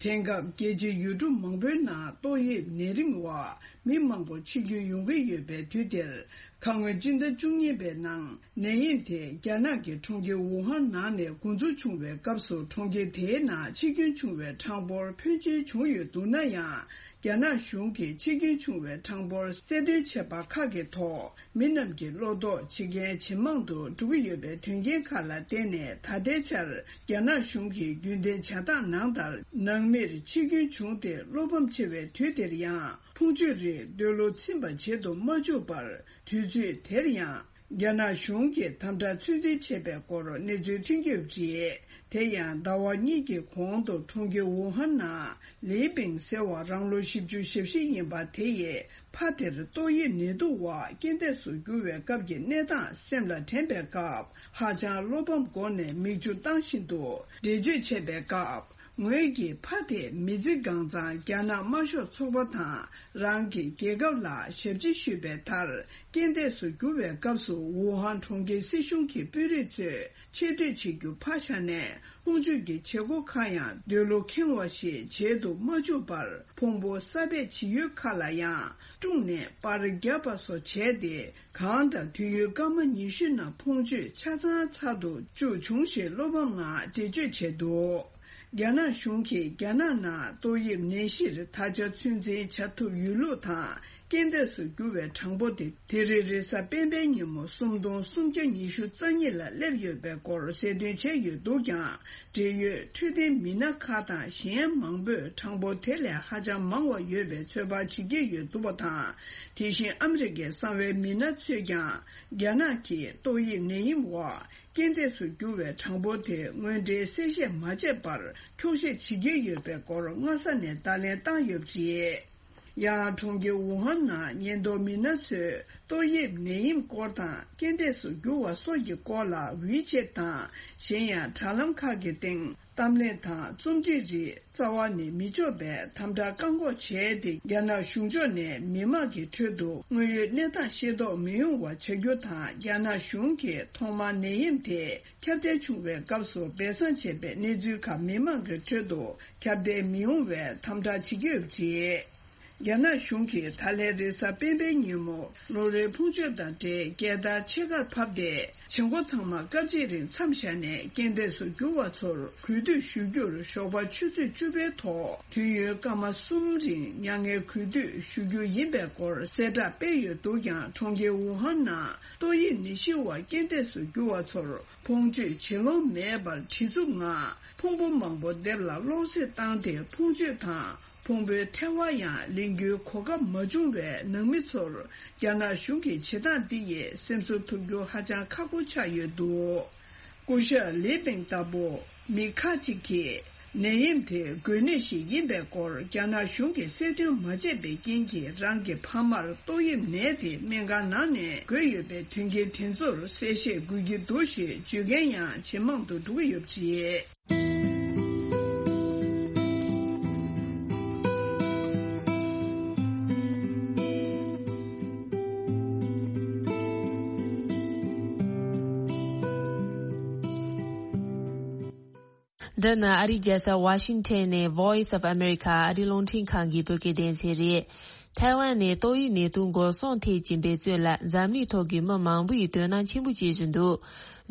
དེང་སྐབས་རྒྱལ་སྤྱིའི་ཡུལ་གྲུ་མང་པོའི་ནང་ཏོག་དབྱིབས་ནད་རིམས་འོག་མི་མང་པོ་འཆི་སྐྱོན་ཡོང་གི་ཡོད་པའི་དུས་འདིར། ཁ་སྔོན་སྤྱི་ཟླ་བཅུ་གཉིས་པའི་ནང་ནད་ཡམས་དེ་རྒྱ་ནག་གི་གྲོང་ཁྱེར་ཝུ་ཧན་ནང་ནས་འགོ་འཛུགས་བྱུང་བའི་སྐབས་སུ་གྲོང་ཁྱེར་དེའི་ནང་འཆི་སྐྱོན་བྱུང་བའི་གྲངས་འབོར་ཕོན་ཆེན་བྱུང་ཡོད་འདུག་ན་ཡང་། རྒྱ་ནག་གཞུང་གིས་འཆི་སྐྱོན་བྱུང་བའི་གྲངས་འབོར་གསལ་སྟོན་བྱས་པ་ཁག་གི་ཐོག་མི་རྣམས་ཀྱི་བློ་དོགས་ཇེ་གལ་ཇེ་མང་དུ་འགྲོ་གི་ཡོད་པའི་དོན་རྐྱེན་ཁག་ལ་བརྟེན་ནས་ད་ལྟའི་ཆར་རྒྱ་ནག་གཞུང་གིས་རྒྱུན་ལྡན་བྱ་སྟངས་ནང་ལྟར་ནང་མིར་འཆི་སྐྱོན་བྱུང་སྟེ་བློ་ཕམ་ཆེ་བའི་དུས་འདིར་ཡང་ཕུང་མཆོད་རིགས་འདོད་བློ་ཚིམ་པ་བྱེད་དུ་མ་བཅུག་པར་དུས་ཚོད་དེར་ཡང་རྒྱ་ནག་གཞུང་གིས་དམ་དྲག་ཚོད་འཛིན་བྱས་པའི་སྐོར་གནས་ཚུལ་ཐོན་གྱི་ཡོད་པ་རེད། དེ་ཡང་ཟླ་བ་གཉིས་ཀྱི་གོང་དུ་གྲོང་ཁྱེར་ཝུ་ཧན་ནང་ལི་པིང་ཟེར་བ་རང་ལོ་བཞི་བཅུ་ཞེ་བཞི་ཡིན་པ་དེ་ཡིས་ཕ་དེར་ཏོག་དབྱིབས་ནད་དུག་འོག་རྐྱེན་འདས་སུ་གྱུར་བའི་སྐབས་ཀྱི་གནས་སྟངས་སེམས་ལ་དྲན་པའི་སྐབས་ཧ་ཅང་བློ་ཕམ་སྒོ་ནས་མིག་ཆུ་བཏང་བཞིན་དུ་འགྲེལ་བརྗོད་བྱས་པའི་སྐབས། ངོས་ཀྱི་ཕ་དེ་མི་ཚེ་གང་ཚང་རྒྱ་ནག་དམར་ཤོག་ཚོགས་པ་དང་རང་གི་རྒྱལ་ཁབ་ལ་ཞབས་ཕྱི་ཞུས་པའི་མཐར་རྐྱེན་འདས་སུ་གྱུར་བའི་སྐབས་སུ་ཝུ་ཧན་གྲོང་ཁྱེར་སྲིད་གཞུང་གི་དཔོན་རིགས་ཚོས་ཆེ་བསྟོད་བྱེད་རྒྱུ་ཕར་བཞག་ནས་ཕུང་མཆོད་ཀྱི་བྱེད་སྒོ་ཁག་ཡང་འདོད་བློ་ཁེངས་པ་ཞིག་བྱེད་དུ་མ་བཅུག་པར་ཕུང་པོ་གསར་སྦས་བྱེད་ཡུལ་ཁག་ལ་ཡང་སྤྲུགས་ནས་པར་བརྒྱབ་པ་སོགས་བྱས་ཏེ། གང་ལྟར་དུས་ཡུན་སྐར་མ་ཉི་ཤུ་ནང་ཕུང་མཆོད་ཆ་ཚང་ཚར་དུ་བཅུག་བྱུང་ཞེས་བློ་ཕམ་ངང་འགྲེལ་བརྗོད་བྱས་འདུག་རྒྱ་ནག་གཞུང་གིས་རྒྱ་ནག་ནང་ཏོག་དབྱིབས་ནད་གཞིར་ད་ཆ་ཚོད་འཛིན་བྱ་ཐུབ་ཡོད་ལུགས་དང་རྐྱེན་འདས་སུ་གྱུར་བའི་གྲངས་འབོར་དེ་དེ་རིང་རེས་གཟའ་སྤེན་པའི་ཉིན་མོ་སུམ་སྟོང་སུམ་བརྒྱ་ཉི་ཤུ་རྩ་གཉིས་ལ་སླེབས་ཡོད་པའི་སྐོར་གསལ་སྟོན་བྱས་ཡོད་འདུག་ཀྱང་། འབྲེལ་ཡོད་འཕྲོད་བསྟེན་མི་སྣ་ཁག་དང་གཞན་མང་པོས་གྲངས་འབོར་དེ་ལས་ཧ་ཅང་མང་བ་ཡོད་པའི་ཚོད་དཔག་བྱེད་ཀྱི་ཡོད་འདུག་པ་དང་། དེ་བཞིན་ཨ་མི་རི་ཀའི་གསང་བའི་མི་སྣ་ཚོས་ཀྱང་རྒྱ་ནག་གིས་ཏོག་དབྱིབས་ནད་ཡམས་འོག་རྐྱེན་འདས་སུ་གྱུར་བའི་གྲངས་འབོར་དེ་དངོས་འབྲེལ་གསལ་བཤད་མ་བྱས་པར་འཁྱོག་བཤད་བྱེད་ཀྱི་ཡོད་པའི་སྐོར་སྔ་ས་ནས་བརྡ་ལན་བཏང་ཡོད་པ་རེད། ཡང་གྲོང་ཁྱེར་ཝུ་ཧན་ནང་ཉེན་རྟོག་མི་སྣ་ཚོས་ཏོག་དབྱིབས་ནད་ཡམས་སྐོར་དང་རྐྱེན་འདས་སུ་གྱུར་བ་སོགས་ཀྱི་སྐོར་ལ་ཝི་ཆེད་དང་གཞན་ཡང་དྲ་ལམ་ཁག་གི་སྟེང་གཏམ་གླེང་དང་རྩོམ་སྒྲིག་རིགས་རྩ་བ་ནས་མི་ཆོག་པའི་དམ་དྲག་བཀག་འགོག་བྱས་ཏེ་རྒྱ་ནག་གཞུང་ཕྱོགས་ནས་མི་མང་གི་ཁྲོད་དུ་དངོས་ཡོད་གནས་སྟངས་ཤེས་རྟོགས་མི་ཡོང་བ་བྱ་རྒྱུ་དང་། རྒྱ་ནག་གཞུང་གིས་ཐོག་མར་ནད་ཡམས་དེ་ཁྱབ་གདལ་བྱུང་བའི་སྐབས་སུ་སྦས་གསང་བྱས་པའི་གནས་ཚུལ་ཁག་མི་མང་གི་ཁྲོད་དུ་ཁྱབ་གདལ་མི་ཡོང་བའི་དམ་དྲག་བྱེད་ཀྱི་ཡོད་པ་རེད། རྒྱ་ནག་གཞུང་གིས་ད་ལན་རེས་གཟའ་སྤེན་པའི་ཉིན་མོ་ལོ་རེའི་ཕུང་མཆོད་དང་འབྲེལ་རྒྱལ་དར་ཕྱེད་ཀར་ཕབ་སྟེ། བྱེད་སྒོ་ཚང་མ་སྐབས་གཅིག་རིང་མཚམས་བཞག་ནས་རྐྱེན་འདས་སུ་གྱུར་བ་ཚོར་གུས་འདུད་ཞུ་རྒྱུར་ཞོགས་པ་ཆུ་ཚོད་བཅུ་པའི་ཐོག་དུས་ཡུན་སྐར་མ་གསུམ་རིང་མྱ་ངན་གུས་འདུད་ཞུ་རྒྱུ་ཡིན་པའི་སྐོར་གསལ་བསྒྲགས་སྤེལ་ཡོད་འདུག་ཀྱང་། གྲོང་ཁྱེར་ཝུ་ཧན་ནང་ཏོག་དབྱིབས་ནད་གཞི་འོག་རྐྱེན་འདས་སུ་གྱུར་བ་ཚོར་ཕུང་མཆོད་བྱེད་ལོང་མེད་པར་བྲེལ་འཚུབ་ངང་ཕུང་པོ་མང་པོ་སྡེབ་ལ་གློག་བསད་བཏང་སྟེ་ཕུང་མཆོད་དང་། ཁོང་པོའི་ཐལ་བ་ཡང་ལེན་རྒྱུའི་གོ་སྐབས་མ་བྱུང་བས། ནང་མི་ཚོར་རྒྱ་ནག་གཞུང་གི་བྱེད་སྟངས་འདི་ཡིས་སེམས་གསོ་ཐུབ་རྒྱུ་ཧ་ཅང་ཁག་པོ་ཆགས་ཡོད་འདུག་སྐུ་ཞབས་ལི་པིང་ལྟ་བུ་མི་ཁག་ཅིག་གིས། ནད་ཡམས་དེ་འགོས་ནད་ཞིག་ཡིན་པའི་སྐོར་རྒྱ་ནག་གཞུང་གིས་གསལ་སྟོན་མ་བྱས་པའི་རྐྱེན་གྱིས། རང་གི་ཕ་མར་ཏོག་དབྱིབས་ནད་དེ་སྨན་ཁང་ནང་ནས་འགོས་ཡོད་པའི་དོན་རྐྱེན་དེ་ཚོར་གསལ་བཤད་དགོས་ཀྱི་འདུག་ཞེས་བརྗོད་མཁན་ཡང་ཇེ་མང་དུ་འགྲོ་གི་ཡོད་པ་རེད། འདི་ནི་ཨ་རིའི་རྒྱལ་ས་ཝ་ཤིང་ཊོན་ནས་Voice of America ཨ་རིའི་རླུང་འཕྲིན་ཁང་གི་བོད་སྐད་སྡེ་ཚན་རེད། ཐའེ་ཝན་ནས་ཏོག་དབྱིབས་ནད་དུག་འགོག་སྲུང་ཐད་ཀྱི་འབད་བརྩོན་ལ་འཛམ་གླིང་ཐོག་གི་མི་མང་པོ་ཡིས་དོ་སྣང་ཆེན་པོ་བྱེད་བཞིན་འདུག་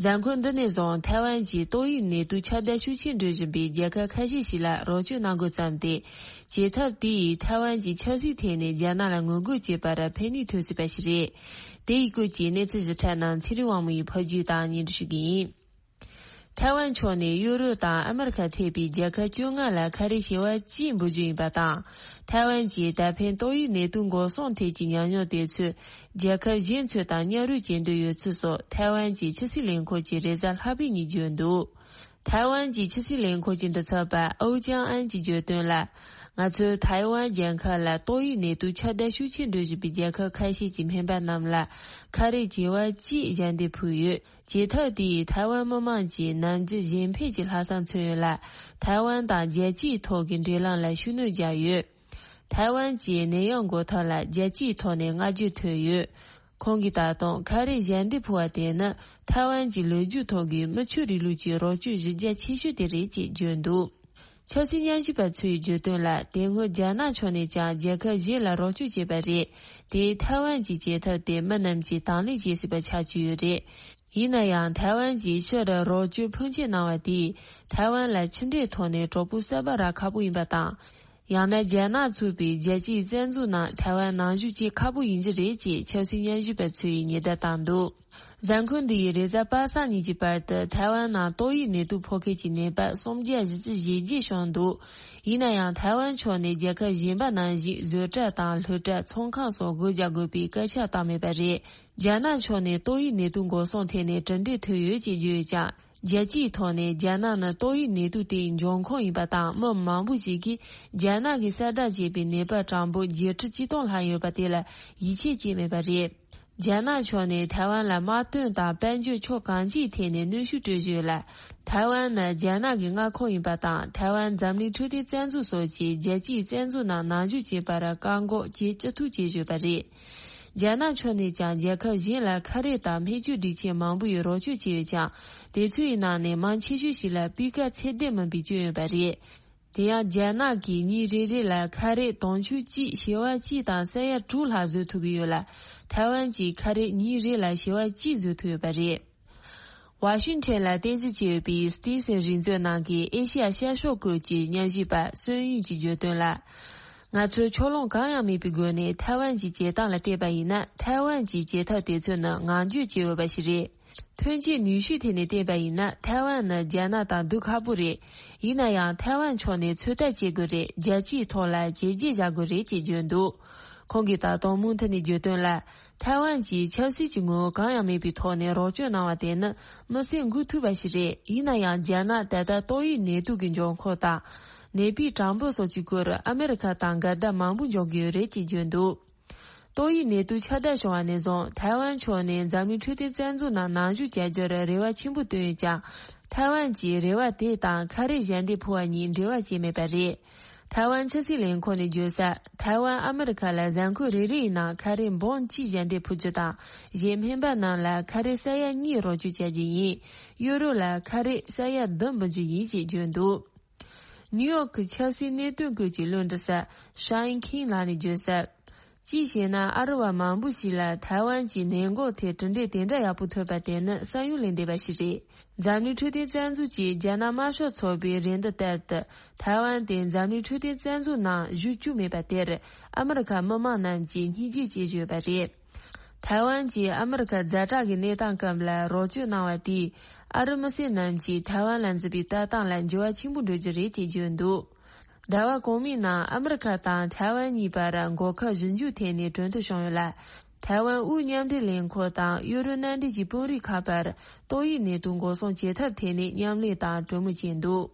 གཟའ་འཁོར་འདི་ནས་བཟུང་ཐའེ་ཝན་གྱིས་ཏོག་དབྱིབས་ནད་དུག་ཁྱབ་གདལ་ཤུགས་ཆེན་འགྲོ་བཞིན་པའི་རྒྱལ་ཁབ་ཁ་ཤས་ཤིག་ལ་རོགས་སྐྱོར་གནང་འགོ་བརྩམས་ཏེ། བྱེད་ཐབས་དེ་ཡིས་ཐའེ་ཝན་གྱིས་ཆབ་སྲིད་ཐད་ནས་རྒྱ་ནག་ལ་ངོ་རྒོལ་བྱེད་པར་ཕན་ནུས་ཐོན་སྲིད་པ་ཞིག་རེད། དེ་ཡི་སྐོར་གྱི་གནས་ཚུལ་ཞིབ་ཕྲ་རྣམས་ཚེ་རིང་དབང་མོ་ཡིས་ཕབ་སྒྱུར་དང་སྙན་སྒྲོན་ཞུ་གི་ཡིན། ཐའེ་ཝན་ཕྱོགས་ནས་ཡུ་རོབ་དང་ཨ་མེ་རི་ཁ་ཐེ་བའི་རྒྱལ་ཁབ་བཅོ་ལྔ་ལ་ཁ་རས་བྱེ་བ་གཅིག་འབུལ་རྒྱུ་ཡིན་པ་དང་། ཐའེ་ཝན་གྱིས་ད་ཕན་ཏོག་དབྱིབས་ནད་དུག་འགོག་སྲུང་ཐད་ཀྱི་ཉམས་མྱོང་དེ་ཚོས་རྒྱལ་ཁབ་གཞན་ཚོ་དང་མཉམ་རུབ་བྱེད་འདོད་ཡོད་ཚུལ་སོགས་ཐའེ་ཝན་གྱི་ཕྱི་སྲིད་ལས་ཁུངས་ཀྱི་རེས་གཟའ་ལྷག་པའི་ཉིན་བརྗོད་འདུག་ཐའེ་ཝན་གྱི་ཕྱི་སྲིད་ལས་ཁུངས་ཀྱི་མགྲིན་ཚབ་པ་ཨོ་ཅང་ཨན་གྱིས་བརྗོད་དོན་ལ། ང་ཚོས་ཐའེ་ཝན་རྒྱལ་ཁབ་ལ་ཏོག་དབྱིབས་ནད་དུག་ཁྱབ་གདལ་ཤུགས་ཆེན་འགྲོ་བཞིན་པའི་རྒྱལ་ཁབ་ཁ་ཤས་ཀྱི་སྨན་པ་རྣམས་ལ་ཁ་རས་བྱེ་བ་གཅིག་ཞལ་འདེབས་ཕུལ་ཡོད། བྱེད་ཐབས་དེ་ཡིས་ཐའེ་ཝན་མི་དམངས་ཀྱི་ནམ་རྒྱུན་གཞན་ཕན་གྱི་ལྷག་བསམ་མཚོན་ཡོད་ལ། ཐའེ་ཝན་དང་རྒྱལ་སྤྱིའི་ཐོག་གི་འབྲེལ་ལམ་ལ་ཤུགས་སྣོན་བརྒྱབ་ཡོད། ཐའེ་ཝན་གྱི་ནད་ཡམས་འགོག་ཐབས་ལ་རྒྱལ་སྤྱིའི་ཐོག་ནས་བསྔགས་བརྗོད་ཐོབ་ཡོད། ཁོང་གིས་ད་དུང་ཁ་རས་ཞལ་འདེབས་ཕུལ་བ་དེ་ནི་ཐའེ་ཝན་གྱི་ལོ་རྒྱུས་ཐོག་གི་མི་ཆོས་རིང་ལུགས་ཀྱི་རོགས་སྐྱོར་གཞི་རྒྱ་ཆེ་ཤོས་དེ་རེད་ཅེས་བརྗོད་འདུག་ཆབ་སྲིད་ཉམས་ཞིབ་པ་ཚོས་བརྗོད་དོན་ལ། དེ་སྔོན་རྒྱ་ནག་ཕྱོགས་ནས་ཀྱང་རྒྱལ་ཁབ་གཞན་ལ་རོགས་སྐྱོར་བྱས་པ་རེད། དེས་ཐའེ་ཝན་གྱི་བྱེད་ཐབས་དེ་མི་རྣམས་ཀྱིས་དང་ལེན་བྱེད་སྲིད་པ་ཆགས་ཀྱི་ཡོད་རེད། ཡིན་ན་ཡང་ཐའེ་ཝན་གྱིས་ཕྱིར་རོགས་སྐྱོར་ཕོན་ཆེ་གནང་བ་དེས་ཐའེ་ཝན་ལ་ཕྱི་འབྲེལ་ཐོག་ནས་གྲོགས་པོ་གསར་པ་རག་ཁག་པོ་ཡིན་པ་དང་། ཡང་ན་རྒྱ་ནག་ཚུད་པའི་རྒྱལ་སྤྱིའི་བཙན་འཛུལ་ནང་ཐའེ་ཝན་ནང་ཞུགས་བྱེད་ཁག་པོ་ཡིན་གྱི་རེད་ཅེས་ཆབ་སྲིད་ཉམས་ཞིབ་པ་ཚོས་ཉེན་བརྡ་བཏང་འདུག་གཟའ་འཁོར་འདི་ཡི་རེས་གཟའ་པ་སངས་ཉིན་གྱི་བར་དུ་ཐའེ་ཝན་ནང་ཏོག་དབྱིབས་ནད་དུག་ཕོག་མཁན་གྱི་ནད་པ་སུམ་བརྒྱ་བཞི་བཅུ་ཞེ་བརྒྱད་བྱུང་འདུག་ཡིན་ན་ཡང་ཐའེ་ཝན་ཕྱོགས་ནས་རྒྱལ་ཁབ་གཞན་པ་ནང་བཞིན་བཟོ་གྲྭ་དང་སློབ་གྲྭ། ཚོང་ཁང་སོགས་སྒོ་རྒྱག་དགོས་པའི་སྐད་ཆ་བཏང་མེད་པ་རེད། རྒྱ་ནག་ཕྱོགས་ནས་ཏོག་དབྱིབས་ནད་དུག་འགོག་སྲུང་ཐད་ནས་གྲུབ་འབྲས་ཐོན་ཡོད་ཅེས་བརྗོད་ཡོད་ཀྱང་། རྒྱལ་སྤྱིའི་ཐོག་ནས་རྒྱ་ནག་ནི་ཏོག་དབྱིབས་ནད་དུག་དེའི་འབྱུང་ཁུངས་ཡིན་པ་དང་། མི་མང་པོ་ཞིག་གིས་རྒྱ་ནག་གིས་གསལ་བསྒྲགས་བྱས་པའི་ནད་པ་གྲངས་འབོར་བརྒྱད་ཁྲི་བཅུ་སྟོང་ལྷག་ཡོད་པ་དེ་ལ་ཡིད་ཆེས་བྱས་མེད་པ་རེད། རྒྱ་ནག་ཕྱོགས་ནས་ཐའེ་ཝན་ལ་དམག་དོན་དང་དཔལ་འབྱོར་ཕྱོགས་གང་ཅིའི་ཐད་ནས་གནོན་ཤུགས་སྤྲོད་བཞིན་ཡོད་ལ། ཐའེ་ཝན་ནི་རྒྱ་ནག་གི་མངའ་ཁོངས་ཡིན་པ་དང་། ཐའེ་ཝན་འཛམ་གླིང་འཕྲོད་བསྟེན་བཙན་འཛུལ་སོགས་ཀྱིས་རྒྱལ་སྤྱིའི་བཙན་འཛུལ་ནང་ནང་ཞུགས་བྱེད་པར་བཀག་འགོག་བྱེད་ཅི་ཐུབ་བྱེད་བཞིན་པ་རེད། རྒྱ་ནག་ཕྱོགས་ནས་ཀྱང་རྒྱལ་ཁབ་གཞན་ལ་ཁ་རས་དང་སྨན་བཅོས་སྒྲིག་ཆས་མང་པོ་ཡི་རོགས་སྐྱོར་བྱས་ཡོད་ཀྱང་། དེ་ཚོའི་ནང་ནས་མང་ཆེ་ཤོས་ཤིག་ལ་སྤུས་ཀ་ཚད་ལྡན་མིན་པའི་སྐྱོན་ཡོད་པ་རེད། དེ་ཡང་རྒྱ་ནག་གིས་ཉིན་རེ་རེ་ལ་ཁ་རས་དུང་ཕྱུར་གཅིག་བྱེ་བ་གཅིག་དང་ས་ཡ་དྲུག་ལྷག་བཟོ་ཐུབ་ཀྱི་ཡོད་ལ། ཐའེ་ཝན་གྱིས་ཁ་རས་ཉིན་རེ་ལ་བྱེ་བ་གཅིག་བཟོ་ཐུབ་ཡོད་པ་རེད། ཝ་ཤིང་ཊོན་ལ་རྟེན་གཞི་བྱས་ཡོད་པའི་སྟི་སེན་རིག་མཛོད་ནང་གི་ཨེ་ཤི་ཡ་ཤར་ཕྱོགས་སྐོར་གྱི་ཉམས་ཞིབ་པ་སོན་ཡུན་གྱིས་བརྗོད་དོན་ལ། ང་ཚོས་ཕྱོགས་ལྷུང་གང་ཡང་མེད་པའི་སྒོ་ནས་ཐའེ་ཝན་གྱི་བྱེད་སྟངས་ལ་བལྟས་པ་ཡིན་ན། ཐའེ་ཝན་གྱི་བྱེད་ཐབས་དེ་ཚོ་ནི་ངང་རྒྱུད་བྱས་ཡོད་པ་ཞིག་རེད། ཐོན་སྐྱེད་ནུས་ཤུགས་ཐད་ནས་བལྟས་པ་ཡིན་ན། ཐའེ་ཝན་ནི་རྒྱ་ནག་དང་སྡུག་ཁག་པོ་རེད། ཡིན་ན་ཡང་ཐའེ་ཝན་ཕྱོགས་ནས་ཚོད་ལྟ་བྱེད་དགོས་རེད། རྒྱལ་སྤྱིའི་ཐོག་ལ་བྱས་རྗེས་བཞག་དགོས་རེད་ཅེས་བརྗོད་འདུག་ཁོང་གིས་ད་དུང་མུ་མཐུད་ནས་བརྗོད་དོན་ལ། ཐའེ་ཝན་གྱིས་ཆབ་སྲིད་ཀྱི་ངོ་བོ་གང་ཡང་མེད་པའི་ཐོག་ནས་རོགས་སྐྱོར་གནང་བ་དེ་ནི་མི་སེམས་འགུག་ཐུབ་པ་ཞིག་རེད། ཡིན་ན་ཡང་རྒྱ་ནག་ད་ལྟ་ཏོག་དབྱིབས་ནད་དུག་གི་འབྱུང་ཁུངས་དང་། ནད་པའི་གྲངས་འབོར་སོགས་ཀྱི་སྐོར་ཨ་མེ་རི་ཁ་དང་འགལ་ཟླ་མང་པོ་འཇོག་གི་ཡོད་རེད་ཅེས་བརྗོད་འདུག་ཏོག་དབྱིབས་ནད་དུག་ཁྱབ་གདལ་བྱུང་བ་ནས་བཟུང་། ཐའེ་ཝན་ཕྱོགས་ནས་འཛམ་གླིང་འཕྲོད་བསྟེན་བཙན་འཛུལ་ནང་ནང་ཞུགས་བྱ་རྒྱུར་རེ་བ་ཆེན་པོ་བཏོན་ཡོད་ཀྱང་། ཐའེ་ཝན་གྱིས་རེ་བ་དེ་དང་ཁ་རས་ཞལ་འདེབས་ཕུལ་བ་གཉིས་འབྲེལ་བ་བྱས་མེད་པ་རེད། ཐའེ་ཝན་ཕྱི་སྲིད་ལས་ཁུངས་ནས་བརྗོད་གསལ། ཐའེ་ཝན་ཨ་མེ་རི་ཁ་ལ་གཟའ་འཁོར་རེ་རེ་ཡི་ནང་ཁ་རས་འབུམ་གཅིག་ཞལ་འདེབས་ཕུལ་རྒྱུ་དང་། གཞན་སྨན་པ་རྣམས་ལ་ཁ་རས་ས་ཡ་གཉིས་རོགས་སྐྱོར་བྱ་རྒྱུ་ཡིན། ཡུ་རོབ་ལ་ཁ་རས་ས་ཡ་བདུན་འབུལ་རྒྱུ་ཡིན་ཞེས་བརྗོད་འདུག་ནིའུ་ཡོག་གི་ཆབ་སྲིད་གནད་དོན་སྐོར་གྱི་བློན་འདྲི་ས་ཤའིན་ཁིན་ལགས་ནས་བརྗོད་གསལ། གཅིག་བྱས་ན། ཨ་རི་བ་མང་པོ་ཞིག་ལ་ཐའེ་ཝན་གྱི་ནད་འགོག་ཐད་གྲུབ་འབྲས་དེ་འདྲ་ཡག་པོ་ཐོབ་པ་དེ་ནི་བསམ་ཡུལ་ལས་འདས་པ་ཞིག་རེད། འཛམ་གླིང་འཕྲོད་བསྟེན་བཙན་འཛུལ་གྱིས་རྒྱ་ནག་དམར་ཤོག་ཚོགས་པའི་རེ་འདུན་ལྟར་དུ། ཐའེ་ཝན་དེ་འཛམ་གླིང་འཕྲོད་བསྟེན་བཙན་འཛུལ་ནང་ཞུགས་བཅུག་མེད་པ་དེར། ཨ་མི་རི་ཁ་མི་མང་རྣམས་ཀྱིས་སྙིང་རྗེ་སྐྱེ་བཞིན་ཡོད་པ་རེད། ཐའེ་ཝན་གྱིས་ཨ་མི་རི་ཁ་ཛ་དྲག་གི་གནས་སྟངས་སྐབས་ལ་རོགས་སྐྱོར་གནང་བ་དེས། ཨ་རི་མི་སེར་རྣམས་ཀྱིས་ཐའེ་ཝན་ལ་འཛིན་པའི་ལྟ་སྟངས་ལ་འགྱུར་བ་ཆེན་པོ་འགྲོ་རྒྱུ་རེད་ཅེས་བརྗོད་འདུག་ཟླ་བ་གོང་མའི་ནང་ཨ་མི་རི་ཁ་དང་ཐའེ་ཝན་གཉིས་བར་འགོག་ཁབ་ཞིབ་འཇུག་ཐད་ནས་གྲོས་མཐུན་བྱུང་ཡོད་ལ། ཐའེ་ཝན་དབུས་མཉམ་འབྲེལ་ལས་ཁུངས་དང་ཡུ་རོབ་མནའ་འབྲེལ་གྱི་དཔོན་རིགས་ཁག་བར་ཏོག་དབྱིབས་ནད་དུག་འགོག་སྲུང་བྱེད་ཐབས་ཐད་ནས་མཉམ་ལས་དང་གྲོས་མོལ་བྱས་འདུག་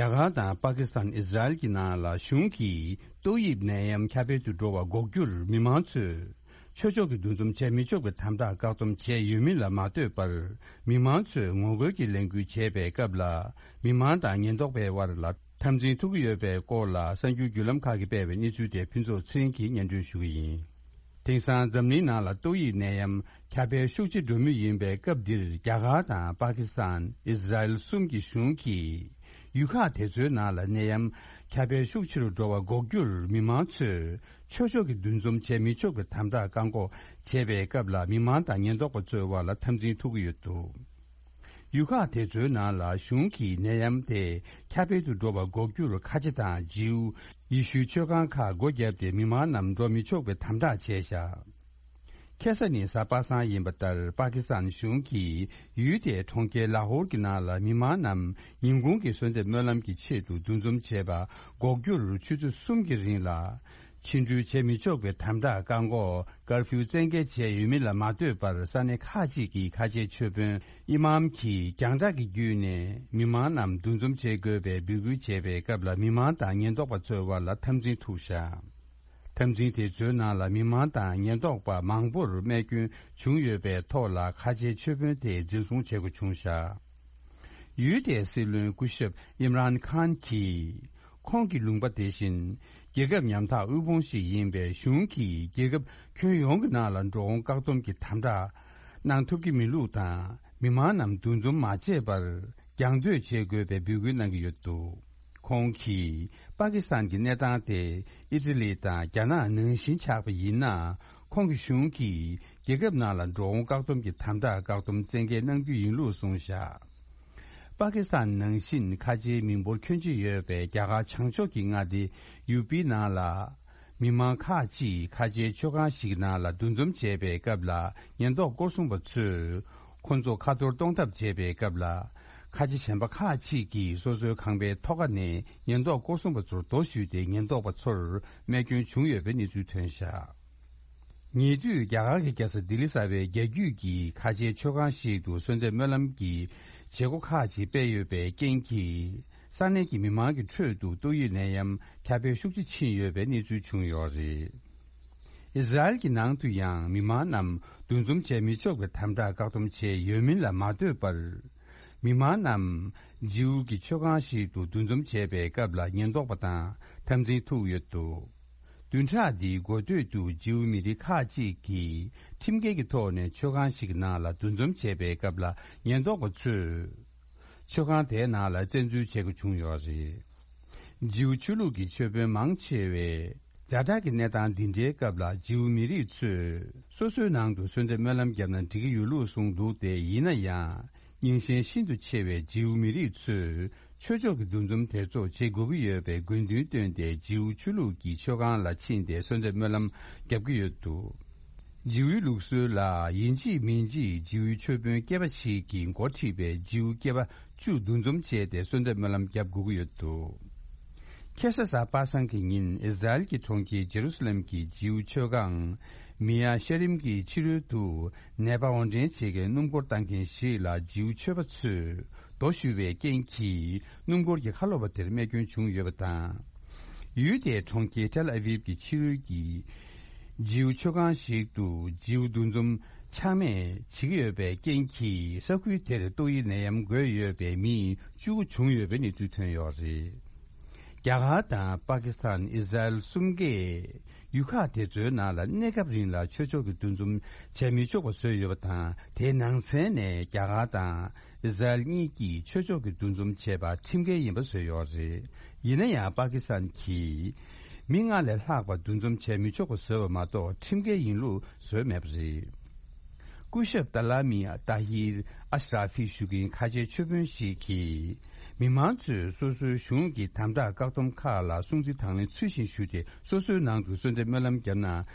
རྒྱ་གར་དང་པ་ཀི་སི་ཐན། ཨི་ཟི་རལ་གྱི་ནང་ལ་གཞུང་གིས་ཏོག་དབྱིབས་ནད་ཡམས་ཁྱབ་སྤེལ་དུ་འགྲོ་བ་འགོག་རྒྱུར་མི་མང་ཚོས་ཆོས་ཕྱོགས་ཀྱི་འདུ་འཛོམས་བྱས་མི་ཆོག་པའི་དམ་དྲག་བཀག་སྡོམ་བྱས་ཡོད་མིན་ལ་མ་ལྟོས་པར། མི་མང་ཚོས་ངོ་རྒོལ་གྱི་ལས་འགུལ་བྱས་པའི་སྐབས་ལ། མི་མང་དང་ཉེན་རྟོག་པའི་དབར་ལ་འཐབ་འཛིང་ཐུག་གི་ཡོད་པའི་སྐོར་ལ་གསར་འགྱུར་བརྒྱུད་ལམ་ཁག་གིས་སྤེལ་བའི་གནས་ཚུལ་དེ་ཕུན་ཚོགས་ཚེ་རིང་གིས་སྙན་སྒྲོན་ཞུ་གི་ཡིན། དེང་སང་འཛམ་གླིང་ནང་ལ་ཏོག་དབྱིབས་ནད་ཡམས་ཁྱབ་སྤེལ་ཤུགས་ཆེ་འགྲོ་མུས་ཡིན་པའི་སྐབས་འདིར། རྒྱ་གར་དང་པ་ཀི་སི་ཐན། ཨི་ཟི་རལ་གསུམ་གྱི་གཞུང་གིས་ཡུལ་ཁག་དེ་ཚོའི་ནང་ལ་ནད་ཡམས་ཁྱབ་སྤེལ་ཤུགས་ཆེ་རུ་འགྲོ་བ་འགོག་རྒྱུར་མི་མང་ཚོས་ཆོས་ཕྱོགས་ཀྱི་འདུ་འཛོམས་བྱས་མི་ཆོག་པའི་དམ་དྲག་བཀག་འགོག་བྱས་པའི་སྐབས་ལ། མི་མང་དང་ཉེན་རྟོག་པ་ཚོའི་དབར་ལ་འཐབ་འཛིང་ཐུག་གི་ཡོད་འདུག་ཡུལ་ཁག་དེ་ཚོའི་ནང་ལ་གཞུང་གིས་ནད་ཡམས་དེ་ཁྱབ་སྤེལ་དུ་འགྲོ་བ་འགོག་རྒྱུར་ཁ་ཆེ་དང་ཇིའུ་ཡེ་ཤུའི་ཆོས་ཁང་ཁག་སྒོ་བརྒྱབ་སྟེ། མི་མང་རྣམས་འགྲོ་མི་ཆོག་པའི་དམ་དྲག་བྱས་བཞག་ཁ་སང་ཉིན་གཟའ་པ་སངས་ཡིན་པ་ལྟར། པ་ཀི་སི་ཐན་གཞུང་གིས་ཡུལ་དེའི་གྲོང་ཁྱེར་ལ་ཧོར་གྱི་ནང་ལ་མི་མང་རྣམས་ཉིན་གུང་གི་གསོལ་འདེབས་སྨོན་ལམ་གྱི་ཆེད་དུ་འདུ་འཛོམས་བྱས་པ་འགོག་རྒྱུར་ཆུ་ཚོད་གསུམ་གྱི་རིང་ལ་ཕྱི་འགྲུལ་བྱེད་མི་ཆོག་པའི་དམ་དྲག་བཀག་འགོག་ཀར་ཕིའུ་བཙན་འགེལ་བྱས་ཡོད་མིན་ལ་མ་ལྟོས་པར། ས་གནས་ཁག་ཅིག་གི་ཁ་ཆེའི་ཆོས་དཔོན་ཨི་མམ་གྱིས་རྒྱང་བསྒྲགས་ཀྱི་བརྒྱུད་ནས་མི་མང་རྣམས་འདུ་འཛོམས་བྱེད་དགོས་པའི་འབོད་སྐུལ་བྱས་པའི་སྐབས་ལ། མི་མང་དང་ཉེན་རྟོག་པ་ཚོའི་དབར་ལ་འཐབ་འཛིང་ཐུག་བཞག་འཐབ་འཛིང་དེ་ཚོའི་ནང་ལ་མི་མང་དང་ཉེན་རྟོག་པ་མང་པོར་རྨས་སྐྱོན་བྱུང་ཡོད་པའི་ཐོག་ལ། ཁ་ཆེའི་ཆོས་དཔོན་དེ་འཛིན་བཟུང་བྱེད་དགོས་བྱུང་བཞག་ཡུལ་དེའི་སྲིད་བློན་སྐུ་ཞབས་ཨིམ་རཱན་ཁཱན་གྱིས། ཁོང་གི་ལུང་པ་དེ་བཞིན་རྒྱལ་ཁབ་ཉམ་ཐག་དབུལ་ཕོངས་ཤིག་ཡིན་པས། གཞུང་གིས་རྒྱལ་ཁབ་ཁྱོན་ཡོངས་ཀྱི་ནང་ལ་འགྲོ་འོང་བཀག་སྡོམ་གྱི་དམ་དྲག་གནང་ཐུབ་ཀྱི་མེད་ལུགས་དང་། མི་མང་རྣམས་འདུ་འཛོམས་མ་བྱས་པར་རྒྱང་སྡོད་བྱེད་དགོས་པའི་འབོད་སྐུལ་གནང་གི་ཡོད་འདུག་ཁོང་གིས། པ་ཀི་སི་ཐན་གྱི་གནས་སྟངས་དེ་ཨི་ཏི་ལི་དང་རྒྱ་ནག་ནང་བཞིན་ཆགས་པ་ཡིན་ན། ཁོང་གི་གཞུང་གིས་རྒྱལ་ཁབ་ནང་ལ་འགྲོ་འོང་བཀག་སྡོམ་གྱི་དམ་དྲག་བཀག་སྡོམ་བཙན་འགེལ་གནང་རྒྱུ་ཡིན་ལུགས་གསུངས་བཞག་པ་ཀི་སི་ཐན་ནང་བཞིན་ཁ་ཆེའི་མི་འབོར་ཁྱོན་ཆེ་ཡོད་པའི་རྒྱ་གར་བྱང་ཕྱོགས་ཀྱི་མངའ་སྡེ་ཡུ་པི་ནང་ལ། མི་མང་ཁག་ཅིག་ཁ་ཆེའི་ཆོས་ཁང་ཞིག་ནང་ལ་འདུ་འཛོམས་བྱས་པའི་སྐབས་ལ། ཉེན་རྟོག་སྐོར་སྲུང་པ་ཚོས་ཁོ་ཚོ་ཁ་འཐོར་གཏོང་ཐབས་བྱས་པའི་སྐབས་ལ། ཁ་ཆེ་གཞན་པ་ཁག་ཅིག་གིས་སོ་སོའི་ཁང་པའི་ཐོག་ཁ་ནས་ཉེན་རྟོག་སྐོར་སྲུང་པ་ཚོར་རྡོ་གཞུས་ཏེ། ཉེན་རྟོག་པ་ཚོར་རྨས་སྐྱོན་བྱུང་ཡོད་པའི་གནས་ཚུལ་ཐོན་བཞག་ཉེ་དུས་རྒྱ་གར་གྱི་རྒྱལ་ས་ལྡི་ལི་གསར་པའི་རྒྱ་རྒྱུད་ཀྱི་ཁ་ཆེའི་ཆོས་ཁང་ཞིག་ཏུ་གསོལ་འདེབས་སྨོན་ལམ་གྱི་བྱེད་སྒོ་ཁག་ཅིག་སྤེལ་ཡོད་པའི་རྐྱེན་གྱིས། ས་གནས་ཀྱི་མི་མང་གི་ཁྲོད་དུ་ཏོག་དབྱིབས་ནད་ཡམས་ཁྱབ་སྤེལ་ཤུགས་ཆེ་ཕྱིན་ཡོད་པའི་གནས་ཚུལ་བྱུང་ཡོད་རེད། ཨི་ཟི་རལ་གྱི་ནང་དུ་ཡང་མི་མང་རྣམས་འདུ་འཛོམས་བྱས་མི་ཆོག་པའི་དམ་དྲག་བཀག་སྡོམ་བྱས་ཡོད་མིན་ལ་མ་ལྟོས་པར། མི་མང་རྣམས་ཇིའུ་གི་ཆོས་ཁང་ཞིག་ཏུ་འདུ་འཛོམས་བྱས་པའི་སྐབས་ལ་ཉེན་རྟོག་པ་དང་འཐབ་འཛིང་ཐུག་ཡོད་འདུག་བདུན་ཕྲག་འདིའི་འགོ་སྟོད་དུ་ཇིའུ་མི་རིགས་ཁག་ཅིག་གིས་ཁྲིམས་འགལ་གྱི་ཐོག་ནས་ཆོས་ཁང་ཞིག་ནང་ལ་འདུ་འཛོམས་བྱས་པའི་སྐབས་ལ། ཉེན་རྟོག་པ་ཚོས་ཆོས་ཁང་དེའི་ནང་ལ་བཙན་འཛུལ་བྱེད་དགོས་བྱུང་ཡོད་རེད། ཇིའུ་ཆོས་ལུགས་ཀྱི་ཆོས་དཔོན་མང་ཆེ་བས། ཛ་དྲག་གི་གནས་སྟངས་འདི་འདྲའི་སྐབས་ལ་ཇིའུ་མི་རིགས་ཚོས་སོ་སོའི་ནང་དུ་གསོལ་འདེབས་སྨོན་ལམ་བརྒྱབ་ན་འགྲིག་གི་ཡོད་ལུགས་གསུངས་འདུག་སྟེ། ཡིན་ན་ཡང་། རྙིང་ཞེན་ཤིན་ཏུ་ཆེ་བའི་ཇིའུ་མི་རིགས་ཚོས་ཆོས་ཕྱོགས་ཀྱི་འདུ་འཛོམས་དེ་ཚོ་བྱེད་དགོས་ཀྱི་ཡོད་པའི་དགོས་འདུན་བཏོན་ཏེ། ཇིའུ་ཆོས་ལུགས་ཀྱི་ཆོས་ཁང་ལ་ཕྱིན་ཏེ་གསོལ་འདེབས་སྨོན་ལམ་བརྒྱབ་ཀྱི་ཡོད་འདུག་ཇིའུའི་ལུགས་སྲོལ་ལ། ཡིན་གཅིག་མིན་གཅིག་ཇིའུའི་ཆོས་དཔོན་སྐྱེས་པ་ཞིག་གིས་འགོ་ཁྲིད་པའི་ཇིའུ་སྐྱེས་པ་བཅུ་འདུ་འཛོམས་བྱས་ཏེ་གསོལ་འདེབས་སྨོན་ལམ་བརྒྱབ་དགོས་ཀྱི་ཡོད་འདུག་ཁ་སང་གཟའ་པ་སངས་ཀྱི་ཉིན། ཨི་ཟི་རལ་གྱི་གྲོང་ཁྱེར་ཇེ་རུ་སི་ལེམ་གྱི་ཇིའུ་ཆོས་ཁང་མི་ཡ་ཤེ་རིམ་གྱི་ཕྱི་རོལ་དུ། ནད་པ་དབོར་འདྲེན་བྱེད་མཁན་སྣུམ་འཁོར་བཏང་མཁན་ཞིག་ལ་ཇིའུ་ཆོས་པ་ཚོས་རྡོ་གཞུས་པའི་རྐྱེན་གྱིས། སྣུམ་འཁོར་གྱི་ཁ་ལོ་བ་དེར་རྨས་སྐྱོན་བྱུང་ཡོད་པ་དང་། ཡུལ་དེའི་གྲོང་ཁྱེར་ཏེལ་ཨ་ཝིབ་ཀྱི་ཕྱི་རོལ་གྱི་ཇིའུ་ཆོས་ཁང་ཞིག་ཏུ་ཇིའུ་འདུ་འཛོམས་ཆག་མེད་བྱེད་ཀྱི་ཡོད་པའི་རྐྱེན་གྱིས། ས་ཁུལ་དེར་ཏོག་དབྱིབས་ནད་ཡམས་འགོས་ཡོད་པའི་མི་བཅུ་དགུ་བྱུང་ཡོད་པའི་གནས་ཚུལ་ཐོན་ཡོད་རེད། རྒྱ་གར་དང་པ་ཀི་སི་ཐན། ཨི་ཟི་རལ་གསུམ་གས་ཡུལ་ཁག་དེ་ཚོའི་ནང་ལ་གནས་སྐབས་རིང་ལ་ཆོས་ཕྱོགས་ཀྱི་འདུ་འཛོམས་བྱས་མི་ཆོག་པ་བཟོས་ཡོད་པ་དང་། དེའི་ནང་ཚན་ནས་རྒྱ་གར་དང་ཨི་ཟི་རལ་གཉིས་ཀྱིས་ཆོས་ཕྱོགས་ཀྱི་འདུ་འཛོམས་བྱས་པ་ཁྲིམས་འགལ་ཡིན་པ་བཟོས་ཡོད་རེད། ཡིན་ན་ཡང་པ་ཀི་སི་ཐན་གྱིས་མི་ལྔ་ལས་ལྷག་པ་འདུ་འཛོམས་བྱས་མི་ཆོག་པ་བཟོས་པ་མ་གཏོགས། ཁྲིམས་འགལ་ཡིན་ལུགས་བཟོས་མེད་པ་རེད། སྐུ་ཞབས་ཏཱ་ལ་མི་ཏཱ་ཧིར་ཨ་ཤ་ར་ཧྥི་ཞུ་མཁན་ཁ་ཆེའི་ཆོས་དཔོན་ཞིག་གིས། མི་མང་ཚོས་སོ་སོའི་གཞུང་གི་དམ་དྲག་བཀག་སྡོམ་ཁག་ལ་སྲུང་བརྩི་དང་ལེན་ཚུལ་བཞིན་ཞུས་ཏེ། སོ་སོའི་ནང་དུ་གསོལ་འདེབས་སྨོན་ལམ་བརྒྱབ་ན་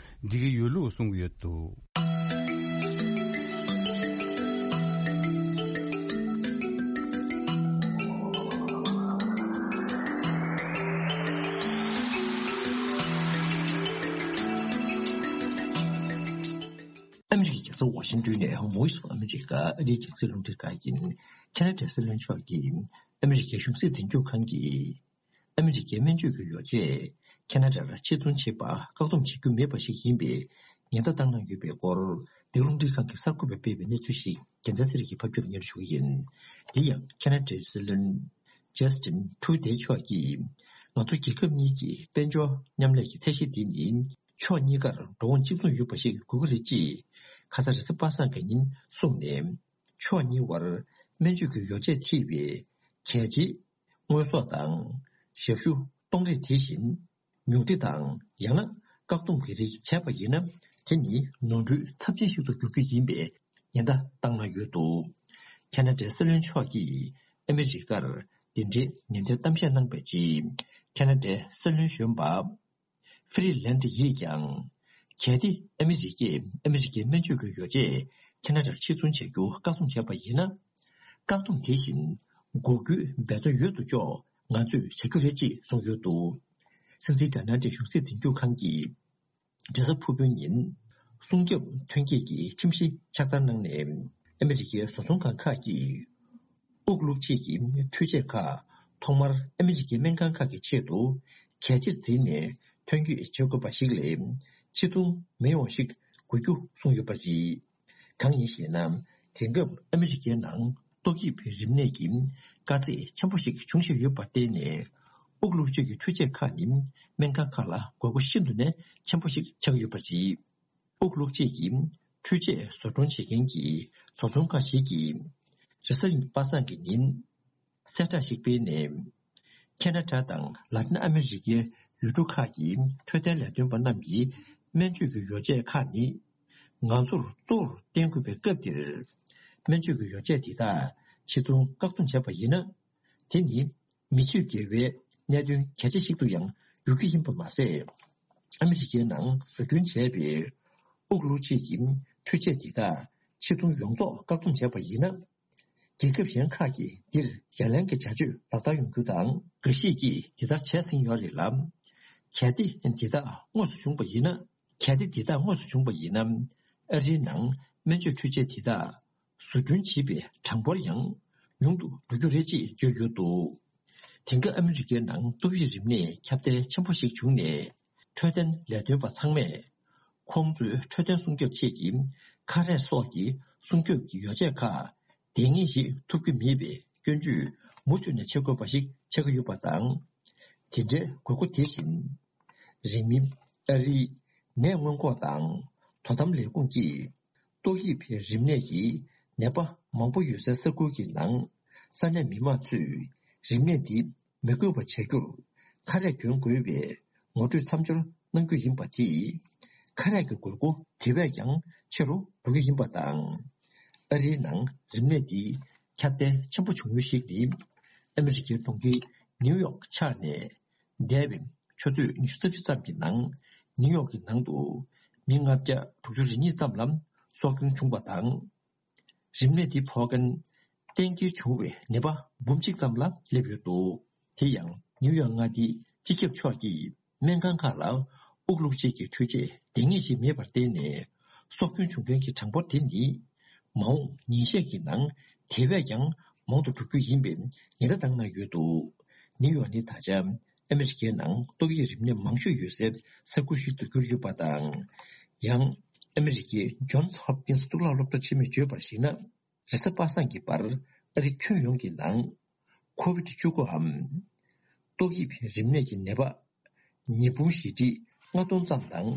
འགྲིག་གི་ཡོད་ལུགས་གསུང་གི་ཡོད་འདུག། ཨ་མི་རི་ཀའི་རྒྱལ་ས་ཝ་ཤིང་ཏོན་ནས་Voice of America ཨ་རིའི་རྒྱང་སྲིང་རླུང་འཕྲིན་ཁང་ཡིན། ཁེ་ན་ཌའི་སྲིད་བློན་མཆོག་གིས་ཨ་མི་རི་ཀའི་གཞུང་སྲིད་འཛིན་སྐྱོང་ཁང་གིས། ཨ་མི་རི་ཀའི་སྨན་བཅོས་ཀྱི་ཡོ་བྱད་ཁེ་ན་ཌར་ཕྱིར་ཚོང་བྱེད་པ་བཀག་སྡོམ་བྱེད་རྒྱུ་མེད་པ་ཞིག་ཡིན་པའི་ཉེན་བརྡ་བཏང་གནང་ཡོད་པའི་སྐོར། འདི་རླུང་འཕྲིན་ཁང་གི་གསར་འགོད་པས་སྤེལ་བའི་གནས་ཚུལ་ཞིག་རྒྱལ་མཚན་ཚེ་རིང་གིས་ཕབ་སྒྱུར་སྙན་ཞུ་གི་ཡིན། འདི་ཡང་ཁེ་ན་ཌའི་སྲིད་བློན་Justin Trudeau མཆོག་གིས། ང་ཚོ་རྒྱལ་ཁབ་གཉིས་ཀྱི་དཔལ་འབྱོར་མཉམ་ལས་ཀྱི་ཚད་གཞི་འདི་ནི་ཕྱོགས་གཉིས་ཀར་འགྲོ་འོང་གཅིག་མཚུངས་ཡོད་པ་ཞིག་དགོས་ཀྱི་རེད་ཅེས་ཁ་ས་རེས་གཟའ་པ་སངས་ཀྱི་ཉིན་གསུངས་ནས། ཕྱོགས་གཉིས་བར་སྨན་བཅོས་ཀྱི་ཡོ་བྱད་ཐེ་བའི་གལ་ཆེའི་དངོས་ཟོག་དང་ཞབས་ཞུ་གཏོང་རེས་དེ་བཞིན་ཉུང་འཕྲི་དང་ཡང་ན་བཀག་སྡོམ་གྱི་རིགས་བྱས་པ་ཡིན་ན། དེ་ནི་ནོར་འཁྲུལ་ཚབས་ཆེན་ཞིག་ཏུ་འགྱུར་རྒྱུ་ཡིན་པའི་ཉེན་བརྡ་བཏང་གནང་ཡོད་འདུག། ཁེ་ན་ཌའི་སྲིད་བློན་མཆོག་གིས་ཨ་མི་རི་ཀར་འདི་འདྲའི་ནན་ཏན་གཏམ་བཤད་གནང་པའི་རྗེས། ཁེ་ན་ཌའི་སྲིད་བློན་གཞོན་པ་ཧྥི་རི་ལན་ཌི་ཡིས་ཀྱང་། གལ་ཏེ་ཨ་མི་རི་ཀས་ཨ་མི་རི་ཀའི་སྨན་བཅོས་ཀྱི་ཡོ་བྱད་ཁེ་ན་ཌར་ཕྱིར་ཚོང་བྱ་རྒྱུ་བཀག་སྡོམ་བྱས་པ་ཡིན་ན། བཀག་སྡོམ་དེ་བཞིན་འགོག་རྒྱུའི་འབད་བརྩོན་ཡོད་དོ་ཅོག་ང་ཚོས་བྱ་རྒྱུ་རེད་ཅེས་གསུངས་ཡོད་འདུག། སྲིད་འཛིན་ཌོ་ནལ་ཌི་ཊྲམ་གཞུང་སྲིད་འཛིན་སྐྱོང་ཁང་གིས་རེས་གཟའ་ཕུར་བུའི་ཉིན་སྲུང་སྐྱོབ་ཐོན་སྐྱེད་ཀྱི་ཁྲིམས་གཞི་ཕྱག་བསྟར་གནང་ནས། ཨ་མི་རི་ཀའི་བཟོ་ཚོང་ཁང་ཁག་གིས་དབུགས་བླུགས་བྱེད་ཀྱི་འཕྲུལ་ཆས་ཁག་ཐོག་མར་ཨ་མི་རི་ཀའི་སྨན་ཁང་ཁག་གི་ཆེད་དུ་གལ་ཆེར་འཛིན་ནས་ཐོན་སྐྱེད་བྱེད་དགོས་པ་ཞིག་ལས་ཕྱིར་ཚོང་མི་ཡོང་ཞིག་དགོས་རྒྱུ་གསུངས་ཡོད་པ་རེད། གང་ཡིན་ཞེ་ན། དེང་སྐབས་ཨ་མི་རི་ཀའི་ནང་ཏོག་དབྱིབས་རིམས་ནད་ཀྱི་དཀའ་ཚེགས་ཆེན་པོ་ཞིག་འབྱུང་བཞིན་ཡོད་པར་བརྟེན་ནས། དབུགས་བླུགས་བྱེད་ཀྱི་འཕྲུལ་ཆས་ཁག་ནི་སྨན་ཁང་ཁག་ལ་དགོས་མཁོ་ཤིན་ཏུ་ནས་ཆེན་པོ་ཞིག་ཆགས་ཡོད་པ་རེད། དབུགས་བླུགས་བྱེད་ཀྱི་འཕྲུལ་ཆས་བཟོ་སྐྲུན་བྱེད་མཁན་གྱི་བཟོ་ཚོང་ཁང་ཞིག་གིས་རེས་གཟའ་པ་སངས་ཀྱི་ཉིན་གསལ་བསྒྲགས་ཤིག་སྤེལ་ནས། ཁེ་ན་ཌ་དང་ལ་ཏིན་ཨ་མི་རི་ཀའི་ཡུལ་གྲུ་ཁག་གི་འཕྲོད་བསྟེན་ལས་དོན་པ་རྣམས་ཀྱིས་སྨན་བཅོས་ཀྱི་ཡོ་བྱད་ཁག་ནི་ང་ཚོར་གཙོ་བོར་བརྟེན་དགོས་པའི་སྐབས་འདིར། སྨན་བཅོས་ཀྱི་ཡོ་བྱད་འདི་དག་ཕྱིར་ཚོང་བཀག་སྡོམ་བྱས་པ་ཡིན་ན། དེ་ནི་མི་ཆོས་འགལ་བའི་གནད་དོན་གལ་ཆེ་ཞིག་ཏུ་ཡང་འགྱུར་གྱི་ཡིན་པ་མ་ཟད། ཨ་མི་རི་ཀའི་ནང་བཟོ་སྐྲུན་བྱས་པའི་དབུགས་བླུགས་བྱེད་ཀྱི་འཕྲུལ་ཆས་འདི་དག་ཕྱིར་ཚོང་ཡོངས་རྫོགས་བཀག་སྡོམ་བྱས་པ་ཡིན་ན། རྒྱལ་ཁབ་གཞན་ཁག་གིས་འདིར་ཡ་ལན་གྱི་བྱ་སྤྱོད་ལག་བསྟར་ཡོང་རྒྱུ་དང་། འགའ་ཞིག་གིས་འདི་ལྟར་བྱས་ཟིན་ཡོད་རེད་ལ། གལ་ཏེ་འདི་དག་དངོས་སུ་བྱུང་བ་ཡིན་ན། གལ་ཏེ་འདི་དག་དངོས་སུ་བྱུང་བ་ཡིན་ན། ཨ་རིའི་ནང་སྨན་བཅོས་འཕྲུལ་ཆས་འདི་དག་བཟོ་སྐྲུན་བྱེད་པའི་གྲངས་འབོར་ཡང་ཉུང་དུ་འགྲོ་རྒྱུ་རེད་ཅེས་བརྗོད་ཡོད་འདུག། དེང་སྐབས་ཨ་མི་རི་ཀའི་ནང་ཏོག་དབྱིབས་རིམས་ནད་ཁྱབ་གདལ་ཆེན་པོ་ཞིག་བྱུང་ནས། འཕྲོད་བསྟེན་ལས་དོན་པ་ཚང་མས་ཁོང་ཚོའི་འཕྲོད་བསྟེན་སྲུང་སྐྱོབ་ཆེད་ཀྱི་ཁ་རས་སོགས་ཀྱི་སྲུང་སྐྱོབ་ཀྱི་ཡོ་བྱད་ཁག་འདང་ངེས་ཤིག་ཐུབ་ཀྱི་མེད་པའི་སྐྱོན་བརྗོད་མུ་མཐུད་ནས་བྱེད་དགོས་པ་ཞིག་ཆགས་ཀྱི་ཡོད་པ་དང་། དེ་འདྲའི་དགོས་མཁོ་དེ་བཞིན། རིང་མིན་ཨ་རིའི་ནད་སྔོན་འགོག་དང་དོ་དམ་ལས་ཁུངས་ཀྱིས། ཏོག་དབྱིབས་རིམས་ནད་ཀྱི་ནད་པ་མང་པོ་ཡོད་སའི་ས་ཁུལ་གྱི་ནང་ས་གནས་མི་མང་ཚོས་རིམས་ནད་འདི་མི་འགོས་པ་བྱ་རྒྱུར་ཁ་རས་གྱོན་དགོས་པའི་ངོ་སྤྲོད་མཚམས་སྦྱོར་གནང་རྒྱུ་ཡིན་པ་དེས། ཁ་རས་ཀྱི་དགོས་མཁོ་དེ་བས་ཀྱང་ཆེ་རུ་འགྲོ་གི་ཡིན་པ་དང་། ཨ་རིའི་ནང་རིམས་ནད་འདི་ཁྱབ་གདལ་ཆེན་པོ་བྱུང་ཡུལ་ཞིག་ནི། ཨ་མི་རི་ཀའི་གྲོང་ཁྱེར་ནིའུ་ཡོག་ཆགས་ནས། འདས་པའི་ཆུ་ཚོད་ཉི་ཤུ་རྩ་བཞི་ཙམ་གྱི་ནང་ནིའུ་ཡོག་གི་ནང་དུ་མི་ལྔ་བརྒྱ་དྲུག་ཅུ་རེ་གཉིས་ཙམ་ལ་སྲོག་སྐྱོན་བྱུང་བ་དང་། རིམས་ནད་འདི་ཕོག་མཁན་གཏན་འཁེལ་བྱུང་བའི་ནད་པ་འབུམ་གཅིག་ཙམ་ལ་སླེབས་ཡོད་འདུག། དེ་ཡང་ནིའུ་ཡོག་མངའ་སྡེའི་སྤྱི་ཁྱབ་མཆོག་གིས་སྨན་ཁང་ཁག་ལ་དབུགས་བླུགས་བྱེད་ཀྱི་འཕྲུལ་ཆས་འདང་ངེས་ཤིག་མེད་པར་བརྟེན་ནས། སྲོག་སྐྱོན་བྱུང་མཁན་གྱི་གྲངས་འབོར་དེ་ནི་མ་འོངས་ཉིན་ཤས་ཀྱི་ནང་དེ་བས་ཀྱང་མང་དུ་འགྲོ་རྒྱུ་ཡིན་པའི་ཉེན་བརྡ་བཏང་གནང་ཡོད་འདུག། ནིའུ་ཡོག་ནི་ད་ཆ་ཨ་མི་རི་ཀའི་ནང་ཏོག་དབྱིབས་རིམས་ནད་མང་ཤོས་ཡོད་སའི་ས་ཁུལ་ཞིག་ཏུ་གྱུར་ཡོད་པ་དང་། ཡང་ཨ་མི་རི་ཀའི་ཇོན་སི་ཧོབ་ཀིན་སི་གཙུག་ལག་སློབ་གྲྭ་ཆེན་མོས་བརྗོད་པར་གཞིགས་ན། རེས་གཟའ་པ་སངས་ཀྱི་བར་ཨ་རི་ཁྱོན་ཡོངས་ཀྱི་ནང་ཁོ་བིད་བཅུ་དགུའམ་ཏོག་དབྱིབས་རིམས་ནད་ཀྱི་ནད་པ་ཉིས་འབུམ་བཞི་ཁྲི་ལྔ་སྟོང་ཙམ་དང་།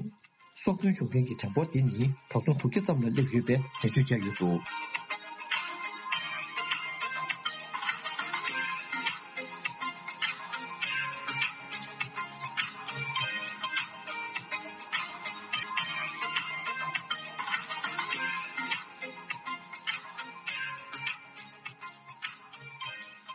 སྲོག་སྐྱོན་བྱུང་མཁན་གྱི་གྲངས་འབོར་དེ་ནི་དྲུག་སྟོང་དྲུག་བརྒྱ་ཙམ་ལ་སླེབས་ཡོད་པའི་འགྲེལ་བརྗོད་བྱས་ཡོད་འདུག།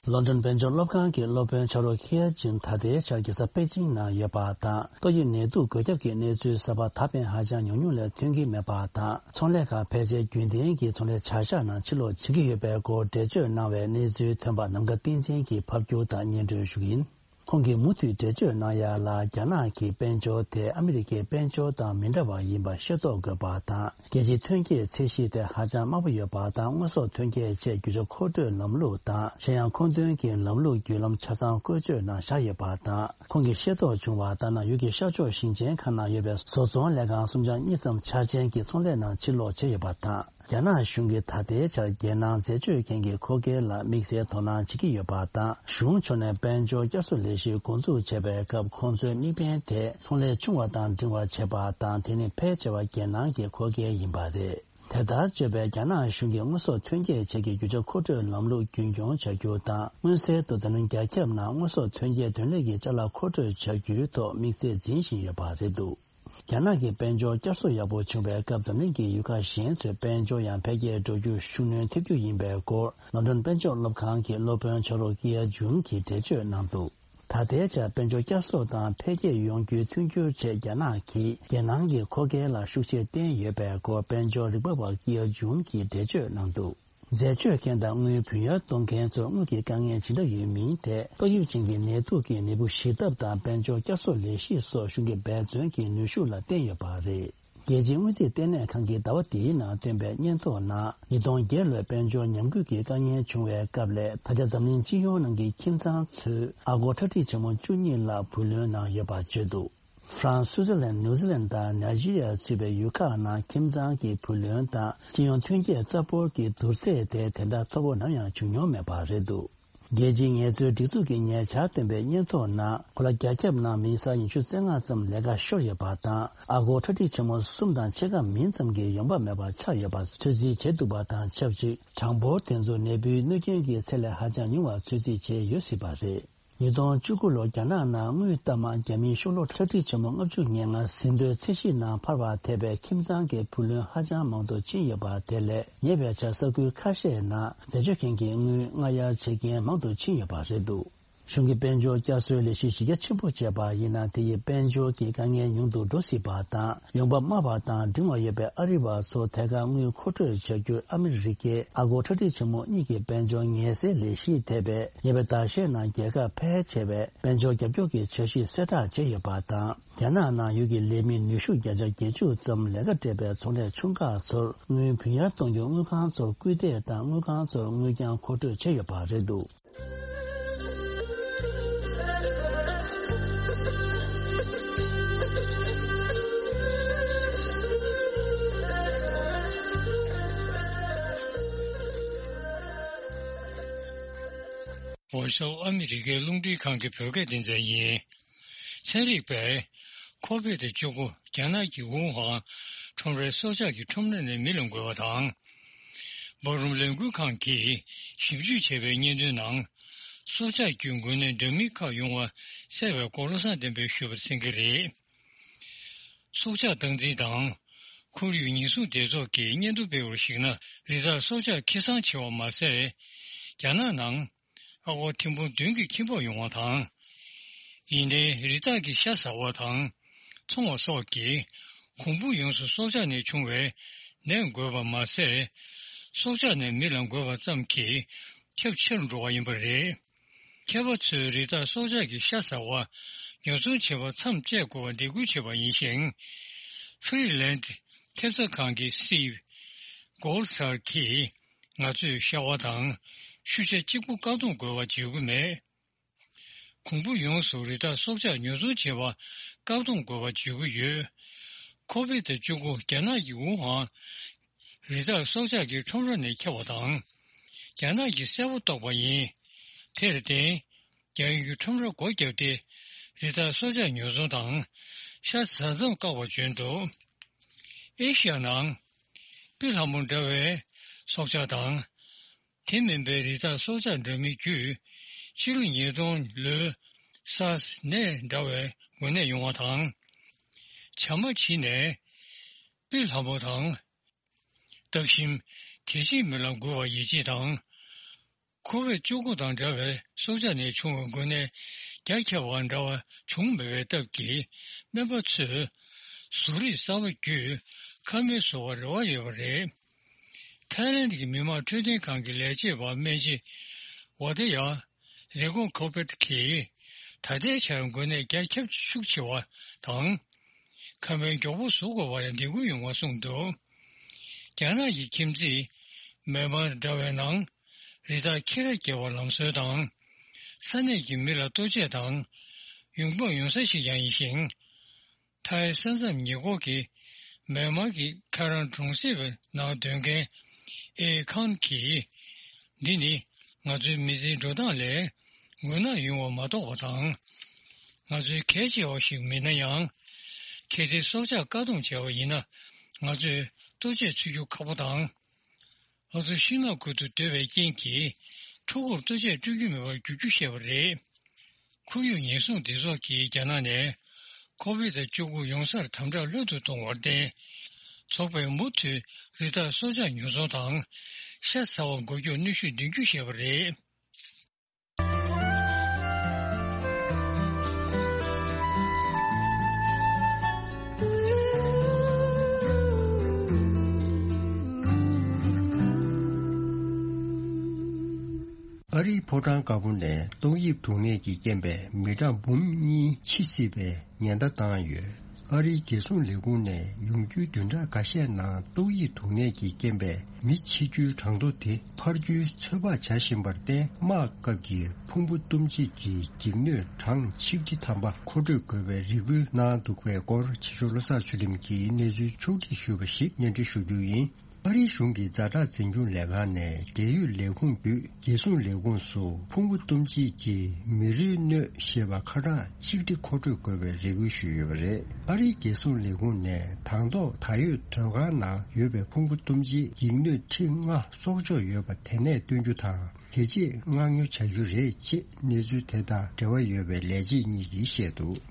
ལོན་ཌོན་དཔལ་འབྱོར་སློབ་ཁང་གི་སློབ་དཔོན་ཕྱག་རོགས་ཁི་ཡ་ཇུན་ད་ལྟའི་ཆར་རྒྱལ་ས་པེ་ཅིང་ནང་ཡོད་པ་དང་། ཏོག་དབྱིབས་ནད་དུག་འགོས་ཁྱབ་ཀྱི་གནས་ཚུལ་གསར་པ་ད་ཕན་ཧ་ཅང་ཉུང་ཉུང་ལས་ཐོན་གྱི་མེད་པ་དང་། ཚོང་ལས་ཁང་ཕལ་ཆེར་རྒྱུན་ལྡན་གྱི་ཚོང་ལས་བྱ་གཞག་ནང་ཕྱིར་ལོག་བྱེད་ཀྱི་ཡོད་པའི་སྐོར་འགྲེལ་བརྗོད་གནང་བའི་གནས་ཚུལ་ཐོན་པ་ནམ་མཁའ་བསྟན་འཛིན་གྱིས་ཕབ་སྒྱུར་དང་སྙན་སྒྲོན་ཞུ་གི་ཡིན། ཁོང་གིས་མུ་མཐུད་འགྲེལ་བརྗོད་གནང་ཡ་ལ། རྒྱ་ནག་གི་དཔལ་འབྱོར་དེ་ཨ་མི་རི་ཀའི་དཔལ་འབྱོར་དང་མི་འདྲ་བ་ཡིན་པ་ཤེས་རྟོགས་དགོས་པ་དང་། རྒྱལ་སྤྱིའི་ཐོན་སྐྱེད་ཚད་གཞི་དེ་ཧ་ཅང་དམའ་པོ་ཡོད་པ་དང་། དངོས་ཟོག་ཐོན་སྐྱེད་ཆེད་རྒྱུ་ཆ་མཁོ་སྤྲོད་ལམ་ལུགས་དང་། གཞན་ཡང་མཁོ་འདོན་གྱི་ལམ་ལུགས་བརྒྱུད་ལམ་ཆ་ཚང་བཀོལ་སྤྱོད་ནང་བཞག་ཡོད་པ་དང་། ཁོང་གིས་ཤེས་རྟོགས་བྱུང་བ་ལྟར་ན། ཡུལ་གྱི་ཤར་ཕྱོགས་ཞིང་ཆེན་ཁག་ནང་ཡོད་པའི་བཟོ་ཚོང་ལས་ཁང་སུམ་ཆ་གཉིས་ཙམ་འཆར་ཅན་གྱི་ཚོང་ལས་ནང་ཕྱིར་ལོག་བྱས་ཡོད་པ་དང་། རྒྱ་ནག་གཞུང་གིས་ད་ལྟའི་ཆར་རྒྱལ་ནང་འཛད་སྤྱོད་མཁན་གྱི་མཁོ་སྒེར་ལ་དམིགས་བསལ་དོ་སྣང་བྱེད་ཀྱི་ཡོད་པ་དང་། གཞུང་ཕྱོགས་ནས་དཔལ་འབྱོར་བསྐྱར་གསོ་ལས་གཞི་འགོ་འཛུགས་བྱས་པའི་སྐབས། ཁོང་ཚོའི་དམིགས་འབེན་དེ་ཚོང་ལས་ཆུང་བ་དང་འབྲིང་བ་བྱེད་པ་དང་། དེ་ནི་ཕལ་ཆེ་བ་རྒྱལ་ནང་གི་མཁོ་སྒེར་ཡིན་པ་རེད། དེ་ལྟར་བརྗོད་པས། རྒྱ་ནག་གཞུང་གིས་དངོས་ཟོག་ཐོན་སྐྱེད་ཆེད་ཀྱི་རྒྱུ་ཆ་མཁོ་སྤྲོད་ལམ་ལུགས་རྒྱུན་འཁྱོངས་བྱ་རྒྱུ་དང་། མངོན་གསལ་དུ་འཛམ་གླིང་རྒྱ་ཁྱབ་ནང་དངོས་ཟོག་ཐོན་སྐྱེད་ཐོན་ལས་ཀྱི་ཅ་ལག་མཁོ་སྤྲོད་བྱ་རྒྱུའི་ཐོག་དམིགས་ཚད་འཛིན་བཞིན་ཡོད་པ་རེད་འདུག་རྒྱ་ནག་གི་དཔལ་འབྱོར་བསྐྱར་གསོ་ཡག་པོ་བྱུང་བའི་སྐབས། འཛམ་གླིང་གི་ཡུལ་ཁག་གཞན་ཚོའི་དཔལ་འབྱོར་ཡང་འཕེལ་རྒྱས་འགྲོ་རྒྱུར་ཤུགས་སྣོན་ཐེབས་རྒྱུ་ཡིན་པའི་སྐོར། ལོན་ཌོན་དཔལ་འབྱོར་སློབ་ཁང་གི་སློབ་དཔོན་ཕྱག་རོགས་ཀི་ཡ་ཇུན་གྱིས་འགྲེལ་བརྗོད་གནང་འདུག་ད་ལྟའི་ཆར་དཔལ་འབྱོར་བསྐྱར་གསོ་དང་འཕེལ་རྒྱས་ཡོང་རྒྱུའི་མཐུན་འགྱུར་ཆེད། རྒྱ་ནག་གིས་རྒྱལ་ནང་གི་མཁོ་སྒེར་ལ་ཤུགས་ཆེར་བརྟེན་ཡོད་པའི་སྐོར། དཔལ་འབྱོར་རིག་པ་བ་ཀི་ཡ་ཇུན་གྱིས་འགྲེལ་བརྗོད་གནང་འདུག་འཛད་སྤྱོད་མཁན་དང་དངུལ་བུན་གཡར་གཏོང་མཁན་ཚོར་དངུལ་གྱི་དཀའ་ངལ་ཇི་འདྲ་ཡོད་མིན་དེ། ཏོག་དབྱིབས་ཅན་གྱི་ནད་དུག་གི་ནད་འབུ་ཞི་ཐབས་དང་། དཔལ་འབྱོར་བསྐྱར་གསོ་ལས་གཞི་སོགས་གཞུང་གི་འབད་བརྩོན་གྱི་ནུས་ཤུགས་ལ་བརྟེན་ཡོད་པ་རེད། རྒྱལ་སྤྱིའི་དངུལ་རྩིས་ལྟེ་གནས་ཁང་གིས་ཟླ་བ་འདིའི་ནང་བཏོན་པའི་སྙན་ཐོ་ནང་། ཉིས་སྟོང་བརྒྱད་ལོའི་དཔལ་འབྱོར་ཉམས་རྒུད་ཀྱི་དཀའ་ངལ་བྱུང་བའི་སྐབས་ལས། ད་ཆ་འཛམ་གླིང་སྤྱི་ཡོངས་ནང་གི་ཁྱིམ་ཚང་ཚོས་ཨ་སྒོར་ཁྲག་ཁྲིག་ཆེན་མོ་བཅུ་གཉིས་ལྷག་བུ་ལོན་གནང་ཡོད་པ་བརྗོད་འདུག་ཧྥ་རན་སི། སུའི་ཙར་ལན། ནིའུ་ཛི་ལན་དང་ནཱི་ཇི་རི་ཡ་ཚུད་པའི་ཡུལ་ཁག་ནང་ཁྱིམ་ཚང་གི་བུ་ལོན་དང་སྤྱི་ཡོངས་ཐོན་སྐྱེད་རྩ་འབོར་གྱི་བསྡུར་ཚད་དེ་དེ་འདྲ་མཐོ་པོ་ནམ་ཡང་བྱུང་མྱོང་མེད་པ་རེད་འདུག་རྒྱལ་སྤྱིའི་ངལ་རྩོལ་སྒྲིག་འཛུགས་ཀྱིས་ཉེ་ཆར་བཏོན་པའི་སྙན་ཐོ་ནང་། གོ་ལ་རྒྱ་ཁྱབ་ནང་མི་ས་ཉི་ཤུ་རྩ་ལྔ་ཙམ་ལས་ཀ་ཤོར་ཡོད་པ་དང་། ཨ་སྒོར་ཁྲག་ཁྲིག་ཆེན་མོ་གསུམ་དང་ཕྱེད་ཀ་མིན་ཙམ་གྱི་ཡོང་འབབ་མེད་པ་ཆགས་ཡོད་པར་ཚོད་རྩིས་བྱེད་ཐུབ་པ་དང་ཆབས་ཅིག་གྲངས་འབོར་དེ་ཚོ་ནད་འབུའི་གནོད་སྐྱོན་གྱི་ཚད་ལས་ཧ་ཅང་ཉུང་བར་ཚོད་རྩིས་བྱས་ཡོད་སྲིད་པ་རེད། ཉིས་སྟོང་བཅུ་དགུ་ལོར་རྒྱ་ནག་ནང་དངུལ་གཏའ་མ་རྒྱ་མིའི་ཤོག་ལོར་ཁྲག་ཁྲིག་ཆེན་མོ་ལྔ་བཅུ་ང་ལྔ་ཟིན་ཐོའི་ཚད་གཞི་ནང་འཕར་བར་ཐེབས་པའི་ཁྱིམ་ཚང་གི་བུ་ལོན་ཧ་ཅང་མང་དུ་ཕྱིན་ཡོད་པ་དེ་ལས། ཉེ་བའི་ཆར་ས་ཁུལ་ཁ་ཤས་ནང་འཛད་སྤྱོད་མཁན་གྱིས་དངུལ་སྔ་གཡར་བྱེད་མཁན་མང་དུ་ཕྱིན་ཡོད་པ་རེད་འདུག་གཞུང་གིས་དཔལ་འབྱོར་བསྐྱར་གསོའི་ལས་གཞི་གཞི་རྒྱ་ཆེན་པོ་བྱས་པ་ཡིན་ན། དེ་ཡིས་དཔལ་འབྱོར་གྱི་དཀའ་ངལ་ཉུང་དུ་འགྲོ་སྲིད་པ་དང་། ཡོང་འབབ་དམའ་བ་དང་འབྲིང་བ་ཡོད་པའི་ཨ་རི་བ་ཚོ་ཐད་ཀར་དངུལ་མཁོ་སྤྲོད་བྱ་རྒྱུར་ཨ་མི་རི་ཀའི་ཨ་སྒོར་ཁྲག་ཁྲིག་ཆེན་མོ་གཉིས་ཀྱི་དཔལ་འབྱོར་ངལ་སེལ་ལས་གཞི་ཐེ་བའི་ཉེ་བའི་ཟླ་ཤས་ནང་རྒྱལ་ཁབ་ཕལ་ཆེ་བས་དཔལ་འབྱོར་རྒྱབ་སྐྱོར་གྱི་འཆར་གཞི་གསལ་བསྒྲགས་བྱས་ཡོད་པ་དང་། རྒྱ་ནག་ནང་ཡུལ་གྱི་ལས་མི་ནུས་ཤུགས་བརྒྱ་ཆ་བརྒྱད་ཅུ་ཙམ་ལས་ཀ་སྤྲད་པའི་ཚོང་ལས་ཆུང་ཁག་ཚོར་དངུལ་བུན་གཡར་གཏོང་རྒྱུར་དངུལ་ཁང་ཚོར་སྐུལ་འདེད་དང་། དངུལ་ཁང་ཚོར་དངུལ་རྐྱང་མཁོ་སྤྲོད་བྱས་ཡོད་པ་རེད་འདུག་ཝོ་ཤི་ཊོན་ཨ་མི་རི་ཀའི་རླུང་འཕྲིན་ཁང་གི་བོད་སྐད་སྡེ་ཚན་ཡིན། ཚན་རིག་པས་ཁོ་བིད་བཅུ་དགུ་རྒྱ་ནག་གི་ཝུ་ཧན་ཁྲོམ་རའི་སྲོག་ཆགས་ཀྱི་ཁྲོམ་ར་ནས་མི་ལ་འགོས་པ་དང་། འབབ་རོམ་ལས་འགུལ་ཁང་གིས་ཞིབ་འཇུག་བྱས་པའི་སྙན་ཐོའི་ནང་། སྲོག་ཆགས་ཀྱི་འགོས་ནད་འདྲ་མིན་ཁག་ཡོང་བ་གསལ་བའི་སྐོར་བློ་བཟང་བསྟན་འཕེལ་ཞུས་པ་གསན་གྱི་རེད། སྲོག་ཆགས་སྟངས་འཛིན་དང་ཁོར་ཡུག་ཉེན་སྲུང་སྡེ་ཚོགས་ཀྱིས་སྙན་ཐོ་སྤེལ་བར་གཞིགས་ན། རི་དྭགས་སྲོག་ཆགས་ཁེ་བཟང་ཆེ་བ་མ་ཟད། རྒྱ་ནག་ནང་ཨ་སྒོར་ཐེར་འབུམ་བདུན་གྱི་ཁྱིམ་སྤོགས་ཡོང་བ་དང་། ཡིན་ནའི་རི་དྭགས་ཀྱི་ཤ་ཟ་བ་དང་། འཚོང་བ་སོགས་ཀྱིས་གོང་བུ་ཡོངས་སུ་སྲོག་ཆགས་ནས་བྱུང་བའི་ནད་འགོས་པ་མ་ཟད། སྲོག་ཆགས་ནས་མི་ལ་འགོས་པ་ཙམ་གྱིས་ཁྱབ་ཆེ་རུ་འགྲོ་བ་ཡིན་པ་རེད། མཁས་པ་ཚོས་རི་དྭགས་སྲོག་ཆགས་ཀྱི་ཤ་ཟ་བ་ཉོ་ཚོང་བྱེད་པར་མཚམས་བཅད་དགོས་པར་འདེད་སྐུལ་བྱས་པ་ཡིན་ཞིང་། ཧྥི་རི་ལན་ཐེབས་རྩ་ཁང་གི་སྲིད། གོལ་སར་གྱིས། ང་ཚོས་ཤ་བ་དང་ཤུ་ཤ་གཅིག་པུ་བཀག་སྡོམ་དགོས་པ་བརྗོད་ཀྱི་མེད། གོང་བུ་ཡོངས་སུ་རི་དྭགས་སྲོག་ཆགས་ཉོ་ཚོང་བྱེད་པ་བཀག་སྡོམ་དགོས་པ་བརྗོད་ཀྱི་ཡོད། ཁོ་བིད་བཅུ་དགུ་རྒྱ་ནག་གི་ཝུ་ཧན་རི་དྭགས་སྲོག་ཆགས་ཀྱི་ཁྲོམ་ར་ནས་ཁྱབ་པ་དང་། རྒྱ་ནག་གིས་གསལ་པོ་རྟོགས་པ་ཡིན། དེར་བརྟེན། རྒྱ་ཡུལ་གྱི་ཁྲོམ་ར་སྒོ་བརྒྱབ་སྟེ། རི་དྭགས་སྲོག་ཆགས་ཉོ་ཚོང་དང་། ཤ་ཟ་མཚམས་བཀག་པ་བྱོན་འདུག་ཨེ་ཤི་ཡ་ནང་། པི་ལྷ་མོ་འདྲ་བའི་སྲོག་ཆགས་དང་། དེ་མིན་པའི་རི་དྭགས་སྲོག་ཆགས་འདྲ་མིན་བརྒྱུད། ཕྱི་ལོ་ཉིས་སྟོང་ལོའི་སཱར་སི་ནད་འདྲ་བའི་འགོས་ནད་ཡོང་བ་དང་། བྱ་མ་བྱི་ནས་པི་ལྷ་མོ་དང་། སྟག་ཤིང་། དེ་བཞིན་མི་ལ་འགོས་པ་ཡིད་ཆེས་དང་། ཁོ་ཝིད་བཅུ་དགུ་དང་འདྲ་བའི་སྲོག་ཆགས་ནས་བྱུང་བའི་འགོས་ནད་རྒྱ་ཁྱབ་པ་འདྲ་བ་བྱུང་མེད་པའི་སྟབས་ཀྱིས། སྨན་པ་ཚོས་གཟུགས་རིས་གསར་པ་བརྒྱུད་ཁ་སྨན་བཟོ་བར་རེ་བ་ཡོད་པ་རེད། ཐའི་ལེན་གྱི་མི་དམངས་འཕྲོད་བསྟེན་ཁང་གི་ལས་བྱེད་པ་སྨན་སྦྱིན་ཝ་ཏེ་ཡ་རི་ཀོང་ཁོ་པེད་ཀྱིས། ད་ལྟའི་ཆར་འགོས་ནད་རྒྱ་ཁྱབ་ཤུགས་ཆེ་བ་དང་། ཁ་སྨན་མགྱོགས་པོ་བཟོ་དགོས་པར་འདེད་སྐུལ་ཡོང་བ་གསུངས་འདུག་རྒྱ་ནག་གི་ཁྱིམ་མཚེས་མེན་མར་འདྲ་བའི་ནང་རི་དྭགས་ཁྱི་ར་སྐྱེལ་བར་ལམ་སྲོལ་དང་། ས་གནས་ཀྱི་མི་ལ་ལྟོ་ཆས་དང་ཡོང་འབབ་ཡོང་ས་ཞིག་ཀྱང་ཡིན་ཞིང་། ཐའི་ས་མཚམས་ཉེ་འཁོར་གྱི་མེན་མར་གྱི་ཁ་རང་གྲོང་གསེབ་ནང་སྡོད་མཁན་ཨེ་ཁང་གིས། འདི་ནི་ང་ཚོའི་མི་ཚེའི་འགྲོ་སྟངས་ལས་འགོས་ནད་ཡོང་བ་མ་གཏོགས་པ་དང་། ང་ཚོའི་གལ་ཆེ་བ་ཞིག་མིན་ན་ཡང་། གལ་ཏེ་སྲོག་ཆགས་བཀག་སྡོམ་བྱས་པ་ཡིན་ན། ང་ཚོས་ལྟོ་ཆས་འཚོལ་རྒྱུ་ཁག་པོ་དང་། ང་ཚོ་ཤིང་ནགས་ཁུལ་དུ་སྡོད་པའི་རྐྱེན་གྱིས། ཕྲུ་གུར་ལྟོ་ཆས་སྤྲོད་རྒྱུ་མེད་པར་འགྱུར་རྒྱུ་ཞེས་པ་རེད། ཁོར་ཡུག་ཉེན་སྲུང་སྡེ་ཚོགས་ཀྱིས་རྒྱ་ནག་ནས་ཁོ་ཝིད་བཅུ་དགུ་ཡོང་སར་དམ་དྲག་སླེབས་དུ་གཏོང་བར་བརྟེན། ཚོགས་པས་མུ་མཐུད་རི་དྭགས་སྲོག་ཆགས་ཉོ་ཚོང་དང་། ཤ་ཟ་བ་འགོག་རྒྱུར་གནོན་ཤུགས་འདོན་རྒྱུ་ཞེས་པ་རེད། ཨ་རིའི་ཕོ་བྲང་དཀར་པོ་ནས་ཏོག་དབྱིབས་དུག་ནད་ཀྱི་རྐྱེན་པས་མི་གྲངས་འབུམ་གཉིས་འཆི་སྲིད་པའི་ཉེན་བརྡ་བཏང་ཡོད། ཨ་རིའི་རྒྱལ་སྲུང་ལས་ཁུངས་ནས་ཡོང་རྒྱུའི་བདུན་ཕྲག་འགའ་ཤས་ནང་ཏོག་དབྱིབས་དུག་ནད་ཀྱི་རྐྱེན་པས་མི་འཆི་རྒྱུའི་གྲངས་ཐོ་དེ་འཕར་རྒྱུའི་ཚོད་དཔག་བྱ་བཞིན་པར་བརྟེན། དམག་སྐབས་ཀྱི་ཕུང་པོ་གཏུམ་བྱེད་ཀྱི་འགྱིག་སྣོད་གྲངས་ཆིག་ཁྲི་ཐམ་པ་མཁོ་སྤྲོད་དགོས་པའི་རེ་སྐུལ་གནང་འདུག་པའི་སྐོར། ཕྱི་ཕྱོགས་བློ་བཟང་ཆོས་སྒྲོན་གྱིས་གནས་ཚུལ་ཕྱོགས་སྒྲིག་ཞུས་པ་ཞིག་སྙན་སྒྲོན་ཞུ་རྒྱུ་ཡིན། ཨ་རིའི་གཞུང་གི་ཛ་དྲག་འཛིན་སྐྱོང་ལས་ཁང་ནས་འབྲེལ་ཡོད་ལས་ཁུངས་བརྒྱུད་རྒྱལ་སྲུང་ལས་ཁུངས་སུ་ཕུང་པོ་གཏུམ་བྱེད་ཀྱི་མེ་རུལ་སྣོད་ཞེས་པ་ཁ་གྲངས་ཆིག་ཁྲི་མཁོ་སྤྲོད་དགོས་པའི་རེ་སྐུལ་ཞུས་ཡོད་པ་རེད། ཨ་རིའི་རྒྱལ་སྲུང་ལས་ཁུངས་ནས་དང་ཐོག་ད་ཡོད་སྡོད་ཁང་ནང་ཡོད་པའི་ཕུང་པོ་གཏུམ་བྱེད་འགྱིག་སྣོད་ཁྲི་ལྔ་གསོག་འཇོག་ཡོད་པ་དེ་ནས་བཏོན་རྒྱུ་དང་། དེ་རྗེས་མངགས་ཉོ་བྱ་རྒྱུ་རེད་ཅེས་གནས་ཚུལ་དེ་དང་འབྲེལ་བ་ཡོད་པའི་ལས་བྱེད་གཉིས་ཀྱིས་བཤད་འདུག་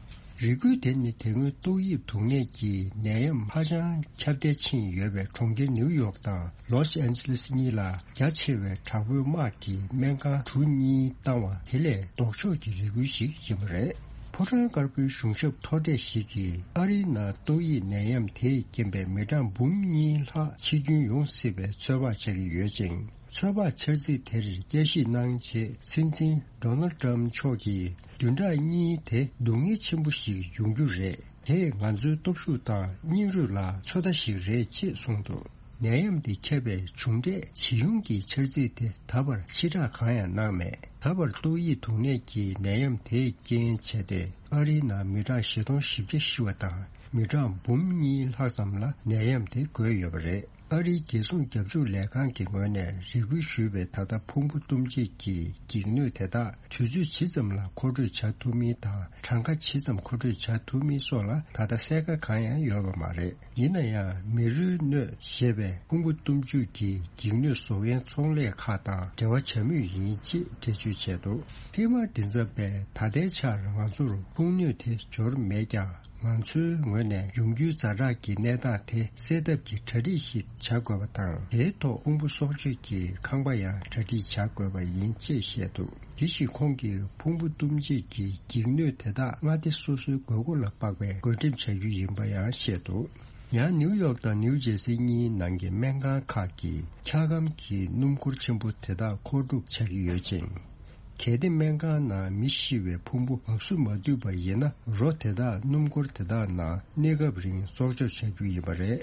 རེ་སྐུལ་དེ་ནི་དེ་སྔོན་ཏོག་དབྱིབས་དུག་ནད་ཀྱི་ནད་ཡམས་ཧ་ཅང་ཁྱབ་གདལ་ཕྱིན་ཡོད་པའི་གྲོང་ཁྱེར་ནིའུ་ཡོག་དང་ལོས་ཨན་ཇི་ལེས་གཉིས་ལ་རྒྱ་ཆེ་བའི་དྲག་པོའི་དམག་གིས་སྨན་ཁང་གྲུ་གཉིས་བཏང་བ་དེ་ལས་ལྡོག་ཕྱོགས་ཀྱི་རེ་སྐུལ་ཞིག་ཡིན་པ་རེད། ཕོ་བྲང་དཀར་པོའི་གཞུང་ཞབས་མཐོ་གྲས་ཤིག་གིས་ཨ་རིའི་ནང་ཏོག་དབྱིབས་ནད་ཡམས་དེས་རྐྱེན་པས་མི་གྲངས་འབུམ་གཉིས་ལྷག་འཆི་སྐྱོན་ཡོང་སྲིད་པའི་ཚོད་དཔག་བྱ་གི་ཡོད་ཅིང་། ཚོད་དཔག་འཆར་ཚིག་དེར་བསྐྱར་ཞིབ་གནང་རྗེས། སྲིད་འཛིན་ཌོ་ནལ་ཌི་ཊརམ་མཆོག་གིས་བདུན་ཕྲག་གཉིས་དེ་སྡུག་བསྔལ་ཆེན་པོ་ཞིག་ཡོང་རྒྱུ་རེད། དེས་ང་ཚོའི་སྟོབས་ཤུགས་དང་སྙིང་རུས་ལ་ཚོད་ལྟ་ཞིག་རེད་ཅེས་གསུངས་འདུག་ནད་ཡམས་འདི་ཁྱབ་པའི་མཇུག་འབྲས་ཇི་ཡོང་གི་འཆར་ཚིག་དེ་ད་བར་ཕྱིར་བསྒྲགས་གང་ཡང་གནང་མེད། ད་བར་ཏོག་དབྱིབས་དུག་ནད་ཀྱི་ནད་ཡམས་དེས་རྐྱེན་བྱས་ཏེ་ཨ་རིའི་ནང་མི་གྲངས་བཞི་སྟོང་བཞི་བརྒྱ་ཤི་བ་དང་མི་གྲངས་འབུམ་གཉིས་ལྷག་ཙམ་ལ་ནད་ཡམས་དེ་འགོས་ཡོད་པ་རེད། ཨ་རིའི་རྒྱལ་སྲུང་རྒྱབ་ཕྱོགས་ལས་ཁང་གི་ངོས་ནས་རེ་སྐུལ་ཞུས་པའི་ད་ལྟ་ཕུང་པོ་གཏུམ་བྱེད་ཀྱི་འགྱིག་སྣོད་དེ་དག་དུས་ཚོད་ཇི་ཙམ་ལ་མཁོ་སྤྲོད་བྱ་ཐུབ་མིན་དང་གྲངས་ཀ་ཇི་ཙམ་མཁོ་སྤྲོད་བྱ་ཐུབ་མིན་སོགས་ལ་ད་ལྟ་གསལ་ཁ་གང་ཡང་ཡོད་པ་མ་རེད། ཡིན་ན་ཡང་མེ་རུལ་སྣོད་ཞེས་པའི་ཕུང་པོ་གཏུམ་བྱེད་ཀྱི་འགྱིག་སྣོད་བཟོ་མཁན་ཚོང་ལས་ཁག་དང་འབྲེལ་བ་བྱ་མུས་ཡིན་ཅེས་འགྲེལ་བརྗོད་བྱས་འདུག་ཧི་མ་མགྲིན་ཚབ་པས་ད་ལྟའི་ཆར་ང་ཚོར་ཕུང་སྣོད་དེ་འབྱོར་མེད་ཀྱང་། ང་ཚོའི་ངོས་ནས་ཡོང་རྒྱུའི་ཛ་དྲག་གི་གནས་སྟངས་དེ་སེལ་ཐབས་ཀྱི་གྲ་སྒྲིག་ཞིག་བྱ་དགོས་པ་དང་། དེའི་ཐོག་ཕུང་པོ་གསོག་འཇོག་གི་ཁང་པ་ཡང་གྲ་སྒྲིག་བྱ་དགོས་པ་ཡིན་ཅེས་བཤད་འདུག་དེ་བཞིན་ཁོང་གིས་ཕུང་པོ་གཏུམ་བྱེད་ཀྱི་འགྱིག་སྣོད་དེ་དག་མངའ་སྡེ་སོ་སོའི་དགོས་མཁོ་ལ་དཔག་པའི་བགོ་འགྲེམས་བྱ་རྒྱུ་ཡིན་པ་ཡང་བཤད་འདུག་ཡང་ནིའུ་ཡོག་དང་ནིའུ་ཇེར་སི་གཉིས་ནང་གི་སྨན་ཁང་ཁག་གིས་འཁྱག་སྒམ་གྱི་སྣུམ་འཁོར་ཆེན་པོ་དེ་དག་མཁོ་སྒྲུབ་བྱ་གི་ཡོད་ཅིང་། གལ་ཏེ་སྨན་ཁང་ནང་མི་ཤི་བའི་ཕུང་པོ་འབབ་སུ་མ་བཏུས་པ་ཡིན་ན། རོ་དེ་དག་སྣུམ་འཁོར་དེ་དག་ནང་གནས་སྐབས་རིང་གསོག་འཇོག་བྱ་རྒྱུ་ཡིན་པ་རེད།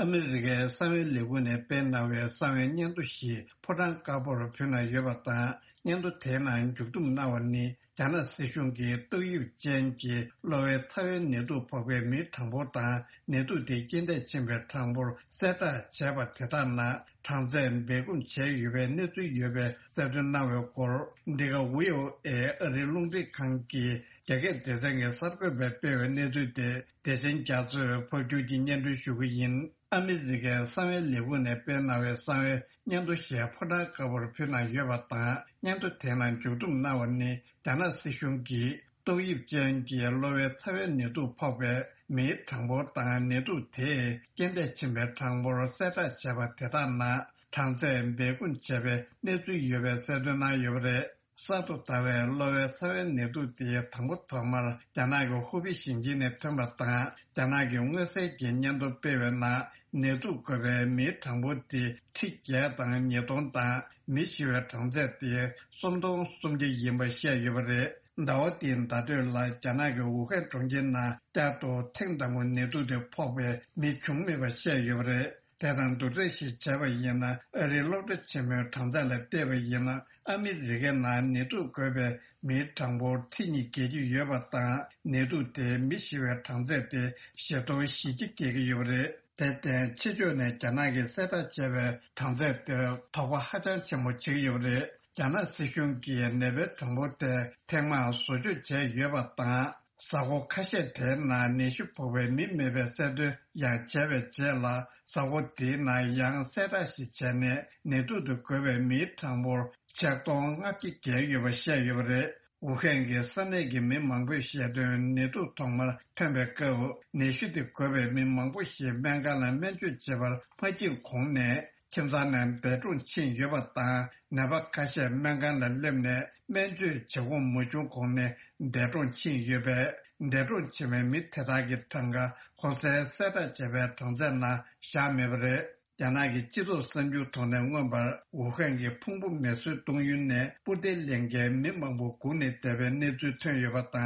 ཨ་མི་རི་ཀའི་གསང་བའི་ལས་ཁུངས་ནས་སྤེལ་གནང་བའི་གསང་བའི་སྙན་ཐོ་ཞིག་ཕོ་བྲང་དཀར་པོར་ཕུལ་གནང་ཡོད་པ་དང་། སྙན་ཐོ་དེའི་ནང་མཇུག་བསྡོམས་གནང་བ་ནི། རྒྱ་ནག་སྲིད་གཞུང་གིས་ཏོག་དབྱིབས་ཅན་གྱི་གློ་བའི་ཚ་བའི་ནད་དུག་ཕོག་པའི་མིའི་གྲངས་འབོར་དང་། ནད་དུག་དེ་རྐྱེན་འདས་ཕྱིན་པའི་གྲངས་འབོར་གསལ་བསྒྲགས་བྱས་པ་དེ་དག་ནང་གྲངས་ཚད་སྦས་སྐུང་བྱས་ཡོད་པའི་གནས་ཚུལ་ཡོད་པའི་གསལ་སྟོན་གནང་བའི་སྐོར། འདི་ག་ཝི་ཨོ་ཨེ་ཨ་རིའི་རླུང་འཕྲིན་ཁང་གི་རྒྱ་སྐད་སྡེ་ཚན་གྱི་གསར་འགོད་པས་སྤེལ་བའི་གནས་ཚུལ་དེ། བདེ་ཆེན་རྒྱ་མཚོས་ཕབ་སྒྱུར་གྱིས་སྙན་སྒྲོན་ཞུ་གི་ཡིན། ཨ་མི་རི་ཀའི་གསང་བའི་ལས་ཁུངས་ནས་སྤེལ་གནང་བའི་གསང་བའི་སྙན་ཐོ་ཞིག་ཕོ་བྲང་དཀར་པོར་ཕུལ་གནང་ཡོད་པ་དང་། སྙན་ཐོ་དེ་ནང་མཇུག་བསྡོམས་གནང་བ་ནི། རྒྱ་ནག་སྲིད་གཞུང་གིས་ཏོག་དབྱིབས་ཅན་གྱི་གློ་བའི་ཚ་བའི་ནད་དུག་ཕོག་པའི་མིའི་གྲངས་འབོར་དང་། ནད་དུག་དེས་རྐྱེན་འདས་ཕྱིན་པའི་གྲངས་འབོར་གསལ་བསྒྲགས་བྱས་པ་དེ་དག་ནང་གྲངས་ཚད་སྦས་སྐུང་བྱས་པའི་གནས་ཚུལ་ཡོད་པའི་གསལ་སྟོན་གནང་ཡོད་པ་རེད། གསར་དུ་དར་བའི་གློ་བའི་ཚ་བའི་ནད་དུག་དེ་དང་པོ་ཐོག་མར་རྒྱ་ནག་གི་ཧུ་པེ་ཞིང་ཆེན་ནས་ཐོན་པ་དང་། རྒྱ་ནག་གི་མངོན་གསལ་གྱི་སྙན་ཐོ་སྤེལ་བའི་ནང་། ནད་དུག་འགོས་པའི་མིའི་གྲངས་འབོར་དེ་ཁྲི་བརྒྱད་དང་ཉིས་སྟོང་དང་། མི་ཤི་བའི་གྲངས་ཚད་དེ་སུམ་སྟོང་སུམ་བརྒྱ་ཡིན་པ་བཤད་ཡོད་པ་རེད། ཟླ་བ་འདིའི་ཟླ་སྟོད་ལ་རྒྱ་ནག་གི་ཝུ་ཧན་གྲོང་ཁྱེར་ནང་བསྐྱར་དུ་ཐེངས་དང་པོ་ནད་དུག་དེ་ཕོག་པའི་མི་བྱུང་མེད་པ་བཤད་ཡོད་པ་རེད། དེ་དང་བསྡུར་ཚད་ཞིག་བྱས་པ་ཡིན་ན། ཨ་རིའི་སློབ་གྲྭ་ཆེན་མོའི་གྲངས་ཚད་ལ་བལྟས་པ་ཡིན་ན། ཨ་མི་རི་ཀའི་ནང་ནད་དུག་འགོས་པའི་མིའི་གྲངས་འབོར་ཁྲི་གཉིས་བརྒལ་གྱི་ཡོད་པ་དང་། ནད་དུག་དེས་མི་ཤི་བའི་གྲངས་ཚད་དེ་བཞི་སྟོང་བཞི་བརྒྱ་བརྒལ་གྱི་ཡོད་པ་རེད། དེར་བརྟེན། ཕྱི་ཕྱོགས་ནས་རྒྱ་ནག་གིས་གསལ་བསྒྲགས་བྱས་པའི་གྲངས་ཚད་དེར་དོགས་པ་ཧ་ཅང་ཆེན་པོ་བྱེད་ཀྱི་ཡོད་པ་རེད། རྒྱ་ནག་སྲིད་གཞུང་གིས་ནད་པའི་གྲངས་འབོར་དེ་ཐེངས་མང་བཟོ་བཅོས་བྱས་ཡོད་པ་དང་། གཟའ་འཁོར་ཁ་ཤས་དེའི་ནང་ནད་གཞི་ཕོག་པའི་མི་མེད་པའི་གསལ་སྟོན་ཡང་བྱས་པའི་རྗེས་ལ། གཟའ་འཁོར་དེའི་ནང་ཡང་གསལ་བསྒྲགས་ཤིག་བྱས་ནས། ནད་དུག་ཏུ་འགོས་པའི་མིའི་གྲངས་འབོར་ཆིག་སྟོང་ལྔ་བརྒྱ་བརྒལ་ཡོད་པ་བཤད་ཡོད་པ་རེད། ཝུ་ཧན་གྱི་ས་གནས་ཀྱི་མི་མང་པོས་བཤད་དོན། ནད་དུག་ཐོག་མར་ཐོན་པའི་སྐབས། ནད་གཞི་དེ་འགོས་པའི་མི་མང་པོ་ཞིག་སྨན་ཁང་ལ་སྨན་བཅོས་བྱེད་པར་མ་ཕྱིན་གོང་ནས། ཁྱིམ་ཚང་ནས་འདས་གྲོངས་ཕྱིན་ཡོད་པ་དང་། ནད་པ་ཁ་ཤས་སྨན་ཁང་ལ་སླེབས་ནས་སྨན་བཅོས་བྱེད་དགོངས་མ་བྱུང་གོང་ནས་འདས་གྲོངས་ཕྱིན་ཡོད་པས། འདས་གྲོངས་ཕྱིན་པའི་མི་དེ་དག་གི་གྲངས་ཀ་གོང་གསལ་གསལ་བསྒྲགས་བྱས་པའི་གྲངས་ཚད་ནང་བཞག་མེད་པ་རེད། རྒྱ་ནག་གི་སྤྱི་ཚོགས་གསར་འགྱུར་ཐོག་ནས་མངོན་པར། ཝུ་ཧན་གྱི་ཕུང་པོ་མེ་གསོད་གཏོང་ཡུལ་ནས་སྤུ་རྡེ་ལེན་མཁན་མི་མང་པོ་སྒུག་ནས་བསྡད་པའི་གནས་ཚུལ་ཐོན་ཡོད་པ་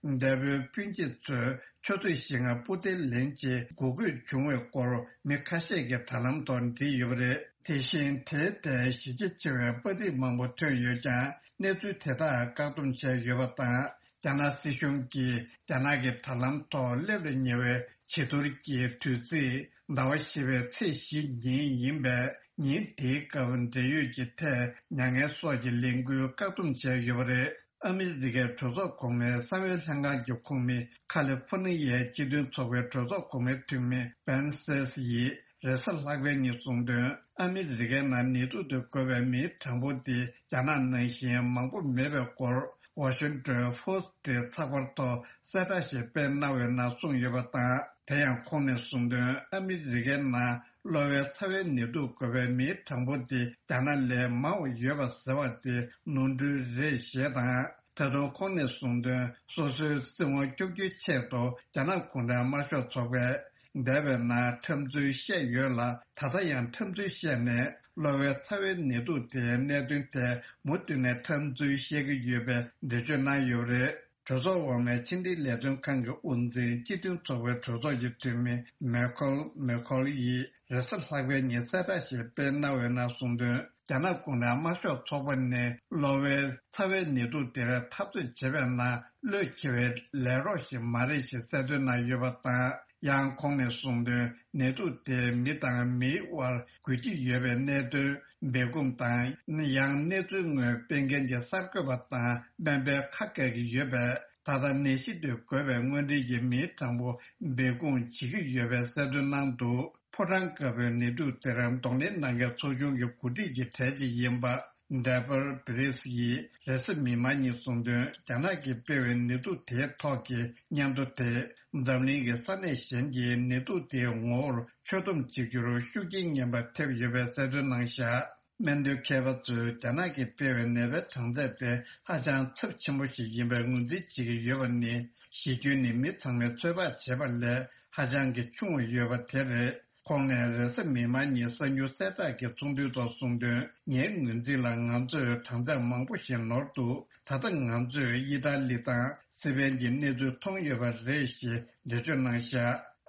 དང་། འདས་པོའི་སྤུན་མཆེད་ཚོས་ཆུ་ཚོད་བཞི་ལྔ་སྤུ་རྡེ་ལེན་ཆེད་སྒུག་དགོས་བྱུང་བའི་སྐོར་མི་ཁ་ཤས་ཀྱིས་དྲ་ལམ་ཐོག་བྲིས་ཡོད་པ་རེད། དེ་བཞིན་དེའི་ཐད་གཞི་རྒྱ་ཆེ་བའི་པར་རིས་མང་པོ་ཐོན་ཡོད་ཀྱང་། གནས་ཚུལ་དེ་དག་བཀག་སྡོམ་བྱས་ཡོད་པ་དང་། རྒྱ་ནག་སྲིད་གཞུང་གིས་རྒྱ་ནག་གི་དྲ་ལམ་ཐོག་སླེབས་ལ་ཉེ་བའི་བྱི་ཐུར་གྱི་དུས་ཚིགས་ཟླ་བ་བཞི་པའི་ཚེས་བཞི་ཉིན་ཡིན་པས། ཉིན་དེའི་སྐབས་འབྲེལ་ཡོད་ཀྱི་ཐད་མྱ་ངན་སོགས་ཀྱི་ལས་འགུལ་བཀག་སྡོམ་བྱས་ཡོད་པ་རེད། ཨ་མི་རི་ཀའི་གྲོས་ཚོགས་གོང་མའི་གསང་བའི་ལྷན་ཁང་གི་ཁོངས་མི། ཁ་ལི་ཧྥོ་ནི་ཡའི་སྤྱི་མཐུན་ཚོགས་པའི་གྲོས་ཚོགས་གོང་མའི་འཐུས་མི་བན་སེས་ཡིས་རེས་གཟའ་ལྷག་པའི་ཉིན་གསུངས་དོན། ཨ་མི་རི་ཀའི་ནང་ནད་དུག་ཏུ་འགོས་པའི་མིའི་གྲངས་འབོར་དེ་རྒྱ་ནག་ནང་བཞིན་མང་པོ་མེད་པའི་སྐོར། ཝ་ཤིང་ཏོན་ཕོ་སི་ཊི་ཚགས་པར་ཐོག་གསལ་བསྒྲགས་ཤིག་སྤེལ་གནང་བའི་ནང་གསུངས་ཡོད་པ་དང་། དེ་ཡང་ཁོང་ནས་གསུངས་དོན། ཨ་མི་རི་ཀའི་ནང་གློ་བའི་ཚ་བའི་ནད་དུག་འགོས་པའི་མིའི་གྲངས་འབོར་དེ་རྒྱ་ནག་ལས་མང་བ་ཡོད་པ་ཟེར་བ་དེ་ནོར་འཁྲུལ་རེད་ཞེས་དང་། ད་དུང་ཁོང་ནས་གསུངས་དོན། སོ་སོའི་སྲིད་དབང་སྐྱོབ་རྒྱུའི་ཆེད་དུ་རྒྱ་ནག་གུང་ཁྲན་དམར་ཤོག་ཚོགས་པས། འདས་པའི་ནང་འཐབ་རྩོད་བཤད་ཡོད་ལ། ད་ལྟ་ཡང་འཐབ་རྩོད་བཤད་ནས། གློ་བའི་ཚ་བའི་ནད་དུག་དེའི་གནད་དོན་ཐད་མུ་མཐུད་ནས་འཐབ་རྩོད་བཤད་ཀྱི་ཡོད་པའི་འགྲེལ་བརྗོད་གནང་ཡོད་པ་རེད། གྲོས་ཚོགས་འོག་མའི་ཕྱི་འབྲེལ་ལས་དོན་ཁང་གི་དབུ་འཛིན། སྤྱི་མཐུན་ཚོགས་པའི་གྲོས་ཚོགས་ཀྱི་འཐུས་མི་མེ་ཁོལ་མེ་ཁོལ་ཡིས་རེས་གཟའ་ལྷག་པའི་ཉིན་གསལ་བསྒྲགས་ཤིག་སྤེལ་གནང་བའི་ནང་གསུངས་དོན། རྒྱ་ནག་གུང་ཁྲན་དམར་ཤོག་ཚོགས་པ་ནི་གློ་བའི་ཚ་བའི་ནད་དུག་དེར་འཐབ་རྩོད་བྱེད་པའི་ནང་བློས་འཁེལ་བའི་ལས་རོགས་ཤིག་མ་རེད་ཞེས་གསལ་སྟོན་གནང་ཡོད་པ་དང་། ཡང་ཁོང་ནས་གསུངས་དོན། ནད་དུག་དེ་མི་དང་མིའི་དབར་འགོས་ཀྱི་ཡོད་པའི་གནད་དོན་སྦས་སྐུང་དང་། ཡང་གནས་ཚུལ་དངོས་སྤེལ་མཁན་གྱི་གསར་འགོད་པ་དང་སྨན་པའི་ཁ་བཀག་གི་ཡོད་པས། ད་ལྟ་ནད་གཞི་དེ་འགོས་པའི་དངོས་འབྲེལ་གྱི་མིའི་གྲངས་འབོར་སྦས་སྐུང་བྱེད་ཀྱི་ཡོད་པའི་གསལ་སྟོན་གནང་འདུག་ཕོ་བྲང་དཀར་པོའི་ནད་དུག་དེར་གདོང་ལེན་གནང་མཁན་ཚོགས་ཆུང་གི་འགོ་ཁྲིད་ཀྱི་གྲས་ཅིག་ཡིན་པ། ཌེ་བར་བྷི་རིས་ཡིས་རེས་གཟའ་མིག་དམར་ཉིན་གསུངས་དོན། རྒྱ་ནག་གིས་སྤེལ་བའི་ནད་དུག་དེའི་ཐོག་གི་སྙན་ཐོ་དེས། འཛམ་གླིང་གི་ས་གནས་གཞན་གྱིས་ནད་དུག་དེའི་ངོ་བོར་ཆོད་སྡོམ་བྱེད་རྒྱུར་ཤུགས་རྐྱེན་ངན་པ་ཐེབས་ཡོད་པའི་གསལ་སྟོན་གནང་བཞག་སྨན་དོན་མཁས་པ་ཚོས་རྒྱ་ནག་གིས་སྤེལ་བའི་ནད་པའི་གྲངས་ཚད་དེ་ཧ་ཅང་ཚབས་ཆེན་པོ་ཞིག་ཡིན་པའི་ངོས་འཛིན་བྱེད་ཀྱི་ཡོད་པ་ནི། གཞི་རྒྱུ་ནི་མི་ཚང་མས་ཚོད་དཔག་བྱེད་པ་ལས་ཧ་ཅང་གི་ཆུང་བ་ཡོད་པ་དེ་རེད། ཁོང་ནས་རེས་གཟའ་མིག་དམར་ཉིན་གསར་འགྱུར་གསལ་བསྒྲགས་ཀྱི་ཚོགས་འདུའི་ཐོག་གསུངས་དོན། ངའི་ངོས་འཛིན་ལ། ང་ཚོས་གྲངས་ཚད་མང་པོ་ཞིག་ནོར་འདུག་ད་ལྟ་ང་ཚོས་དབྱི་ཐ་ལི་དང་སི་པན་གྱི་གནས་ཚུལ་མཐོང་ཡོད་པ་རེད་ཞེས་འགྲེལ་བརྗོད་གནང་བཞག་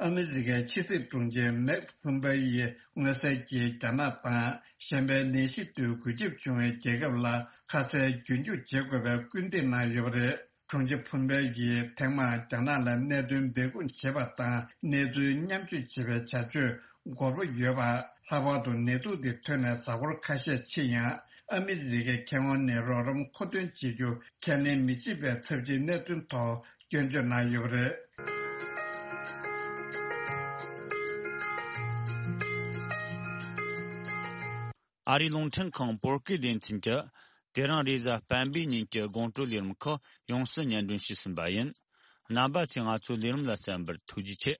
ཨ་མི་རི་ཀའི་ཕྱི་སྲིད་དྲུང་ཆེ་མེག་ཕུམ་པེ་ཡིས་མངོན་གསལ་གྱིས་རྒྱ་ནག་དང་གཞན་པའི་ནད་གཞི་དེ་འགོས་ཁྱབ་བྱུང་བའི་རྒྱལ་ཁབ་ལ་ཁ་གསལ་རྒྱུན་འཁྱོངས་བྱེད་དགོས་པའི་སྐུལ་འདེད་གནང་ཡོད་པ་རེད། དྲུང་ཆེ་ཕུམ་པེ་ཡིས་ཐེངས་མང་རྒྱ་ནག་ལ་གནད་དོན་སྦས་སྐུང་བྱེད་པ་དང་གནས་ཚུལ་མཉམ་སྤྱོད་བྱེད་པའི་བྱ་སྤྱོད་འགོར་པོ་ཡོད་པ། ལྷག་པར་དུ་ནད་དུག་འདི་ཐོན་ནས་གཟའ་འཁོར་ཁ་ཤས་ཕྱིན་ཡང་། ཨ་མི་རི་ཀའི་མཁས་དབང་ནས་རོགས་རམ་མཁོ་འདོན་བྱེད་རྒྱུ་ཁས་ལེན་མི་བྱེད་པའི་ཚབས་ཆེའི་གནད་དོན་ཐོག་སྐྱོན་བརྗོད་གནང་ཡོད་པ་རེད། ཨ་རིའི་རླུང་འཕྲིན་ཁང་བོད་སྐད་སྡེ་ཚན་གྱིས་དེ་རིང་རེས་གཟའ་སྤེན་པའི་ཉིན་གྱི་དགོང་དྲོའི་ལས་རིམ་ཁག་ཡོངས་སུ་སྙན་སྒྲོན་ཞུས་ཟིན་པ་ཡིན། རྣམ་པ་ཚོས་ང་ཚོའི་ལས་རིམ་ལ་གསན་པར་ཐུགས་རྗེ་ཆེ།